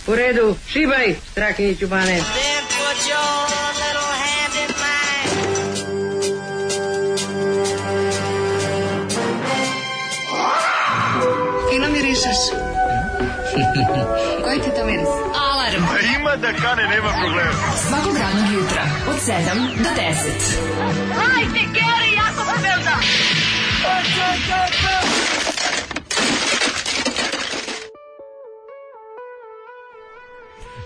U redu, šibaj, Strakiniću Bane. Fino mirišeš. Koji ti to miris? Alarm. Ima da kane, nema problema. Svakog radnog jutra, od 7 do 10. Hajde, Geri, jako se velda.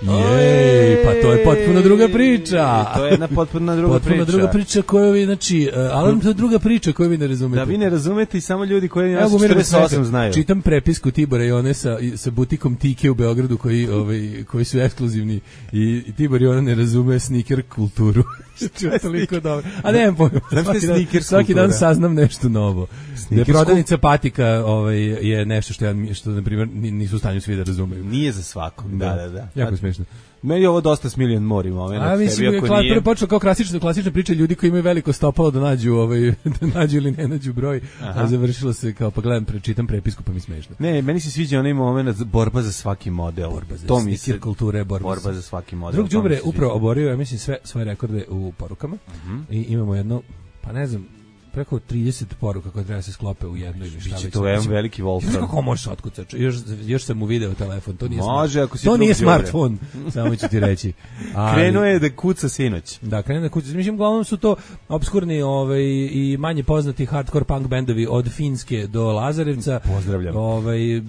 Jej, pa to je potpuno druga priča. To je jedna potpuno druga priča. Potpuno druga priča koju vi, znači, alarm to je druga priča koju vi ne razumete. Da vi ne razumete i samo ljudi koji nas 48 znaju. Čitam prepisku Tibora i one sa butikom Tike u Beogradu koji su ekskluzivni i Tibor i ona ne razume sneaker kulturu. Što je toliko dobro. A nemam pojma. Svaki dan saznam nešto novo. Da prodavnica patika je nešto što na primjer nisu u stanju svi da razumeju. Nije za svakog. Da. Jako smiješno. Meni je ovo dosta Smiljan Mori moment. A mislim je prvo počelo kao klasična priča ljudi koji imaju veliko stopalo da nađu da nađu ili ne nađu broj, a završilo se kao pa gledam čitam prepisku pa mi smešno. Ne, meni se sviđa onaj moment borba za svaki model. To mi se kulture borba za svaki model. Drug đubre upravo oborio, ja mislim sve svoje rekorde u porukama. I imamo jedno, pa ne znam, preko 30 poruka koje treba se sklope u jednu ili šta već. To je veliki Wolfram. Kako možeš otkucač? Još sam mu video telefon, to nije može, ako si to nije smartfon, samo ću ti reći. Krenuo je da kuca sinoć. Da, krenuo da kuca. Mislim, uglavnom su to obskurni i manje poznati hardcore punk bendovi od Finske do Lazarevca. Pozdravljam.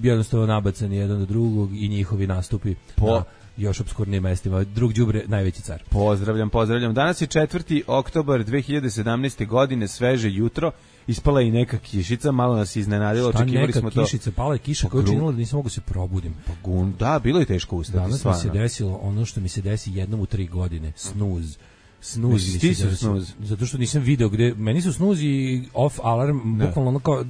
Jednostavno nabacani jedan do drugog i njihovi nastupi na još obskurnijim mestima. Drug đubre, najveći car. Pozdravljam. Danas je 4. oktobar 2017. godine, sveže jutro. Ispala je i neka kišica, malo nas iznenadilo. Očekivali smo to. Šta kišica? Pala je kiša koja je činila da nisam mogu se probudim. Da, bilo je teško ustati. Danas mi se desilo ono što mi se desi jednom u 3 godine. Snuz. Zato što nisam video gde meni su snuz i off alarm bukvalno ono kao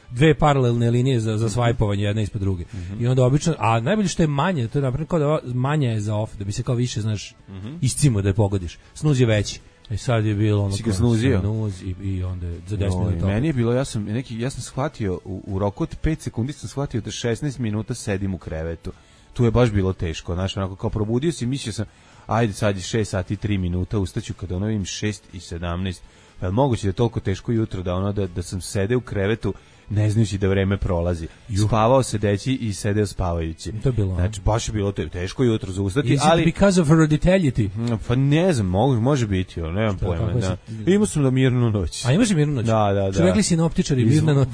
dve paralelne linije za svajpovanje jedna ispod druge. I onda obično, a najbolje što je manje, to je napravljeno kao da manje je za off, da bi se kao više, znaš, iscimo da je pogodiš. Snuz je veći. Sad je bilo ono kao snuz i onda za 10 minuta. Meni je bilo, ja sam shvatio u roku od 5 sekundi sam shvatio da 16 minuta sedim u krevetu. Tu je baš bilo teško, znaš, onako kao probudio si, mislio sam ajde sad je 6 sati i 3 minuta, ustaću kada ono im 6 i 17. Pa je moguće da je toliko teško jutro da sam sede u krevetu ne znajući da vreme prolazi. Spavao sedeći i sedeo spavajući. To je bilo. Znači, baš je bilo teško jutro za ustati. Is it because of hereditary? Pa ne znam, može biti, nemam pojma. Imao sam da mirnu noć. A imaš mirnu noć? Da. Što rekli sinoptičari, mirna noć.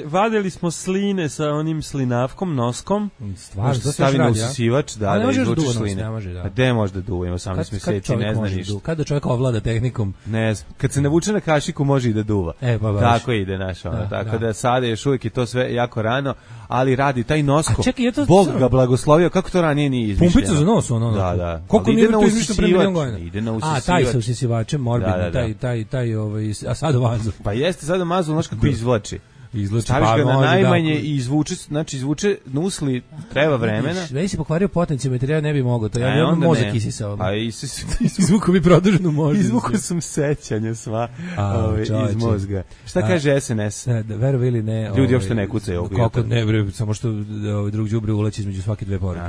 Vadili smo sline sa onim slinavkom, noskom. Stvarno, to stavi na usisivač, da izvučeš sline. A gde može da duva, ima 18 meseci, ne zna ništa. Kada čovjek ovlada tehnikom? Ne znam, kad se navuče na kašiku može i da duva. Tako ide naša, tako da sad još uvijek je to sve jako rano, ali radi taj nosko. Bog ga blagoslovio, kako to ranije nije izmišljeno. Pumpica za nos, ono. Da. Koliko nije to izmišljeno pre milion godina? Ide na usisivač. A, taj sa usisivačem, morbidno, taj, a sadomazo. Pa jeste sadomazo, znaš kako izvlači. Staviš ga na najmanje i izvuče nusli, treba vremena. Da si pokvario potencijometrija, ne bi mogao, to ja imam mozak isisao. A izvuku mi produženu možda. Izvuku sam sećanja sva iz mozga. Šta kaže SNS? Verovi ili ne. Ljudi uopšte ne kucaju. Kako ne, bre, samo što drug đubre ulači između svake dve poruke.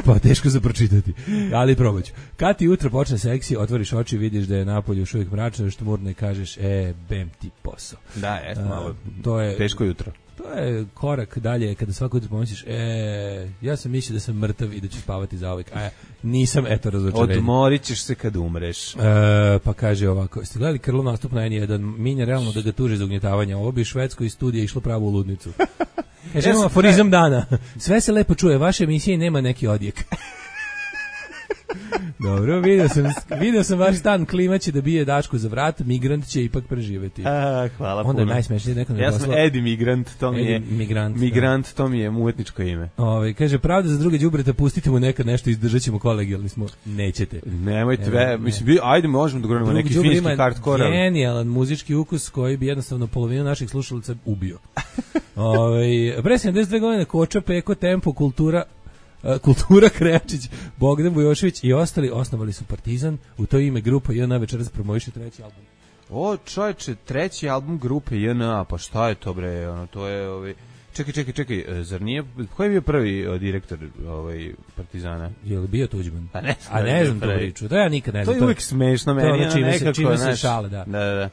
Pa teško za pročitati. Ali probaću. Kad ti jutro počne seksi, otvoriš oči, vidiš da je napolje još uvijek mračno, što murno i kažeš, bem ti posao. Da, jeste malo. To je teško jutro. To je korak dalje kada svako jutro pomisliš, ja sam mislio da sam mrtav i da ću spavati zauvijek. Nisam, eto, razočarenje. Odmorit ćeš se kad umreš. Pa kaže ovako, ste gledali Krlov nastup na N1, minja realno da ga tuže za ugnjetavanje. Ovo bi Švedsko iz studija išlo pravo u ludnicu. Kaže, imamo aforizam dana. Sve se lepo čuje, vaše emisije nema neki odjek. Dobro, vidio sam vaš stan, klima će da bije Daško za vrat, migrant će ipak preživeti. Hvala puno. Onda je najsmešnije neko ja sam Edi Migrant, Migrant, to mi je umetničko ime. Kaže, pravda za druge đubreta, pustite mu nekad nešto, izdržat ćemo kolegijalni smo. Nećete. Nemojte, mislim, ajde možemo da govorimo neki finski hardcore. Genijalan muzički ukus koji bi jednostavno polovinu naših slušalaca ubio. Pre 72 godine Koča, Peko, Tempo, Kultura Krejačić, Bogdan Bujošević i ostali osnovali su Partizan, u to ime grupa JNA večeras promoviše 3. album. O, čovječe, 3. album grupe JNA, pa šta je to bre, to je Čekaj, zar nije, ko je bio prvi direktor Partizana? Je li bio Tuđman? Pa ne znam tu priču, to ja nikad ne znam. To je uvijek smešno meni, nekako. Čime se šale, da. Da.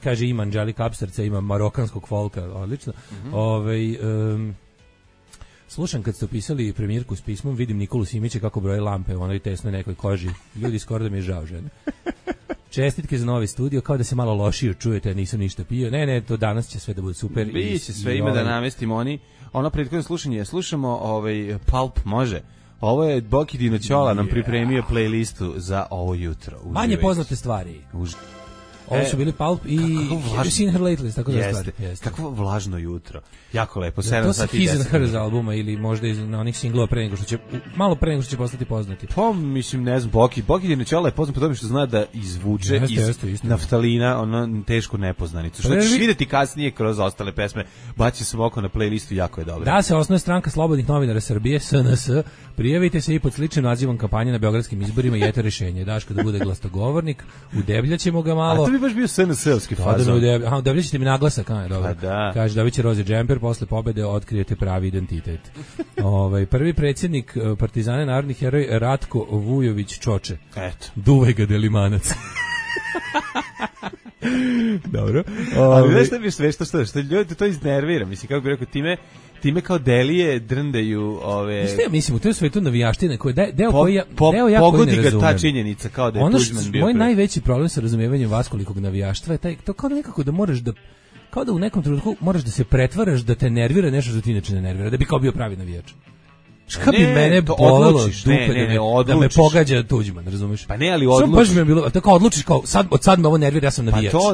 Kaže, ima Anđelika Apsarca, ima marokanskog folka, odlično. Slušam kad ste opisali premijerku s pismom, vidim Nikolu Simića kako broje lampe u onoj tesnoj nekoj koži. Ljudi, skoro da mi je žao, žena. Čestitke za novi studio, kao da se malo lošije čujete, nisam ništa pio. Ne, to danas će sve da bude super. Biće sve, ima da namestimo ono prethodno slušanje. Slušamo Pulp, može. Ovo je Boki Dinoćola nam pripremio playlistu za ovo jutro. Manje poznate stvari. Ovo su bili Pulp i Have You Seen Her Lately, tako da stvari. Kakvo vlažno jutro. Jako lepo, 7 sati. To sa His and Hers albuma ili možda na onih singlova malo pre nego što će postati poznati. Pa, mislim, ne znam, Boki Dinoćola je poznat po tome što zna da izvuče iz naftalina ono tešku nepoznanicu. Što ćeš vidjeti kasnije kroz ostale pesme. Baci sam oko na playlistu, jako je dobro. Da se osnuje stranka Slobodnih novinara Srbije, SNS, prijavite se i pod sličnim nazivom kampanje na beogradskim izborima i eto rešenje. Daško da bude glasnogovornik, udebljaćemo ga malo. A to bi baš bio SNS-ovski fazon. Udebljaćete mi naglasak, dobro. Kaže, dobit će roze džemper, posle pobede otkrijete pravi identitet. Prvi predsjednik Partizana, narodni heroj Ratko Vujović Čoče. Eto. Duvaj ga Delimanac. Dobro. Ali znaš šta bi što ljudi to iznervira, mislim, kako bi rekao, time kao delije drndaju ove... Šta ja mislim, u toj svetu navijaštine koji deo koji ja ne pogodi razumem. Ga ta činjenica kao da je Tuđman bio. Moj najveći problem sa razumijevanjem vaskolikog navijaštva je to kao da nekako da moraš da kao da u nekom trenutku moraš da se pretvaraš da te nervira nešto što ti inače ne nervira, da bi kao bio pravi navijač. Šta bi mene bolelo dupe da me pogađa Tuđman, razumiješ? Pa ne, ali odlučiš. Baš mi je bilo, tako odlučiš kao, od sad me ovo nervira, ja sam navijač. Pa to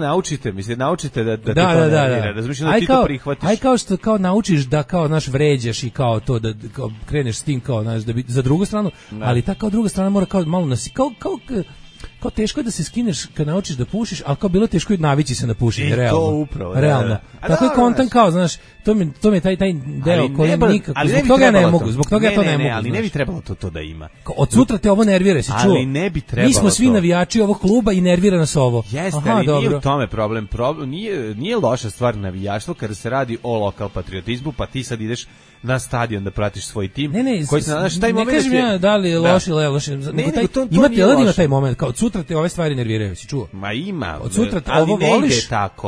naučite da te to nervira, razumiješ, da ti to prihvatiš. Aj kao što kao naučiš da kao, znaš, vređaš i kao to, da kao kreneš s tim kao, znaš, da bi za drugu stranu, ali ta kao druga strana mora kao malo kao teško je da se skineš kad naučiš da pušiš, ali kao bilo teško je navići se na pušenje, realno. To upravo, realno. Tako je kontan kao, znaš, to mi je taj deo koji nikako, zbog toga ja ne mogu, zbog toga ja to ne mogu. Ali ne bi trebalo to da ima. Od sutra te ovo nervira, si čuo? Ali ne bi trebalo. Mi smo svi navijači ovog kluba i nervira nas ovo. Jeste, ali nije u tome problem. Nije loša stvar navijaštvo kada se radi o lokal patriotizmu, pa ti sad ideš na stadion da pratiš svoj tim. Ne kažem ja da li je loš ili loš. Ima taj moment, kao od sutra te ove stvari nerviraju, si čuo? Ma ima. Od sutra te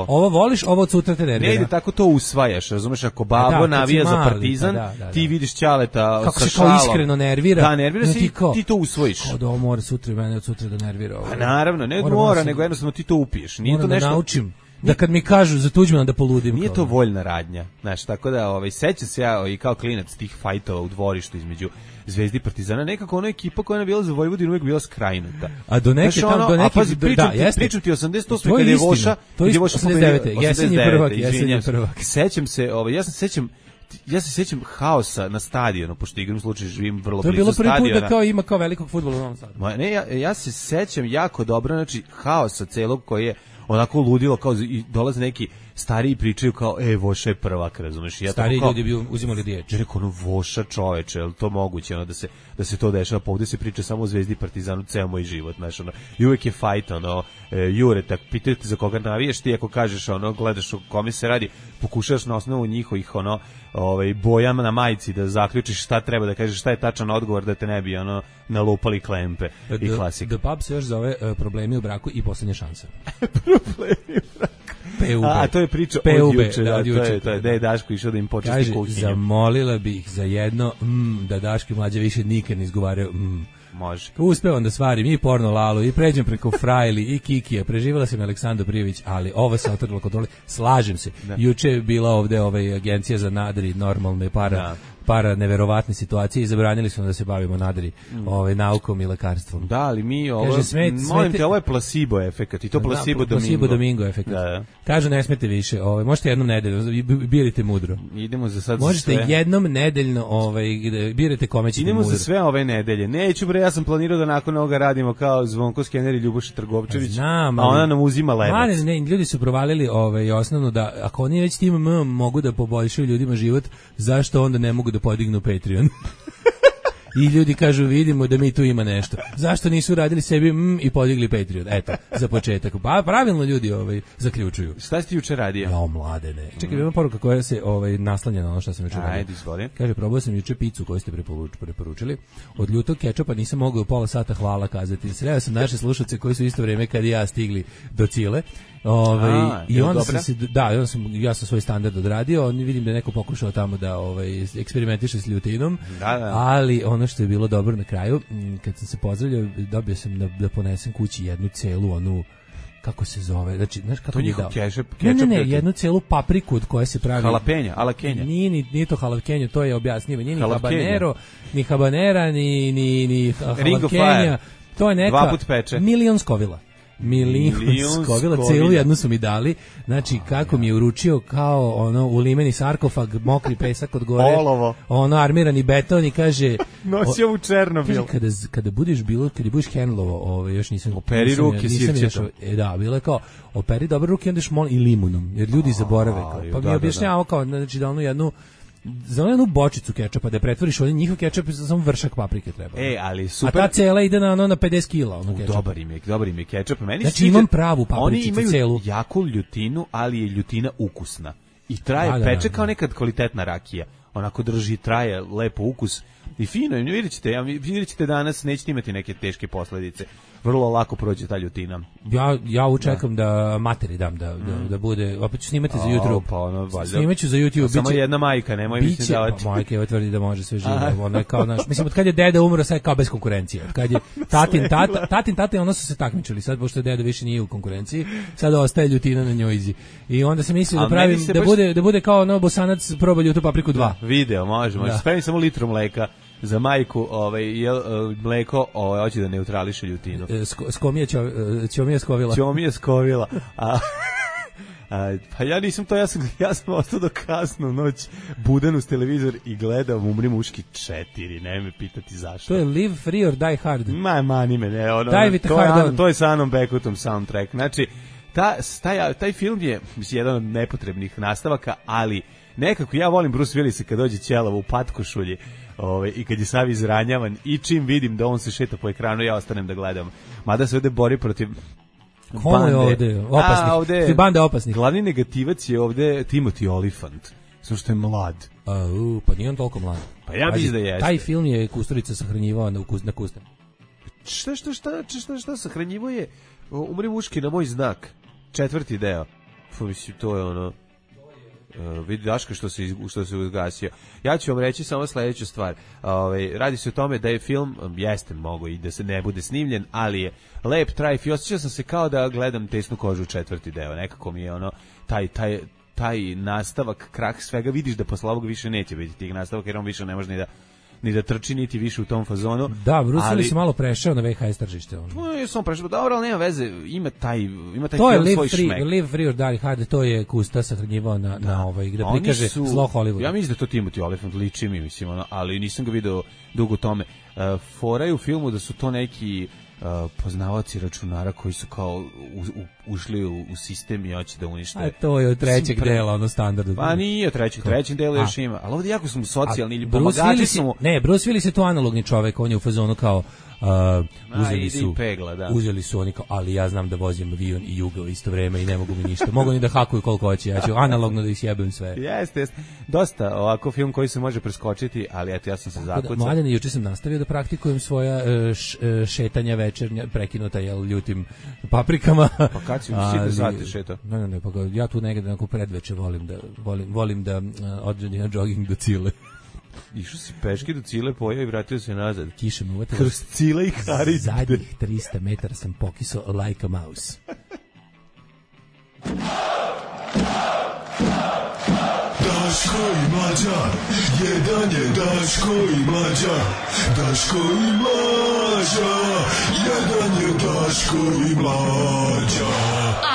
ovo voliš, ovo od sutra te nervira. Ne ide tako, to usvajaš, razumeš, ako babo navija za Partizan, ti vidiš Ćaleta kako sa se kao iskreno nervira. Da, nervira se i ti to usvojiš. Kao da ovo mora sutra mene od sutra da nervira. Pa naravno, ne mora, nego jednostavno ti to upiješ. Nije to nešto... naučim. Da kad mi kažu za Tuđmana da poludim. Nije to voljna radnja, znaš, tako da sećam se ja i kao klinac tih fajtova u dvorištu između Zvezdi i Partizana, nekako ona ekipa koja je bila za Vojvodinu uvijek bila skrajnuta. A do neke pričam ti 88. kad je Voša, to je 89. Jesen je prvak. Sećam se, ja se sjećam haosa na stadionu, pošto igram slučaj živim vrlo blizu stadiona. To je bilo prvi put da kao ima kao velikog fudbala u Novom Sadu. Ja se sećam jako dobro, znači haosa celog koji je onako ludilo, kao i dolaze neki stariji pričaju kao, Voša je prvak, razumeš? Stariji ljudi bi uzimali riječ. Ja rekao, Voša čoveče, je li to moguće, da se to dešava, pa ovdje se priča samo o Zvezdi i Partizanu ceo moj život, znaš, i uvijek je fajt, Jure, tak, pitaju te za koga navijaš, ti ako kažeš, gledaš o kome se radi, pokušaš na osnovu njihovih, bojama na majici da zaključiš šta treba da kažeš, šta je tačan odgovor da te ne bi, nalupali klempe i klasika. The Pub se još zove problemi u braku i posljednja šansa. Problemi u braku. A to je priča od juče, da je Daško išao da im počesti kuhinju. Zamolila bih za jedno da Daško i Mlađa više nikad ne izgovaraju Može. Uspevam da stvarim i porno Lalu i pređem preko Frajli i Kikija. Preživala sam Aleksandar Prijević, ali ovo se otrglo kontrole. Slažem se. Juče je bila ovde agencija za nadri normalne para neverovatne situacije i zabranili su da se bavimo nadri naukom i lekarstvom. Da, ali mi molim te, ovo je placebo efekat i to placebo domingo efekat. Kažu ne smete više, možete jednom nedeljno, birajte mudro. Idemo za sad možete sve. Jednom nedeljno birajte kome ćete idemo mudro. Idemo za sve ove nedelje. Neću bre, ja sam planirao da nakon ovoga radimo kao Zvonko Skener i Ljuboša Trgovčević. Znam, a ona nam uzima lebac. Ne, ljudi su provalili osnovno da ako oni već tim mogu da poboljšaju ljudima život, zašto onda ne mogu da podignu Patreon? I ljudi kažu, vidimo da mi tu ima nešto. Zašto nisu radili sebi i podigli Patreon? Eto, za početak. Pa pravilno ljudi zaključuju. Šta si ti juče radio? Ja, mladene. Čekaj, ima poruka koja se naslanja na ono što sam juče radio. Ajde, izvoli. Kaže, probao sam juče picu koju ste preporučili. Od ljutog kečapa nisam mogao pola sata hvala kazati. Sreo sam naše slušalce koji su isto vrijeme kad i ja stigli do Cile. I onda ja sam svoj standard odradio, vidim da je neko pokušao tamo da eksperimentiše s ljutinom, ali ono što je bilo dobro na kraju, kad sam se pozdravljao, dobio sam da ponesem kući jednu celu onu, kako se zove, znači, znaš kako je dao? Ne, jednu celu papriku od koje se pravi... Halapenja. Nije to halapenja, to je objasnjivo, nije ni habanero, ni habanera, ni halapenja, to je neka milion skovila. Milion skovila, celu jednu su mi dali, znači kako mi je uručio kao ono ulimeni sarkofag, mokri pesak od gore, ono armirani beton i kaže nosio u Černobil. Kada budeš handlovo, još nisam operi ruke sirćetom. Da, bilo je kao operi dobre ruke, onda još molim i limunom, jer ljudi zaborave kao, pa mi objašnjavao kao, znači da ono jednu za jednu bočicu kečapa da pretvoriš on njihov kečap za samo vršak paprike treba. Ali super. A ta cela ide na 50 kg, kečap. Dobar im je kečap. Meni znači imam pravu papričicu celu. Oni imaju jaku ljutinu, ali je ljutina ukusna. I traje, peče kao nekad kvalitetna rakija. Onako drži, traje lepo ukus. I fino, vidjet ćete danas, nećete imati neke teške posljedice. Vrlo lako prođe ta ljutina. Ja učekam da materi dam da bude, opet ću snimati za YouTube. Pa ono, snimaću za YouTube. Samo jedna majka, nemoj mislim davati. Pa majka je tvrdi da može sve živo. Ono je kao naš, mislim, od kad je deda umro, sad je kao bez konkurencije. Od kad je tatin tata, ono su se takmičili. Sad, pošto deda više nije u konkurenciji, sad ostaje ljutina na njojzi. I onda sam mislio da pravim, da bude kao Bosanac proba ljutu papriku 2. Video, može. Spremim samo litru mleka. Za majku mleko hoće da neutrališe ljutinu. Ćomija skovila. Pa ja nisam to, ja sam ostao do kasno noć budan uz televizor i gledam Umri muški 4, ne me pitati zašto. To je Live Free or Die Hard. Mani me, ne, to je sa Anom Beckottom soundtrack. Znači, taj film je jedan od nepotrebnih nastavaka, ali nekako ja volim Bruce Willisa kad dođe ćelavo u patkošulji i kad je sav izranjavan i čim vidim da on se šeta po ekranu, ja ostanem da gledam. Mada se ovde bori protiv Komo je ovde? Opasnih. Banda opasnih. Glavni negativac je ovde Timothy Olyphant. Samo što je mlad. Pa nije on toliko mlad. Pa ja mislim da jeste. Taj film je Kusturica sahranjivao na kusten. Šta sahranjivo je? Umri muški na moj znak. 4. deo. Mislim, to je ono... vidi Daška što se ugasio. Ja ću vam reći samo sledeću stvar. Radi se o tome da je film, jeste mogo i da se ne bude snimljen, ali je lep, trajf i osjećao sam se kao da gledam Tesnu kožu 4. deo. Nekako mi je ono, taj nastavak, krah svega, vidiš da posle ovog više neće biti tih nastavaka, jer on više ne može ni da trči, niti više u tom fazonu. Da, Bruce Willis se malo prešao na VHS tržište. No, je sam prešao, dobro, ali nema veze, ima taj to film je svoj šmek. Live Free or Die Hard, to je Kusta sahranjivao na da prikaže zlo Hollywooda. Ja mislim da to Timothy Olyphant liči mi, mislim, ali nisam ga video dugo tome. Fora je u filmu da su to neki poznavaoci računara koji su kao ušli u sistem i hoće da unište. A to je od trećeg dela, ono standardno. Pa nije od trećeg dela još ima. Ali ovdje jako su socijalni ili pomagači su mu. Ne, Bruce Willis je to analogni čovek, on je u fazonu kao uzeli su oni kao, ali ja znam da vozim avion i Jugo u isto vreme i ne mogu mi ništa. Mogu ni da hakuju koliko hoće, ja ću analogno da isjebem sve. Jeste. Dosta ovako film koji se može preskočiti, ali eto ja sam se zakucao. Mladen, juče sam nastavio da praktikujem svoja šetanja večernja, prekinuta ljutim paprikama. Pa kad si sitne sate šetao? Ne, pa ja tu negde nakon predveče volim da odredim na jogging do Cile. Išao si peške do Cile, pojao i vratio se nazad. Kiša me uvatila. Kroz Cile i Harid. Zadnjih 300 metara sam pokisao like a mouse. Daško i Mlađa, jedan je Daško i Mlađa. Daško i Mlađa, jedan je Daško i Mlađa.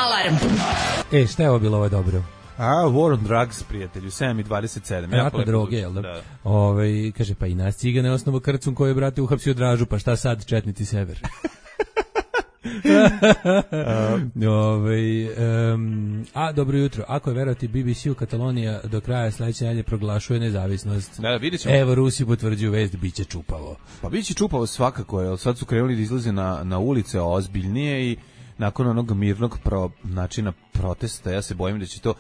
Alarm. Šta je ovo bilo, ovo je dobro? War on Drugs, prijatelju, 7:27. Jako droge, jel da? Kaže, pa i nas cigane osnovu krcun koji je, brate, uhapsio Dražu, pa šta sad, četnici sever? Dobro jutro. Ako je verovati BBC-u, Katalonija do kraja sledeće nedelje proglašuje nezavisnost. Da, vidjet ćemo. Evo, Rusi potvrđuju vest, bit će čupavo. Pa biće čupavo svakako, jer sad su krenuli da izlaze na ulice ozbiljnije i nakon onog mirnog načina protesta, ja se bojim da će to,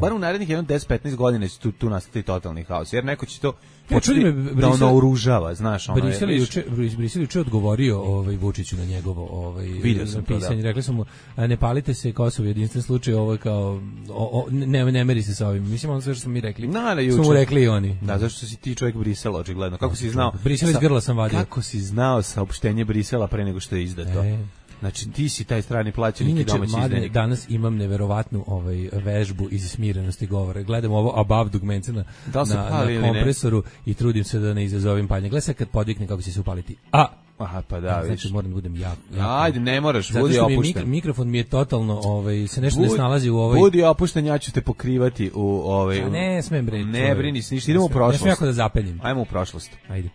bar u narednih 10-15 godina će tu nastati totalni haos, jer neko će to početi da ono oružava, znaš. Brisel juče odgovorio Vučiću na njegovo pisanje. Rekli su mu, ne palite se, Kosovo jedinstven slučaj, ovo je kao, ne meri se sa ovim. Mislim, ono sve što smo mi rekli, su mu rekli i oni. Da, zašto si ti čovjek Brisela, očigledno. Kako si znao? Brisel iz grla sam vadio. Kako si znao saopštenje Brisela pre nego što je izdato? Znači, ti si taj strani plaćenik i domaći izdenik. Danas imam neverovatnu vežbu iz smirenosti govora. Gledam ovo above dugmence na kompresoru i trudim se da ne izazovim paljenje. Gledaj sad kad podvikne kako će se upaliti. Aha, pa da, znači moram da budem jako. Ajde, ne moraš, budi opušten. Zato što mikrofon mi je totalno, se nešto ne snalazi u Budi opušten, ja ću te pokrivati u ne smem bre. Ne brini se ništa, idemo u prošlost. Ne smem jako da zapeljim. Ajmo u prošlost. Ajde.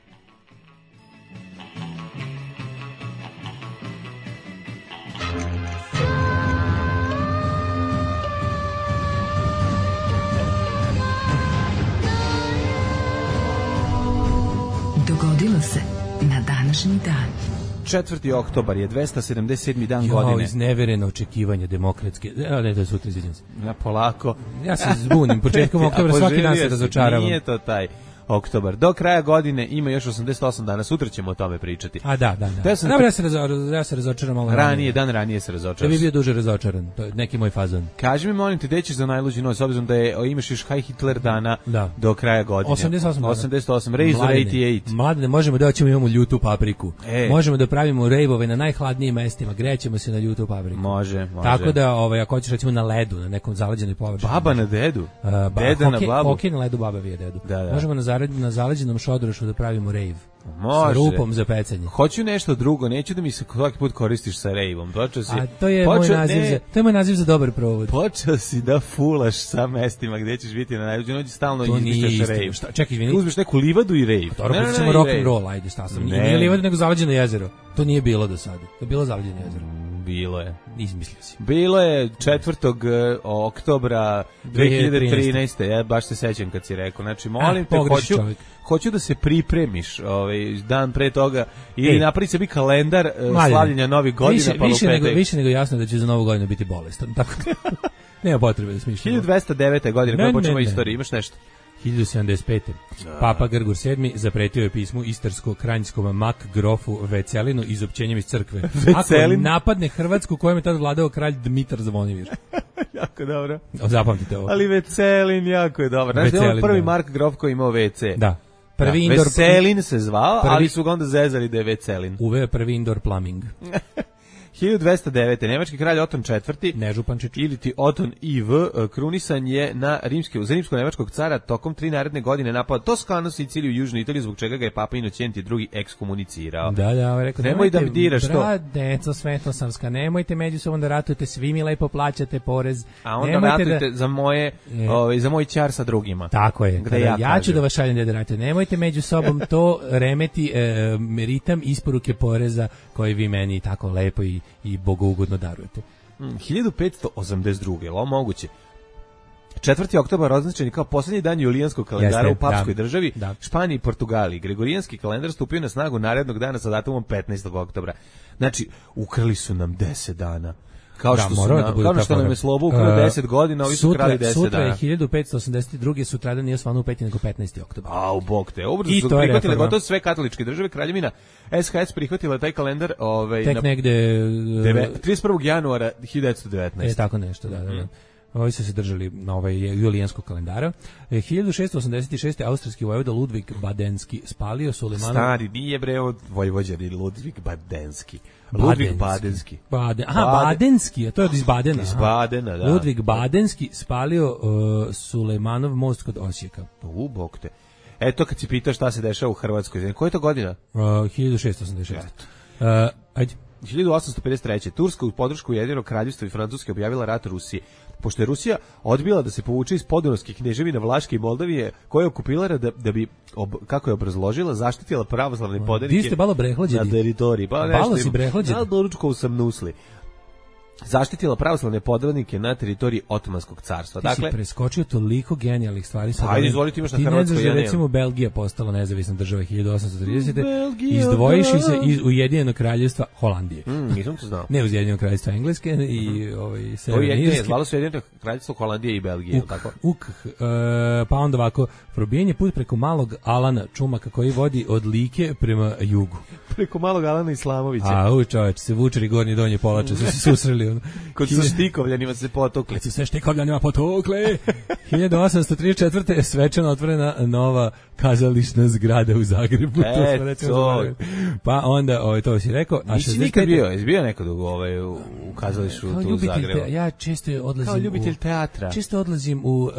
Dogodilo se na današnji dan. 4. oktobar je 277. dan godine. Iznevereno očekivanje demokratske. Ne, to je sutra, izviđam se. Ja polako. Ja se zbunim, početkom oktobra svaki dan se razočaravam. Nije to taj oktobar. Do kraja godine ima još 88 dana, sutra ćemo o tome pričati. Da. Ja se razočaram malo dan ranije se razočaram. Da bi bio duže razočaran, to je neki moj fazon. Kaži mi, molim te, gde ćeš za najluđi noć, s obzirom da imaš još High Hitler dana do kraja godine. 88, Razor 88. Mladene, možemo da imamo ljutu papriku. Možemo da pravimo rejvove na najhladnijim mestima, grećemo se na ljutu papriku. Može. Tako da, ako hoćeš recimo na ledu, na nekom zaleđenoj površini. Baba na dedu? Deda na babu? Hokej na ledu, baba vije dedu. Možemo na zaleđenom šodrošu da pravimo rejv. Može. Sa rupom za pecanje. Hoću nešto drugo, neću da mi se svaki put koristiš sa rejvom. To je moj naziv za dobar provod. Počeo si da fulaš sa mestima gdje ćeš biti na najluđu noć, stalno izmišljaš rejv. Čekaj, izvini. Uzmeš neku livadu i rejv. Ne, ćemo rock and roll, ajde, šta sam. Nije livada nego zaleđeno jezero. To nije bilo do sada. To je bilo zaleđeno jezero. Bilo je. Izmislio si. Bilo je 4. oktobra 2013. Ja baš se sećam kad si rekao. Znači, molim te, hoću da se pripremiš dan pre toga ili napravi sebi kalendar slavljenja novih godina. Više nego jasno da će za novu godinu biti bolestan. Tako nema potrebe da smišljamo. 1209. godine, kada počnemo istoriju, imaš nešto? 1075. Papa Grgur VII zapretio je pismu istarsko-kranjskom Mak-grofu Vecelinu izopćenjem iz crkve. Ako napadne Hrvatsku kojem je tad vladao kralj Dmitar Zvonimir. Jako dobro. Zapamtite ovo. Ali Vecelin jako je dobar. Znaš da je prvi Mark grof koji imao WC? Da. Veselin se zvao, ali su ga onda zezali da je Vecelin. Uveo prvi indoor plumbing. 1209. Nemački kralj Oton IV. Nežupančić ili ti Oton IV krunisan je za rimsko-nemačkog cara tokom 3 naredne godine napao Toskanu, Siciliju i Južnu Italiju, zbog čega ga je Papa Inocenti II ekskomunicirao. Da, rekao, nemoj da diraš to. Bradeco Svetosavska, nemojte međusobno da ratujete, svi mi lepo plaćate porez. A onda ratujte za moj ćar sa drugima. Tako je. Ja ću da vas šaljem da ratujete. Nemojte među sobom to remeti ritam isporuke poreza koji vi meni tako lepo i bogougodno darujete. 1582. Je li ovo moguće? 4. oktobar označen kao posljednji dan julijanskog kalendara u papskoj državi, Španiji i Portugaliji. Gregorijanski kalendar stupio na snagu narednog dana sa datumom 15. oktobra. Znači, ukrali su nam 10 dana. Kao što nam je Slobo ukrao 10 godina, ovi su krali 10 dana. Sutra je 1582. Sutradan nije osvanu u peti nego 15. oktobar. Au, bog te. Obrzo su prihvatile gotovo sve katoličke države. Kraljevina SHS prihvatila taj kalendar tek negde 31. januara 1919. Tako nešto, da. Ovi su se držali na julijanskog kalendara. 1686. austrijski vojvoda Ludvig Badenski spalio Sulemanov... Stari, nije bre od vojvođani Ludvig Badenski. Ludvig Badenski. Badenski, a to je iz Badena. Iz Badena, da. Ludvig Badenski spalio Sulemanov most kod Osijeka. Bog te. Eto kad si pitao šta se dešava u Hrvatskoj. Koja je to godina? 1686. Ajde. 1853. Turska uz podršku Ujedinjenog kraljevstva i Francuske objavila rat Rusiji. Pošto je Rusija odbila da se povuče iz podunavskih kneževina Vlaške i Moldavije, koje je okupirala da bi, kako je obrazložila, zaštitila pravoslavne podanike na teritoriji. Balo si brehlađeni. Da, doručkov sam nusli. zaštitila pravoslavne podvodnike na teritoriji Otomanskog carstva. Ti si preskočio toliko genijalnih stvari. Ajde, izvolite, imaš na Hrvatskoj, ja nemam. Ti ne znaš da recimo Belgija postala nezavisna država 1830. Izdvojivši se iz Ujedinjenog kraljevstva Holandije. Nisam to znao. Ne uz Ujedinjenog kraljevstva Engleske i Severne Irske. Zvalo se Ujedinjeno kraljevstvo Holandije i Belgije, tako? Pa onda ovako, probijen je put preko Malog Alana Čumaka koji vodi od Like prema jugu. Preko Malog Alana Islamovića. Čoveč, se Vučari gornji donji polače, su se susreli. Kod sa Štikovljanima se potokli. Kad se Štikovljanima potokli. 1834. je svečano otvorena nova kazališna zgrada u Zagrebu. Pa onda, to si rekao. Nisi nikad bio, jesi bio nekad u kazališu tu u Zagrebu? Ja često odlazim kao ljubitelj teatra. Često odlazim u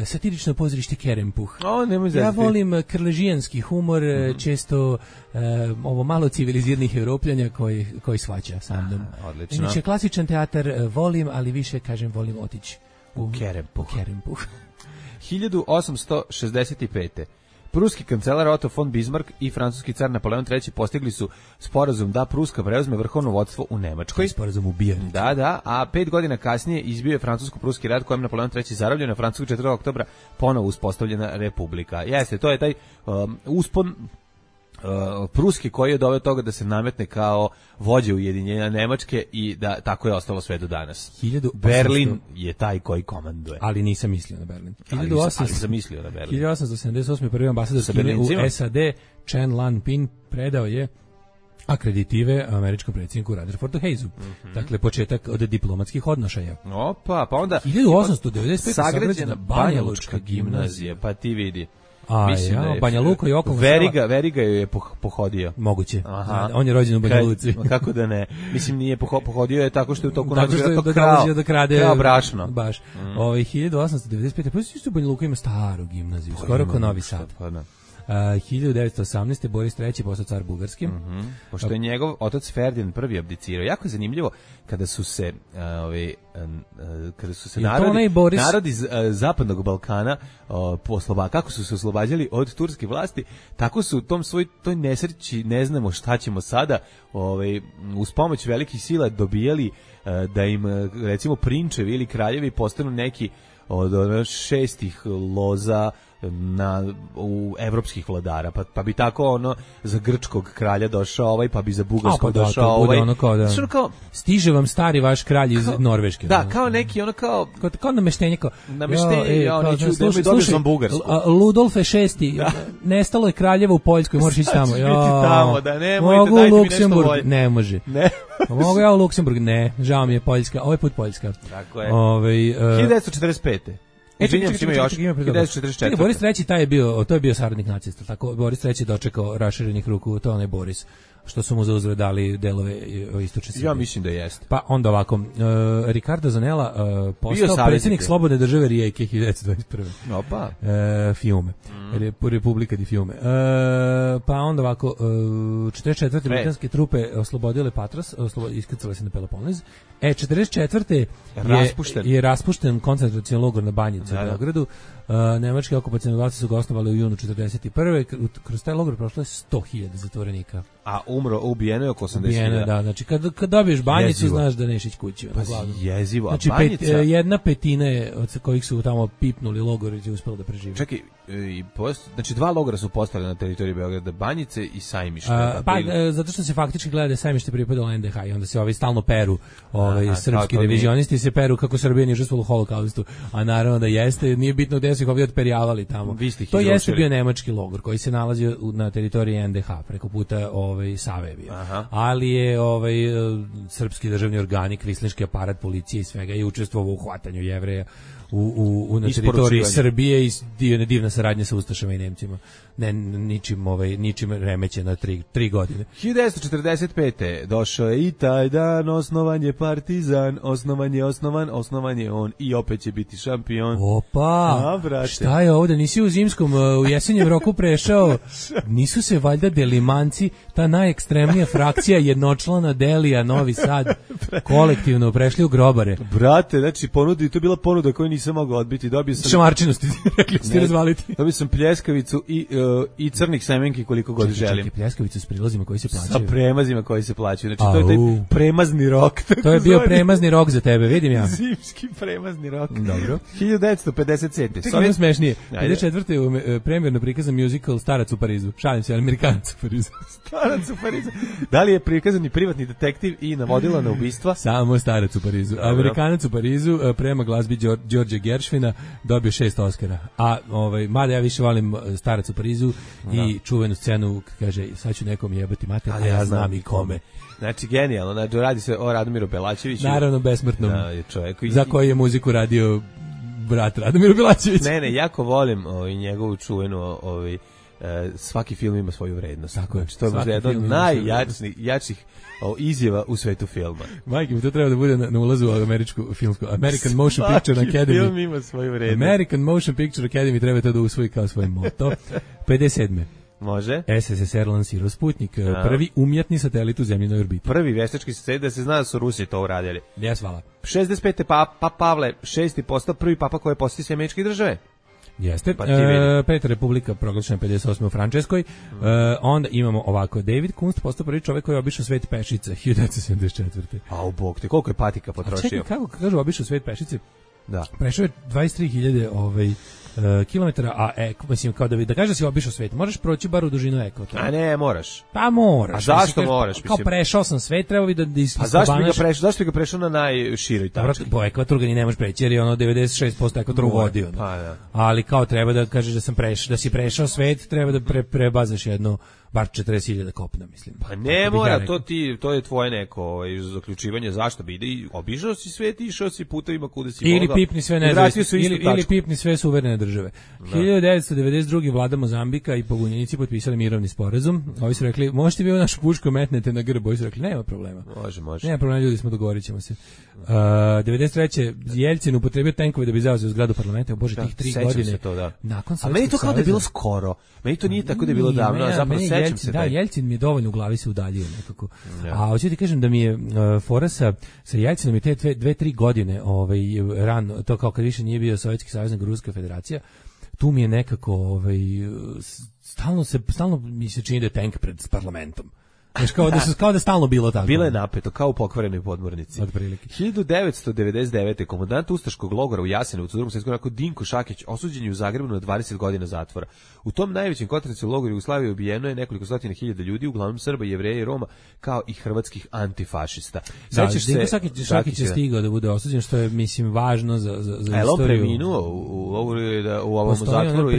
satirično pozorište Kerempuh. Ja volim krležijanski humor, često ovo malo civiliziranih Evropljanja koji shvaća sa mnom. Odlično. Inače, klasičan teatar volim, ali više, kažem, volim otići u Kerempuh. 1865. Pruski kancelar Otto von Bismarck i francuski car Napoleon III postigli su sporazum da Pruska preuzme vrhovno vodstvo u Nemačkoj. Sporazum ubijanja. Da, a 5 godina kasnije izbio je francusko-pruski rat kojem Napoleon III zarobljen, na francuskog 4. oktobra ponovo uspostavljena republika. Jeste, to je taj uspon Pruski koji je doveo toga da se nametne kao vođa ujedinjenja Nemačke i da tako je ostalo sve do danas. Berlin je taj koji komanduje. Ali nisam mislio na Berlin. Ali sam mislio na Berlin. 1878. prvi ambasador Kine u SAD, Chen Lan-pin, predao je akreditive američkom predsjedniku Rutherfordu Hayesu. Dakle, početak od diplomatskih odnošaja. Opa, pa onda 1895. sagrađena Banja Lučka gimnazija, pa ti vidi. Banja Luka i okolno Veriga ju je pohodio. Moguće. On je rođen u Banja Luci. Kako da ne? Mislim, nije pohodio je tako što je u toku da krade brašno. Baš. 1895. Pa isto u Banja Luka ima staru gimnaziju, skoro kao Novi Sad. 1918. Boris III. Postao car Bugarski. Pošto je njegov otac Ferdinand prvi abdicirao. Jako je zanimljivo kada su se narodi zapadnog Balkana kako su se oslobađali od turske vlasti, tako su u toj nesreći, ne znamo šta ćemo sada, uz pomoć velikih sila dobijali da im recimo prinčevi ili kraljevi postanu neki od šestih loza u evropskih vladara, pa bi tako za grčkog kralja došao pa bi za bugarskog došao kao stiže vam stari vaš kralj iz Norveške. Da, kao neki kao nameštenje, slušaj, Ludolfe VI, nestalo je kraljeva u Poljskoj, možeš ići tamo. Mogu u Luksemburg, ne može. Mogu ja u Luksemburg, ne, žao mi je Poljska, ovaj put Poljska. Tako je. 1945. Boris III. To je bio saradnik nacista, tako Boris III. Dočekao raširenih ruku, to onaj Boris, što su mu za uzvrat dali delove istočne Srbije. Ja mislim da jeste. Pa onda ovako, Ricardo Zanella postao predsjednik Slobodne države Rijeke 1921. Opa. Fiume. Republika di Fiume. Pa onda ovako, 44. britanske trupe oslobodile Patras, iskrcale se na Peloponez. 44. je raspušten koncentracioni logor na Banjici u Beogradu. Nemački okupacioni vlasti su ga osnovali u junu 41. Kroz taj logor prošlo je 100.000 zatvorenika. A ubijeno je oko 80.000. Da, znači kad dobiješ Banjicu, znaš da neš ići kući. Jezivo. Znači jedna petina od kojih su tamo pipnuli logori je uspelo da prežive. Čekaj, znači 2 logora su postavili na teritoriji Beograda, Banjice i Sajmište. Zato što se faktički gleda da je Sajmište pripadalo NDH i onda se stalno peru, srpski revizionisti se peru kako Srbija nije žrtvovala u holokaustu, a naravno da jeste, nije bitno gde su ih ovdje odperijavali tamo. To jeste bio nemački logor koji se nalazio na teritoriji NDH preko puta Save bio. Ali je srpski državni organi, kvislinški aparat, policije i svega je učestvovao u hvatanju Jevreja na teritoriji Srbije i divna saradnja sa Ustašama i Nemcima. Ne, ničim remeće na 3 godine. 1945. došao je i taj dan, osnovan je Partizan, osnovan je on i opet će biti šampion. Opa, šta je ovdje? Nisi u zimskom, u jesenjem roku prešao? Nisu se valjda Delimanci, ta najekstremnija frakcija jednočlana Delija, Novi Sad, kolektivno prešli u grobare? Brate, znači to je bila ponuda koju nisam mogao odbiti. Dobio sam šamarčinosti, rekli ste razvaliti. Dobio sam pljeskavicu i crnih semenki koliko god želim. Čekaj, pljeskavicu s prilazima koji se plaćaju. Sa premazima koji se plaćaju. Znači, to je taj premazni rok. To je bio premazni rok za tebe, vidim ja. Zimski premazni rok. Dobro. 1957. Čekaj, nije smešnije. 54. premjerno prikazan musical Starac u Parizu. Šalim se, ali Amerikanac u Parizu. Starac u Parizu. Da li je prikazan i privatni detektiv i navodila na ubistva? Samo Starac u Parizu. Amerikanac u Parizu prema glazbi Đorđe Gershvina dobio 6 Oscara. A mada ja više volim Starac u Parizu i čuvenu scenu kaže sad ću nekom jebati mater, a ja znam i kome. Znači genijalno, znači radi se o Radomiru Belačeviću. Naravno besmrtnom. Čovjeku za koji je muziku radio brat Radomir Belačević. Ne, jako volim njegovu čuvenu svaki film ima svoju vrednost. Tako je. Znači, to je možda jedna od najjačih izjava u svetu filma. Majke, mi to treba da bude na ulazu u američku filmsku American Motion Picture Academy. Svaki film ima svoju vrednost. American Motion Picture Academy treba to da usvoji kao svoj moto. 57. Može. SSSR lansirao Sputnik, prvi umjetni satelit u zemljinoj orbiti. Prvi veštački satelit, da se zna da su Rusi to uradili. Jes, hvala. 65. Papa Pavle VI postao prvi papa koji je posjetio sve američke države. Jeste. Peta republika proglašena 58. u Frančeskoj. Onda imamo ovako, David Kunst postao prvi čovjek koji je obišao svet pešice 1974. A u bog te, koliko je patika potrošio? A čekaj, kako kažu obišao svet pešice? Da. Prešao je 23.000 kilometara, a mislim kao da kažeš da si obišao svet, možeš proći bar u dužinu ekvatora. A ne, moraš. Pa moraš. A zašto moraš? Kao prešao sam svet, trebao bi da A zašto bi ga prešao na najširoj tački? Po ekvatoru ga ni ne možeš preći, jer je ono 96% ekvatora uvodio. Pa da. Ali kao treba da kažeš da si prešao svet, treba da prebazaš jedno bar 40.000 kopna, mislim. Pa ne mora, to je tvoje neko zaključivanje, zašto bi ide, obišao si svet, išao si putevima kuda si ili pipni sve nezavisne, ili pipni sve suverene države. 1992. vlada Mozambika i pobunjenici potpisali mirovni sporazum. Ovi su rekli, možete vi u našu pušku metnete na grb? Ovi su rekli, nema problema. Može. Nema problema, ljudi smo, dogovorit ćemo se. 93. Jeljcin upotrebio tenkove da bi zauzeo zgradu parlamenta. Bože, tih 3 godine. To, da. Nakon a meni to kao da je bilo skoro. Meni to nije tako da je bilo davno, a zapravo sećam se. Da, Jeljcin mi je dovoljno u glavi se udaljio nekako. A hoću ti kažem da mi je fora sa Jeljcinom i te 2-3 godine rano, to kao kad više nije bio Sovjetski savez nego Ruska federacija, tu mi je nekako stalno mi se čini da je tank pred parlamentom. Znaš, kao da stalno bilo tako. Bilo je napeto, kao u pokvarenoj podmornici. 1999. komandant ustaškog logora u Jasenovcu, u Drugom svjetskom ratu Dinko Šakić, osuđen je u Zagrebu na 20 godina zatvora. U tom najvećem koncentracionom logoru Jugoslavije ubijeno je nekoliko stotina hiljada ljudi, uglavnom Srba, Jevreja i Roma, kao i hrvatskih antifašista. Dinko Šakić je stigao da bude osuđen, što je, mislim, važno za istoriju. A je on preminuo u ovom zatvoru?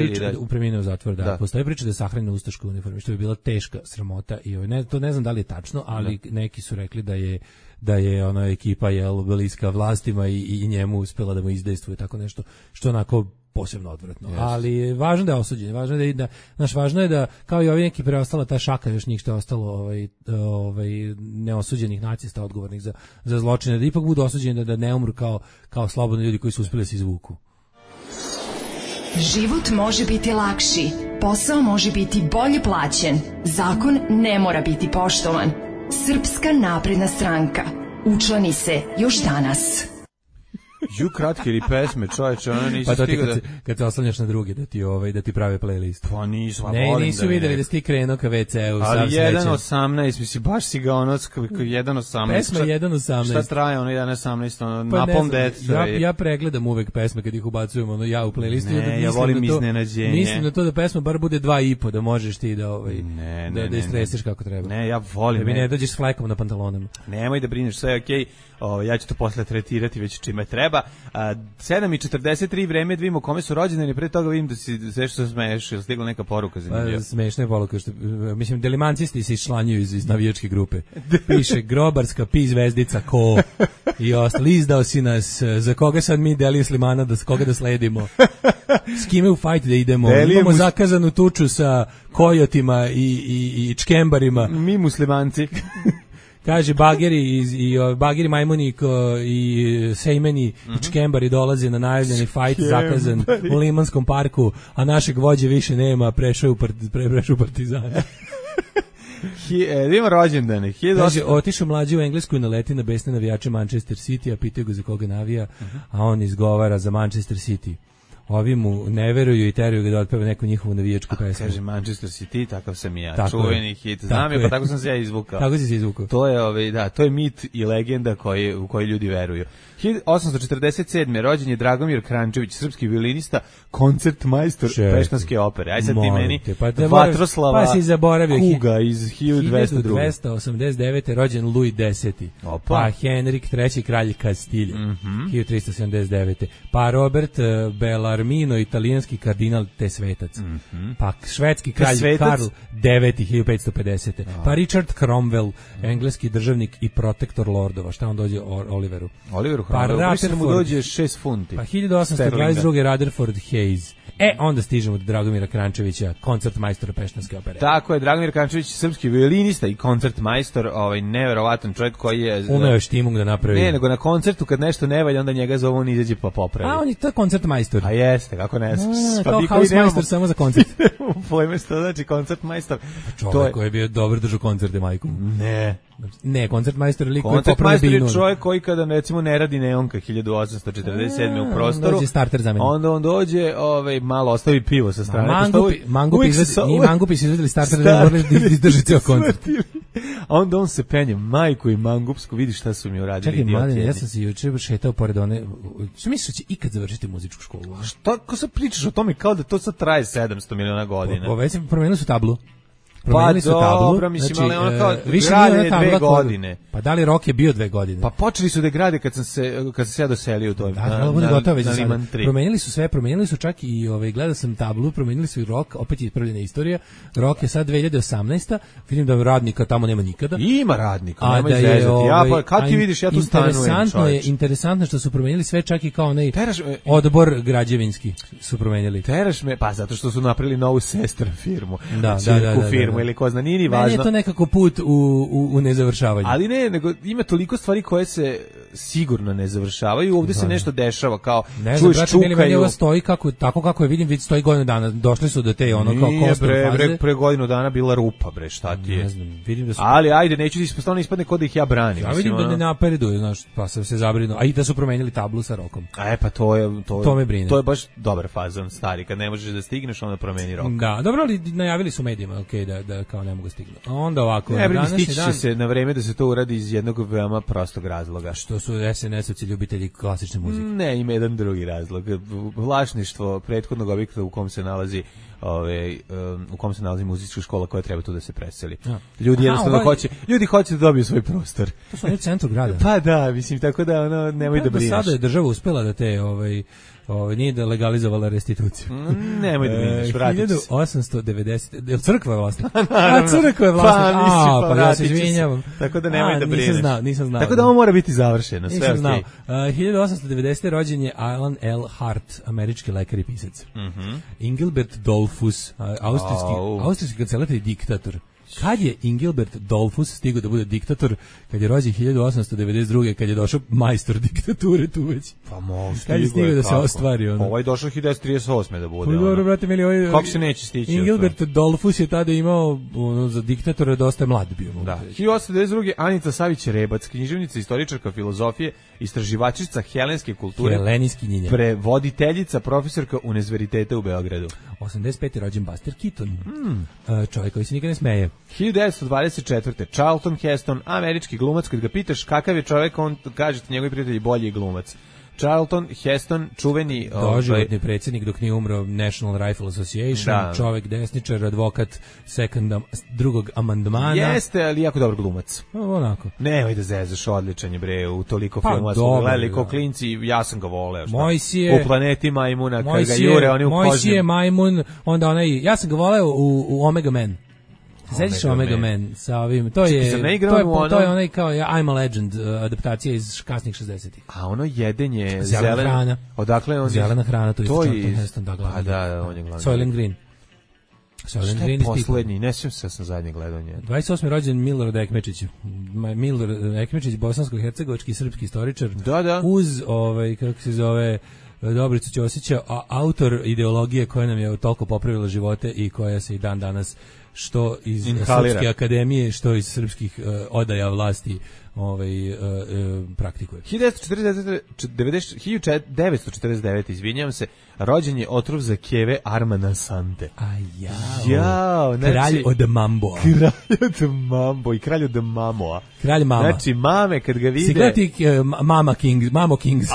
Preminuo u zatvoru, da. Postoji priča da je sahranjen u ustaškoj uniformi, što je bila teška sramota i ne znam da li je tačno, ali neki su rekli da je ona ekipa bliska vlastima i njemu uspela da mu izdejstvuje tako nešto, što onako posebno odvratno. Yes. Ali važno da je osuđen, važno je da kao i ovi neki preostala ta šaka još njih što je ostalo neosuđenih nacista odgovornih za zločine, da ipak budu osuđeni da ne umru kao slobodni ljudi koji su uspjeli da se izvuku. Život može biti lakši, posao može biti bolje plaćen, zakon ne mora biti poštovan. Srpska napredna stranka. Učlani se još danas. Kratke ili pesme, čovječe, ona nisu stigao da... Kad se oslanjaš na druge, da ti prave playlist. Pa nisu, nisu videli da si ti krenuo ka WC-u. Ali 1.18, mislim, baš si ga 1.18. Pesma 1.18. Šta traje ono 1.18, napom deca. Ja pregledam uvek pesme kad ih ubacujem, ja u playlistu. Ja volim iznenađenje. Mislim na to da pesma bar bude 2,5, da možeš ti da istresiš kako treba. Ne, ja volim. Da mi ne dođeš s flekom na pantalonama. Nemoj da brineš, sve je okej. Ja ću to posle tretirati već čime treba. 7:43 vreme, da vidimo kome su rođendani, pre toga vidim da si sve što smeješ, je stigla neka poruka zanimljiva. Smešna je poruka, mislim, delimancisti se iščlanjuju iz navijačke grupe. Piše grobarska pi zvezdica ko i ostalo, izdao si nas, za koga sad mi Delije Slimana, koga da sledimo, s kime u fajt da idemo, imamo zakazanu tuču sa kojotima i čkembarima. Mi muslimanci. Kaže, bageri majmuni i sejmeni i čkembari dolaze na najavljeni fajt zakazan u Limanskom parku, a našeg vođe više nema, prešao u Partizan. Ima rođendane. Kaže, otišao mlađi u Englesku i naleti na besne navijače Manchester City, a pitaju ga za koga navija, a on izgovara za Manchester City. Ovi mu ne veruju i teraju ga da otpeva neku njihovu navijačku pesmu. Kaže Manchester City, takav sam i ja. Tako čuveni hit. Znam je, pa tako sam se ja izvukao. Tako si se izvukao. To je, to je mit i legenda u koji ljudi veruju. 1847. rođen je Dragomir Krančević, srpski violinista, koncertmajstor Peštanske opere. Aj sad ti meni Vatroslava Kuga iz 1202. 1289. rođen Louis X. Pa Henrik III. kralj Kastilje, 1379. Pa Robert Bellarmino, italijanski kardinal te svetac. Pa švedski kralj Karl IX. 1550. Pa Richard Cromwell, engleski državnik i protektor lordova. Šta on dođe Oliveru? Pa Rutherford mu dođe 6 funti. Pa 1822. Rutherford Hayes. Onda stižemo do Dragomira Krančevića, koncertmajstora Peštanske opere. Tako je, Dragomir Krančević, srpski violinista i koncertmajstor, neverovatan čovjek koji je umeo štimung da napravi. Ne, nego na koncertu kad nešto ne valja, onda njega zove, on izađe pa popravi. A on je to koncertmajstor. A jeste, kako ne znaš. Kao housemajstor samo za koncert. Pojme što znači koncertmajstor. Čovjek koji je bio dobar držao koncerte majkom. Ne, koncertmajstor je lik koji popravi binu. Koncertmajstor je čovjek koji kada recimo ne radi neonka 1847. u prostoru, dođe starter zameni. Onda on dođe, malo ostavi pivo sa strane. Mangupi su izvedeli starter da morali izdrži ceo koncert. A onda on se penje, majku i mangupsku, vidi šta su mi uradili. Čekaj, Mladine, ja sam se juče šetao pored one. Što misliš da će ikad završiti muzičku školu? Šta, ko sad pričaš o tome kao da to sad traje 700 miliona godina? Već promenili su tablu. Pa dobro, mislim, ali ono kao grade 2 godine. Pa da li rok je bio 2 godine? Pa počeli su da grade kad sam se ja doselio u toj na Liman 3. Promenili su sve, promenili su čak i gledao sam tablu, promenili su i rok, opet je ispravljena istorija. Rok je sad 2018. Vidim da radnika tamo nema nikada. Ima radnika, nema izrezati. Ja pa kad ti vidiš, ja tu stanujem. Interesantno što su promenili sve, čak i kao onaj odbor građevinski su promenili. Teraš me, pa zato što su napravili novu sestru firmu. Da. Ili ko zna, nije važno. Meni je to nekako put u nezavršavanju. Ali ne, nego ima toliko stvari koje se sigurno ne završavaju. Ovdje se nešto dešava, kao čuješ čukaju. Meni ovo stoji tako kako je vidim, već stoji godinu dana. Došli su do te kao kostor faze. Pre godinu dana bila rupa, bre, šta ti je? Ne znam, vidim da su. Ali ajde, neću ti ispadne kod da ih ja branim. Ja vidim da ne napreduju, znaš, pa sam se zabrinuo. A i da su promenili tablu sa rokom. Pa to me brine. To je baš dobar fazon, stari, kad ne možeš da stigneš, onda promeni rok. Da, dobro, ali najavili su medijima, okej, da kao ne mogu stignu. Onda ovako, stići će se na vreme da se to uradi iz jednog veoma prostog razloga. Što su SNS-ovci ljubitelji klasične muzike? Ne, ima jedan drugi razlog. Vlasništvo prethodnog objekta u kom se nalazi muzička škola koja treba tu da se preseli. Ljudi jednostavno hoće da dobiju svoj prostor. To su oni u centru grada. Pa da, mislim, tako da nemoj da brineš. Sada je država uspela da te nije da legalizovala restituciju. Nemoj da brineš, vratit će se. 1890, je li crkva je vlasnik? Crkva je vlasnik. Pa ja se izvinjavam. Tako da nemoj da brineš. Nisam znao. Tako da ovo mora biti završeno, sve okej. Nisam znao. 1890. rođen je Alan L. Hart, američki lekar i pisac. Engelbert Dollfuss, austrijski kancelar i diktator. Kad je Engelbert Dollfuss stigao da bude diktator? Kad je rođen 1892. kad je došao majstor diktature tu već. Pa mogu kad je stigao da se ostvari ono. Ovo je došao 1938. da bude. Dobro, brate mili, kako se neće stići? Engelbert Dollfuss je tada imao za diktatora dosta mlad bio. Da. 1892. Anita Savić-Rebac, književnica, istoričarka filozofije, istraživačica helenske kulture, helenijski njinja, prevoditeljica, profesorka univerziteta u Beogradu. 85. rođen Buster Keaton, čovjek koji se nikad ne smeje. 1924. Charlton Heston, američki glumac, kad ga pitaš kakav je čovjek, on kaže ti njegovi prijatelji bolji glumac. Charlton Heston, čuveni doživotni predsjednik dok nije umro National Rifle Association, čovjek desničar, advokat drugog amandmana. Jeste, ali jako dobar glumac. Onako. Nemoj da zezaš, odličan je bre, u toliko filmova smo gledali ko klinci, ja sam ga voleo. U Planeti majmuna, kad ga jure, oni u kožnjem. Mojsije majmun, onda onaj, ja sam ga voleo u Omega Man. Sećaš Omega Man sa ovim, to je onaj kao I'm a Legend, adaptacija iz kasnih 60-ih. A ono jedenje zelena hrana. Odakle on? Zelena hrana, to je Charlton Heston, da, glavni. Da, on je glavni. Soylent Green. Šta je poslednji? Ne sjećam se, sam zadnje gledanje. 28. rođen Milorad Ekmečić. Milorad Ekmečić, bosansko-hercegovački srpski istoričar. Da. Uz, kako se zove, Dobricu Ćosića, autor ideologije koja nam je toliko popravila živote i koja se i dan danas što iz Inhalira. Srpske akademije, što iz srpskih odaja vlasti praktikuje. 1949, izvinjavam se, rođen je otrov za keve Armana Sante. Jao, znači, kralj od Mamboa. Kralj od Mambo i kralj od Mamoa. Kralj Mama. Znači, mame kad ga vide... Si gledati Mamo Kings.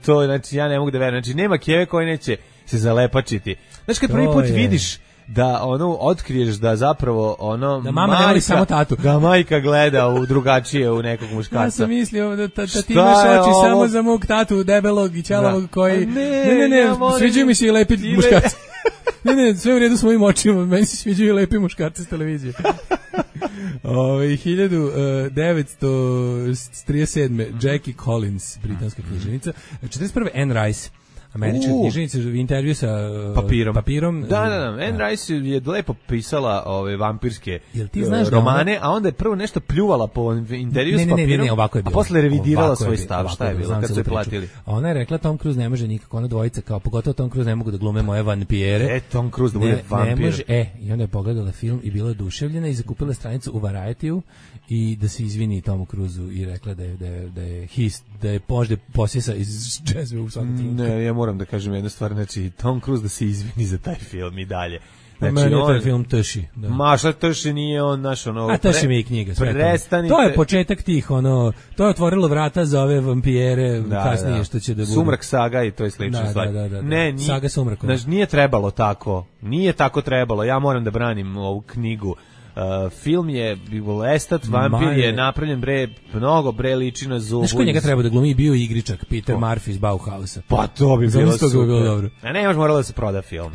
To, znači, ja ne mogu da verujem. Znači, nema keve koje neće se zalepačiti. Znači, kad prvi put vidiš da otkriješ da zapravo da mama ne voli samo tatu. Da majka gleda u drugačije u nekog muškarca. Ja sam mislio da ti imaš oči samo za mog tatu debelog i ćelavog koji... Ne, sviđaju mi se i lepi muškarci. Ne, sve u redu s mojim očima, meni se sviđaju i lepi muškarci s televizije. 1937. Jackie Collins, britanska književnica. 41. Anne Rice, američka književnica, intervju sa papirom. Da. Anne Rice je lepo pisala vampirske romane, a onda je prvo nešto pljuvala po intervju s papirom, a posle revidirala svoj stav. Šta je bilo kad su je platili? Ona je rekla Tom Cruise ne može nikako, ona dvojica kao, pogotovo Tom Cruise ne mogu da glume moje vampire. Tom Cruise da bude vampir. Ne može, i onda je pogledala film i bila oduševljena i zakupila stranicu u Variety-u i da se izvini Tomu Cruise-u i rekla da je možda posjesa iz džezve u svakom trenutku. Ne, ja moram da kažem jednu stvar, znači Tom Cruise da se izvini za taj film i dalje. Znači, meni je taj film Tši. Da. Ma šta Tši nije on naš A Tši mi i knjiga. Prestanite. To je početak tih, to je otvorilo vrata za ove vampijere kasnije što će da budu. Sumrak saga i to je slična stvar. Ne, saga Sumraka. Znači, nije trebalo tako. Nije tako trebalo. Ja moram da branim ovu knjigu. Film je Lestat, vampir je napravljen mnogo liči na Zubu. Znaš ko njega treba da glumi? Bio igričak Peter Murphy iz Bauhausa. Pa to bi bilo super. Dobro. Ne može moralo da se proda film.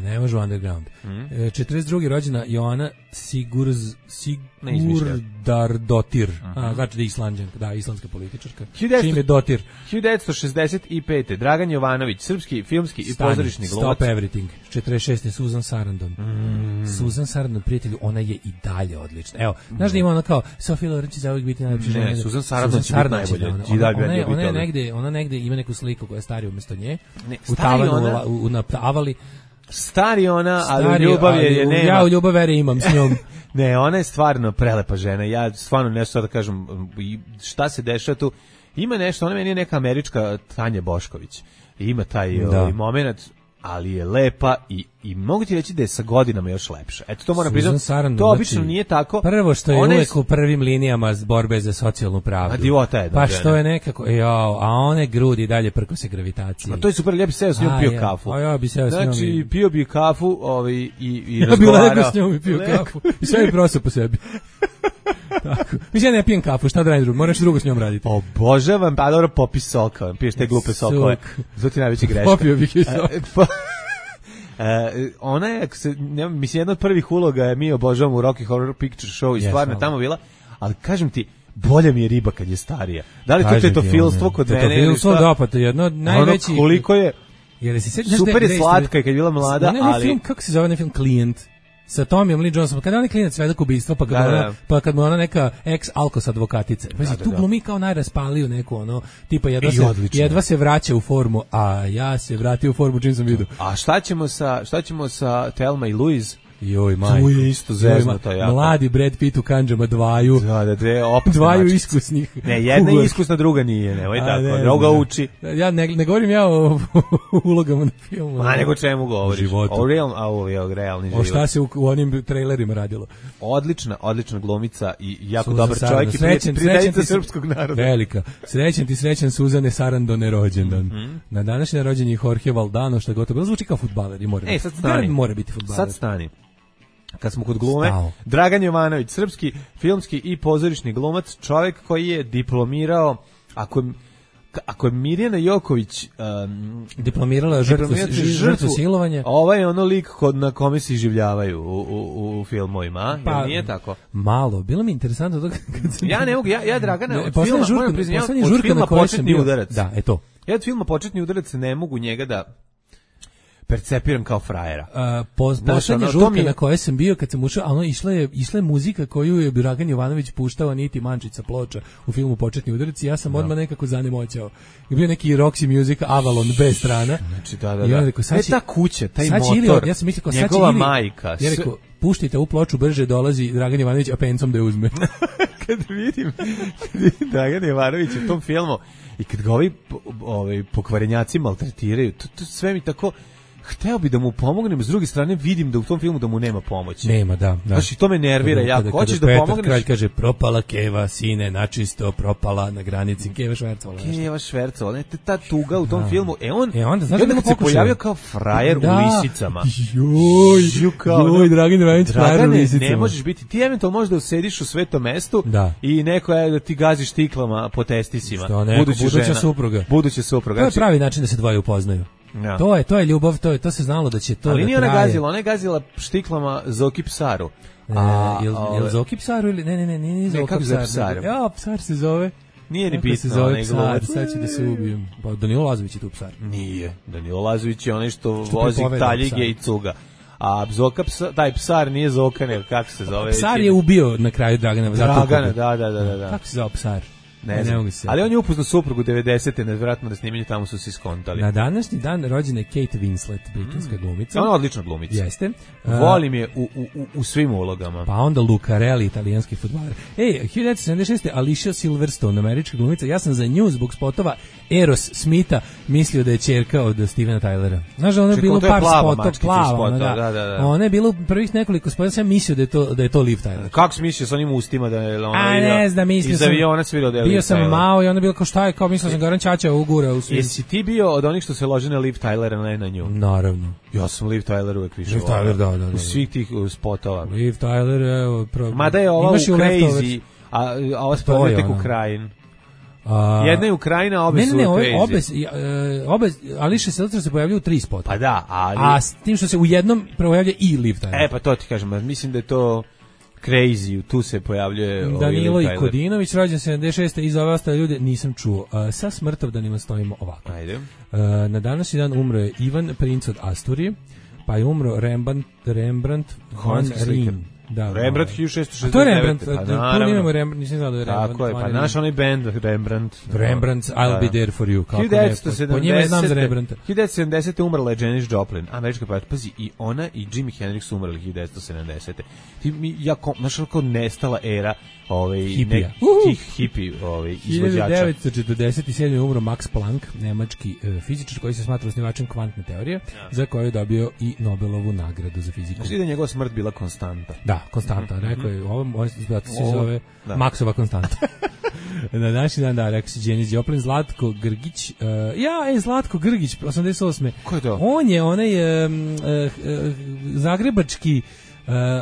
Ne može underground. 42. rođena Joana Sigurdardotir. Znači da je Islanđanka, da, islandska političarka. Čim je dotir. 1965. Dragan Jovanović, srpski filmski i pozorišni glumac. Stop Everything. 46. Susan Sarandon. Susan Sarandon, prijatelju, ona je i dalje odlična. Evo, znaš da ima ona kao Sofija Loren će zauvijek biti najlepša žena. Ne, Susan Sarandon će biti najbolje. Ona negde ima neku sliku koja je starija umjesto nje. U tavanu na avali. Stari ona, ali u ljubav je nema. Ja u ljubav vere imam s njom. Ne, ona je stvarno prelepa žena. Ja stvarno nešto da kažem, šta se dešava tu. Ima nešto, ona meni je neka američka Tanja Bošković. Ima taj moment, ali je lepa i mogu ti reći da je sa godinama još lepša. Eto, to moram priznati. To obično nije tako. Prvo što je uvek u prvim linijama borbe za socijalnu pravdu. A divota je. Pa što je nekako, a one grudi dalje prko se gravitacije. A to je super, ja bi seo s njom pio kafu. A ja bi seo s njom. Znači, pio bi kafu i razgovarao. Ja bi legao s njom i pio kafu. I sve bi prosao po sebi. Tako. Mislim, ja ne pijem kafu, šta da radim drugo, moraš drugo s njom raditi. Obožavam, pa dobro, popis soka, piješ te glupe sokove. Zato ti najveća greška. Popio bih i sok. Ona je, mislim, jedna od prvih uloga je mi obožavamo u Rocky Horror Picture Show i stvarno tamo bila, ali kažem ti, bolja mi je riba kad je starija. Da li to tetofilstvo kod mene? Tetofilstvo, da, pa to je jedno od najvećih... Ono koliko je, super je slatka kad je bila mlada, ali... Kako se zove film Klijent? Sa Tomijom Lee Johnsonom, kada je onaj klinac svedok ubistva, pa kad mu ona neka ex-alkos advokatica. Tu glumi kao najraspaliju neku, tipa jedva se vraća u formu, a ja se vratio u formu čim sam vidio. A šta ćemo sa Thelma i Louise? Joj, majko. Tu je isto zeznuto jako. Mladi Brad Pitt u kandžama dvaju. Dvaju iskusnih. Ne, jedna je iskusna, druga nije. Nemoj tako, druga uči. Ja ne govorim o ulogama na filmu. A nego čemu govoriš? Životu. O realni život. O šta se u onim trailerima radilo. Odlična glumica i jako dobar čovjek i prijateljica srpskog naroda. Velika. Srećan Suzane Sarandone rođendan. Na današnji rođendan je Jorge Valdano, što gotovo zvuči kao fudbaler i mora biti fudbaler. Sad stani. Kad smo kod glume, Dragan Jovanović, srpski filmski i pozorišni glumac, čovjek koji je diplomirao, ako je Mirjana Joković diplomirala žrtvu silovanja, ovaj je ono lik na kome se iživljavaju u filmovima, pa, nije tako? Malo, bilo mi interesantno to ja ne mogu, ja Dragana od filma Početni udarac. Da, eto. Ja od filma Početni udarac ne mogu njega da percepiram kao frajera. Poslednja žurka na kojoj sam bio kad sam ušao, išla je muzika koju je Dragan Jovanović puštao, Niti Mančica ploča u filmu Početni udarac, i ja sam odmah nekako zanemoćao. I bio neki Roxy Music Avalon B strana. Znači, da. Ta kuća, taj motor, ja sam mislio njegova majka. Ja rekao, puštite u ploču, brže dolazi Dragan Jovanović, a pencom da je uzme. Kad vidim Dragan Jovanović u tom filmu i kad ga ovi pokvarenjaci maltretiraju, to sve mi tako... Hteo bi da mu pomognem, s druge strane vidim da u tom filmu da mu nema pomoći. Nema, da. Znači, to me nervira. Jako hoćeš da pomogneš. Kralj kaže, propala keva, sine, načisto, propala na granici, keva švercovala. Keva švercovala, ta tuga u tom filmu. Onda, znaš da se pojavio kao frajer u lisicama. Joj, Dragan Ivanić, frajer u lisicama. Ne možeš biti, ti eventualno možeš da usediš u svetom mestu i neko je da ti gaziš tiklama po testisima. Što neko, buduća supruga. To je pravi način da se dvoje upoznaju. Ja. To je ljubav, to se znalo da će to. Ali nije ona gazila, ona je gazila štiklama Zoki Psaru. Jel Zoki Psaru ili ne Zoki Psaru. Ja, Psar se zove. Nije ni bitno, onaj Psar, sad će da se ubijem. Pa Danilo Lazović je tu Psar. Nije, Danilo Lazović je onaj što vozi taljige i cuga. A Zoka taj Psar nije Zoka, nego kako se zove? Psar je ubio na kraju Dragana. Da. Kako se zove Psar? Ne znam. Ali on je upoznao suprugu 90. nevjerojatno na snimanju, tamo su se iskontali. Na današnji dan rođena je Kate Winslet, britanska glumica. Ona je odlična glumica. Jeste. Volim je u svim ulogama. Pa onda Lucarelli, italijanski fudbaler. 1976. Alicia Silverstone, američka glumica. Ja sam za nju zbog spotova Eros Smitha mislio da je ćerka od Stevena Tylera. Znaš, ono je bilo par spotova, plava. Da. Ona je bilo prvih nekoliko spotova, sam mislio da je to Liv Tyler. Kako si mislio s onim ustima da je ona ne znam, mislio sam. Aviona svirao da je bio sam malo i onda bilo kao šta je, kao mislio sam Goran Ćaća ugura u svijet. Jesi ti bio od onih što se lože na Liv Tylera, ne na nju? Naravno. Ja sam Liv Tyler uvek više. Liv Tyler, da. U svih tih spotova. Liv Tyler, evo. Mada je ova u Crazy, a ova spod je tek Ukrajin. Jedna je Ukrajina, obe su Crazy. Obe, Alicia Silverstone se pojavljaju u 3 spota. Pa da, ali... A s tim što se u jednom pojavlja i Liv Tyler. Pa to ti kažem, mislim da je to... Crazy, tu se pojavljuje Danilo i Kodinović, rođen 76. i za ove ostale ljude nisam čuo. Sa smrtovdanima stojimo ovako. Ajde. Na današnji dan umro je Ivan, princ od Asturije, pa je umro Rembrandt van Rijn. Da, Rembrandt 1669. To je Rembrandt, tu imamo Rembrandt, nisam znao da je Rembrandt. Tako je, pa naš onaj band Rembrandt. Rembrandt's I'll be there for you. 1970. Po njima znam za Rembrandta. 1970. umrla je Janis Joplin, američka pevačica. Pazi, i ona i Jimi Hendrix su umrli 1970. Ti mi jako, znaš kako nestala era tih hipi izvođača. 1947. umro Max Planck, nemački fizičar koji se smatra osnivačem kvantne teorije, za koju je dobio i Nobelovu nagradu za fiziku. Znači da je njegova smrt bila konstanta. Da, konstanta. Rekao je, ovo se zove Maxova konstanta. Na današnji dan, rekao si Janis Joplin, Zlatko Grgić. Zlatko Grgić, 88. Ko je to? On je onaj zagrebački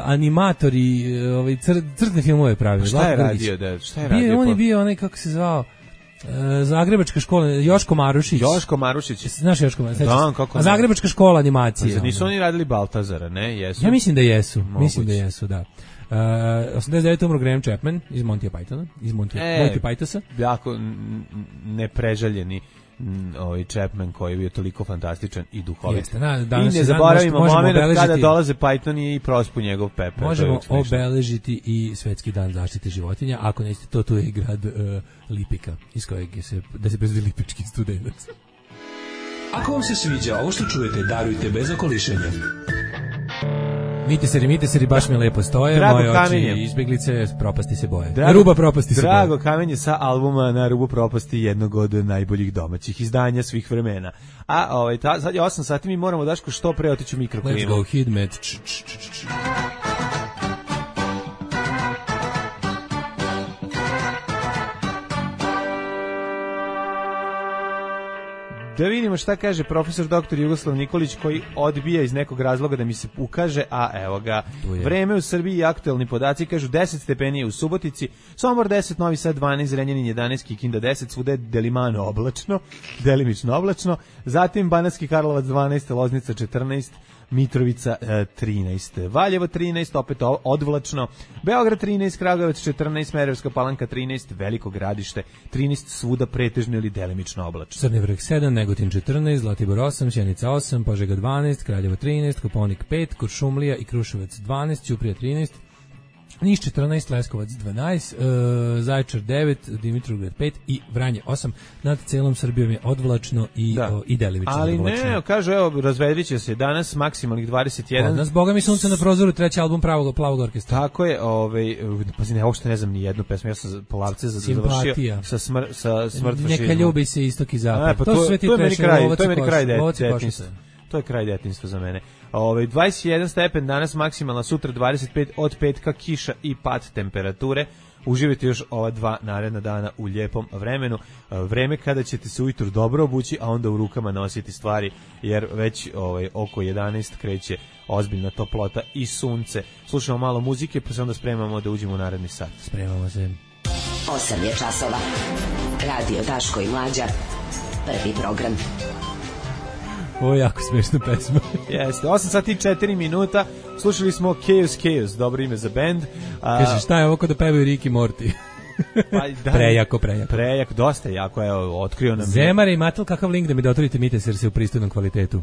animator i crtne filmove pravio. Šta je radio? On je bio onaj, kako se zvao, Zagrebačka škola, Joško Marušić. Znaš Joško Marušić? Da, kako ne. Zagrebačka škola animacije. Nisu oni radili Baltazara, ne? Jesu? Ja mislim da jesu. Mislim da jesu, da. 89. umro Graham Chapman iz Monty Pythona, iz Monty Pythonsa. Jako neprežaljeni Chapman koji je bio toliko fantastičan i duhovit. I ne zaboravimo moment kada dolaze Python i prospu njegov pepel. Možemo obeležiti i svetski dan zaštite životinja. Ako nećete, tu je i grad Lipika, iz kojeg da se proizvodi lipički studenac. Ako vam se sviđa ovo što čujete, darujte bez okolišenja. Miteseri, baš mi lepo stoje. Drago moje Kamenje. oči izbeglice, propasti se boje. Na ruba propasti se boje. Drago Kamenje sa albuma Na rubu propasti, jednog od najboljih domaćih izdanja svih vremena. A sad je 8 sati, mi moramo, Daško, što pre otići u mikroklimu. Let's go, Hidmet. Da vidimo šta kaže profesor dr. Jugoslav Nikolić, koji odbija iz nekog razloga da mi se ukaže, a evo ga. Vreme u Srbiji i aktuelni podaci kažu 10 stepeni u Subotici, Sombor 10, Novi Sad 12, Zrenjanin 11, Kikinda 10, svuda delimano oblačno, delimično oblačno, zatim Banatski Karlovac 12, Loznica 14, Mitrovica 13, Valjevo 13, opet odvlačno, Beograd 13, Kragujevac 14, Smederevska Palanka 13, Veliko Gradište 13, svuda pretežno ili delimično oblačno. Crni vrh 7, Negotin 14, Zlatibor 8, Sjenica 8, Požega 12, Kraljevo 13, Koponik 5, Kuršumlija i Kruševac 12, Ćuprija 13, Niš 14, Leskovac 12, Zaječar 9, Dimitrovgrad 5 i Vranje 8. Nad celom Srbijom je odvlačno i delimično odvlačno. Ali ne, kaže, evo, razvedrit će se danas maksimalnih 21. Od nas, boga mi sunce na prozoru, treći album Plavog orkestra. Tako je, pazi, ne, uopšte ne znam ni jednu pesmu, ja sam Polavce završio sa smrt fašizma. Neka ljubi se istok i zapad. Pa to su sve ti to je meni kraj detinjstva. To je kraj detinjstva za mene. 21 stepen danas maksimalna, sutra 25, od petka kiša i pad temperature. Uživajte još ova 2 naredna dana u lijepom vremenu. Vreme kada ćete se ujutro dobro obući, a onda u rukama nositi stvari, jer već oko 11 kreće ozbiljna toplota i sunce. Slušamo malo muzike, pa se onda spremamo da uđemo u naredni sat. Spremamo se. 8 je časova. Radio Daško i Mlađa. Prvi program. Ovo je jako smiješna pesma. Jeste, 8 sati i 4 minuta. Slušali smo Chaos, dobro ime za band. Kaže, šta je ovo kod da pevaju Rick i Morty? Pa, prejako, dosta jako, evo, otkrio nam. Zemare i Matel, kakav link da mi da otvorite Mites jer se u pristojnom kvalitetu?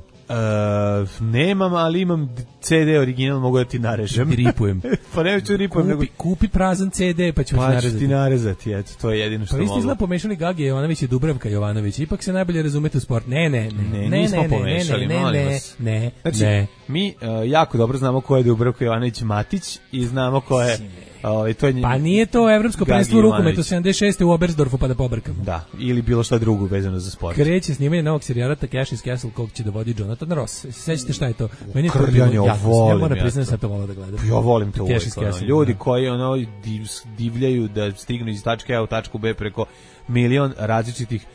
Nemam, ali imam CD original, mogu da ti narežem. Ti ripujem. Pa ne ću ripujem. Kupi prazan CD pa ću ti narezati, eto, to je jedino što mogu. Pa vi ste izgleda pomešali Gage Jovanović i Dubravka Jovanović, ipak se najbolje razumete u sport. Ne, nismo pomešali, molim vas. Ne. Mi jako dobro znamo ko je Dubravka Jovanović Matić i znamo ko je... Pa nije to evropsko prvenstvo u rukometu 76. u Oberstdorfu pa da pobrkamo. Da, ili bilo šta drugo vezano za sport. Kreće snimanje novog serijala Takeshi's Castle kog će da vodi Jonathan Ross. Sećate šta je to? Meni je to bilo jako. Ja moram priznati sad to volao da gledam. Ja volim to uvijek. Ljudi koji divljaju da stignu iz tačke A u tačku B preko milion različitih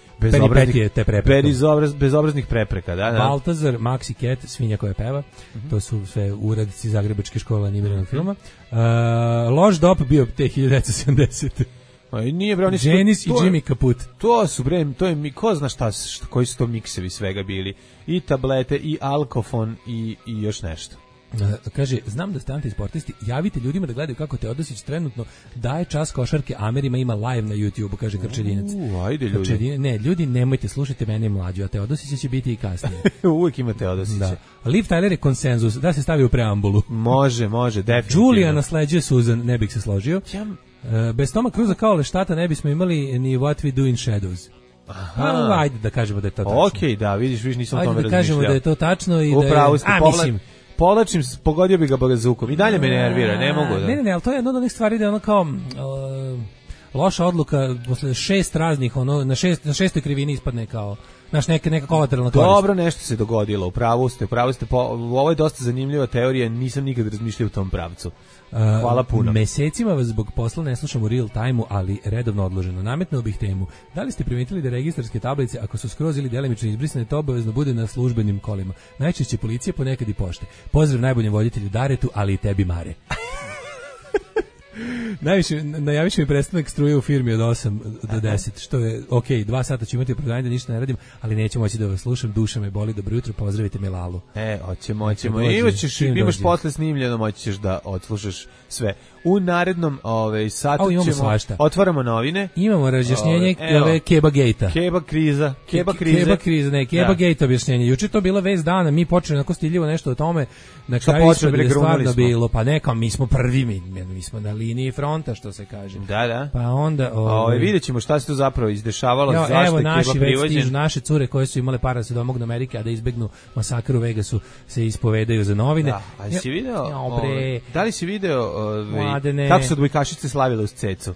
bezobraznih prepreka. Baltazar, Maxi Cat, svinja koja peva, to su sve uradnici Zagrebačke škole animiranog filma. Loš dop bio te 1970. Nije bre, oni su Janis i Jimmy Kaput. To su bre, to je ko zna šta, koji su to miksevi svega bili. I tablete, i alkofon, i još nešto. Kaže, znam da ste antisportisti, javite ljudima da gledaju kako Teodosić trenutno daje čas košarke Amerima, ima live na YouTube-u, kaže Krčedinac. Ajde ljudi. Ne, ljudi, nemojte, slušajte mene mlađu, a Teodosić će biti i kasnije. Uvijek ima Teodosića. Da. Liv Tyler je konsenzus, da se stavi u preambulu. Može, definitivno. Julia nasleđuje Susan, ne bih se složio. Bez Toma Cruza kao Leštata ne bismo imali ni What We Do in Shadows. Ajde da kažemo da je to tačno. Okej, da, vidiš, nisam o tome razmišljao. Ajde da kažemo da je to tačno i upravo da je... Mislim... Povlačim, pogodio bi ga bazukom. I dalje me nervira, ne mogu da... Ne, ali to je jedna od onih stvari da je ono kao... loša odluka, posle 6 raznih, na šestoj krivini ispadne kao... Znaš, neka kolateralna korist. Dobro, nešto se dogodilo, upravo ste. Ovo je dosta zanimljiva teorija, nisam nikad razmišljao u tom pravcu. Hvala puno. Mesecima vas zbog posla ne slušam u real time-u, ali redovno odloženo. Nametnuo bih temu. Da li ste primetili da registarske tablice, ako su skroz ili delimično izbrisane, to obavezno bude na službenim kolima? Najčešće policije, ponekad i pošte. Pozdrav najboljem voditelju Daretu, ali i tebi Mare. Najavit će mi prestanak struje u firmi od 8 do 10, što je ok, 2 sata ću imati opravdanje da ništa ne radim, ali neću moći da vas slušam, duša me boli, dobro jutro, pozdravite me Lalu. Hoćemo. Imaš posle snimljeno, moći ćeš da odslušaš sve. U narednom satu otvaramo novine. Imamo razjašnjenje Keba Gate-a. Keba Gate objašnjenje. Juče to bila vest dana, mi počeli onako stiljivo nešto o tome, na kraju je stvarno bilo, pa neka, mi smo prvi, mi smo na liniji fronta, što se kaže. Da. Pa onda... vidjet ćemo šta se tu zapravo izdešavalo, zašto je Keba privođen. Naše cure koje su imale para da se domognu Amerike, a da izbegnu masakr u Vegasu, se ispovedaju za novine. Da li si video kako su odbojkašice slavile uz cecu?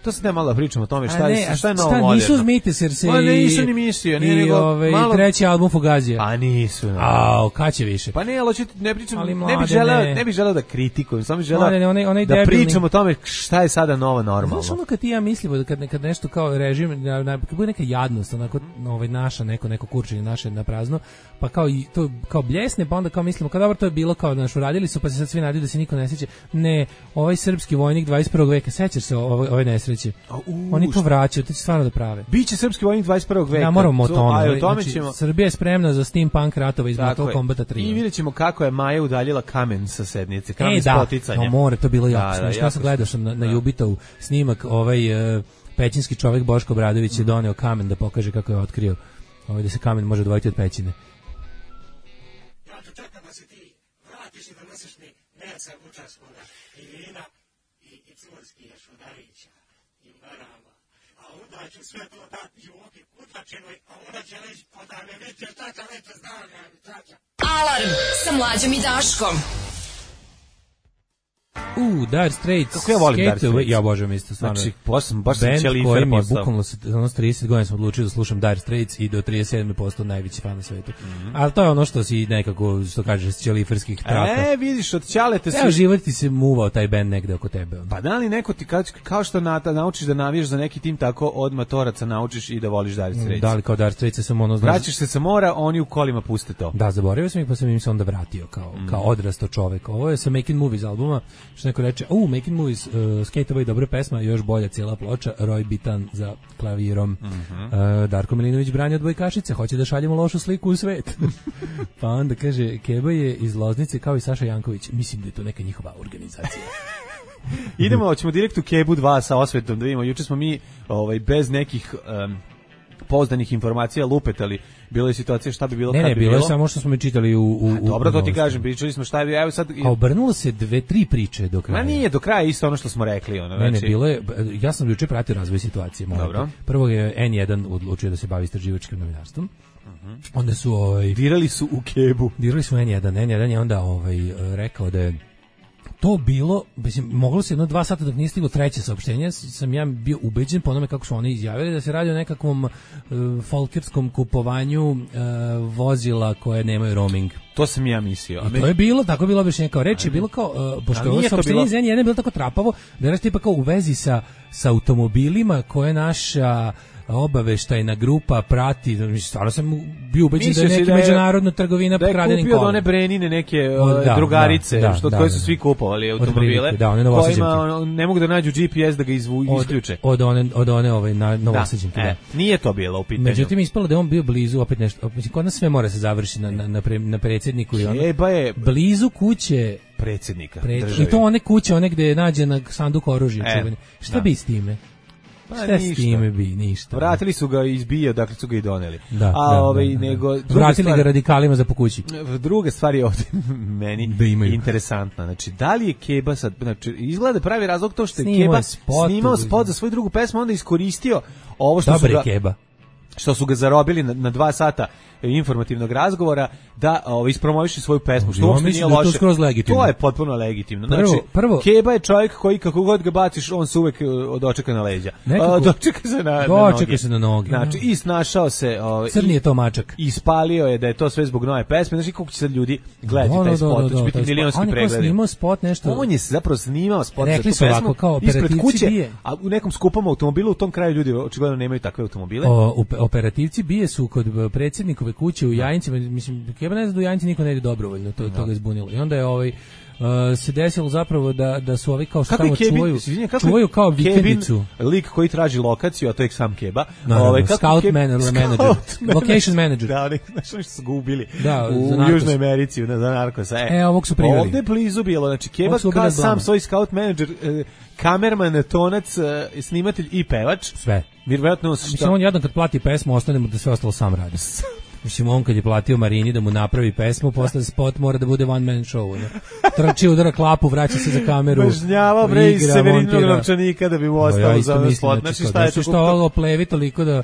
To se ne malo da pričamo o tome šta je novo moderno. Nisu uz Mites jer se nisu ni mislio. I treći album Fugazija. A nisu. Kad će više? Pa ne, ali ne pričam, ne bih želeo da kritikujem, samo bih želeo da pričam o tome šta je sada novo normalno. Znaš ono kad ti ja mislimo, kad nešto kao režim, kad bude neka jadnost, onako naša, neko kurčenje naše na prazno, pa kao i to kao bljesne, pa onda kao mislimo, kao dobro, to je bilo kao naš uradili su, pa se sad svi nadaju da se niko ne sjeća. Ne, ovaj srpski vojnik 21. veka, sećaš se ove nesreće? Oni to vraćaju, to će stvarno da prave. Biće srpski vojnik 21. veka. Ja moramo o tome. Znači, Srbija je spremna za steampunk ratova iz Mortal Kombata 3. I vidjet ćemo kako je Maja udaljila kamen sa sednice, kamen s poticanjem. To bilo jako smiješno. Ja sam gledao na Jubitov snimak, pećinski čovjek Boško Obradović je doneo kamen da pokaže kako je otkrio da se kamen može odvojiti od pećine. Ja to čekam da se ti vratiš i doneseš mi neca učas koga. Irina i curski još udarića i marama, a onda ću sve to dati Joki Kutlačinoj, a ona će reći, pa da me vidite šta će reći, znam ja, čača. Alarm sa Mlađom i Daškom. Dire Straits. Kako ja volim Dire Straits. Ja obožavam isto stvarno. Znači, baš sam Band ćelifer koji mi je postao. bukvalno 30 godina sam odlučio da slušam Dire Straits i do 37. postao najveći fan na svetu. Ali to je ono što si nekako, što kažeš, ćeliferskih traka. Vidiš, od ćalete Evo, život ti se muvao taj band negde oko tebe. Pa da li neko ti, kao što naučiš da navijaš za neki tim, tako od matoraca naučiš i da voliš Dire Straits. Da li kao Dire Straits sam ono... Vraćaš se sa mora, oni u kolima puste to. Da, zaboravio sam ih, pa sam im se onda vratio kao odrasto čovek. Ovo je sa Making Movies albuma, što neko reče, Making Movies, Skate Away, dobra pesma, još bolja cijela ploča, Roy Bitan za klavirom. Darko Milinović brani od Bojkašice, hoće da šaljemo lošu sliku u svet. Pa onda kaže, Keba je iz Loznice kao i Saša Janković. Mislim da je to neka njihova organizacija. Ćemo direkt u Kebu 2 sa osvetom da vidimo. Juče smo mi bez nekih pouzdanih informacija lupetali. Bilo je situacija šta bi bilo kad bi bilo. Ne, bilo je samo što smo mi čitali u dobro, to ti kažem, pričali smo šta je, evo sad... A obrnulo se 2-3 priče do kraja. Ma nije do kraja isto ono što smo rekli. Ne, bilo je, ja sam juče pratio razvoj situacije. Dobro. Prvo je N1 odlučio da se bavi istraživačkim novinarstvom. Onda su... Dirali su u Kebu. Dirali su N1 je onda rekao da je to bilo, mislim, moglo se 1-2 sata dok nije stiglo treće saopštenje, sam ja bio ubeđen po onome kako su oni izjavili da se radi o nekakvom folkerskom kupovanju vozila koje nemaju roaming. To sam ja mislio. I to je bilo, tako je bilo objašnjenje, kao reč je bilo kao, pošto ovo saopštenje iz N1 je bilo tako trapavo, da je tipa kao u vezi sa automobilima koje naša obaveštajna grupa prati, stvarno sam bio ubeđen da je neka međunarodna trgovina kradenim kolima. Da je kupio od one Brenine neke drugarice, koje su svi kupovali automobile, kojima ne mogu da nađu GPS da ga isključe. Od one Novosađenke, da. Nije to bilo u pitanju. Međutim, ispalo da je on bio blizu, opet nešto, kod nas sve mora se završiti na predsjedniku i ono. Blizu kuće predsjednika države. I to one kuće, one gde je nađena sanduk oružja čuveni. Šta bi s time? Šta s time bi, ništa. Vratili su ga izbio, dakle su ga i doneli. Vratili ga radikalima za po kući. Druga stvar je ovdje meni interesantna. Znači, da li je Keba sad, znači, izgleda pravi razlog to što je Keba snimao spot za svoju drugu pesmu, onda iskoristio ovo što su ga... Keba. Što su ga zarobili na 2 sata informativnog razgovora da ispromoviše svoju pesmu, što uopšte nije loše. To je potpuno legitimno. Znači, Keba je čovjek koji kako god ga baciš, on se uvek dočeka na leđa. Dočeka se na noge. Znači, i snašao se... Crni je to mačak. Ispalio je da je to sve zbog nove pesme. Znači, koliko će sad ljudi gledati taj spot, to će biti milionski pregledi. On je snimao spot nešto... On je zapravo snimao spot za tu pesmu ispred kuće, a u nekom skupom automobilu, u tom kraju ljudi očigledno nemaju takve automobile. Operativci bije su kod predsjednikove kuće u Jajincima, mislim, Keba ne zna da u Jajinci niko ne ide dobrovoljno, to ga izbunilo. I onda je se desilo zapravo da su ovi kao što tamo čuvaju kao vikendicu. Lik koji traži lokaciju, a to je sam Keba. Scout manager. Location manager. Da, nešto su ga ubili u Južnoj Americi, za narkosa. Ovog su priveli. Ovdje blizu bilo, znači Keba kao sam svoj scout manager, kamerman, tonac, snimatelj i pevač. Sve. Mislim, on jedan kad plati pesmu, ostane mu da sve ostalo sam radi. Mislim, on kad je platio Marini da mu napravi pesmu, posle spot mora da bude one man show. Trči, udara klapu, vraća se za kameru. Bažnjava bre iz Severinog novčanika da bi mu ostao za ovaj spot. Znači šta je to? Što ovo plevi toliko da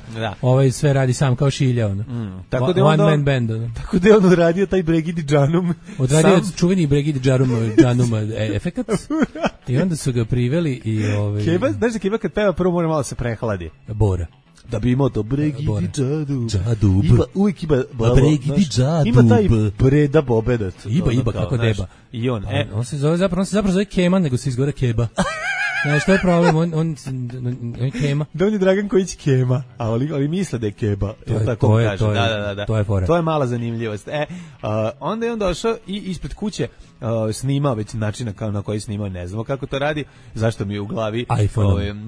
sve radi sam kao Šilja. One man band. Tako da je on odradio taj Bregidi Džanum. Odradio čuveni Bregidi Džanum efekat. I onda su ga priveli i... Keba, znaš da Keba kad peva prvo mora malo se prehladi. Bora. Da bi imao to Bregidi Džadub. Uvijek ima Bregidi Džadub. Ima taj Breda Bobedat. Iba kako deba. I on se zapravo zove Keman, nego se izgore Keba. Znaš, što je problem, on je Kema. Da, on je Dragan Kojić Kema, a oni misle da je Keba. To je fora. To je mala zanimljivost. Onda je on došao i ispred kuće snimao već način na koji snimao, ne znamo kako to radi, zašto mi je u glavi.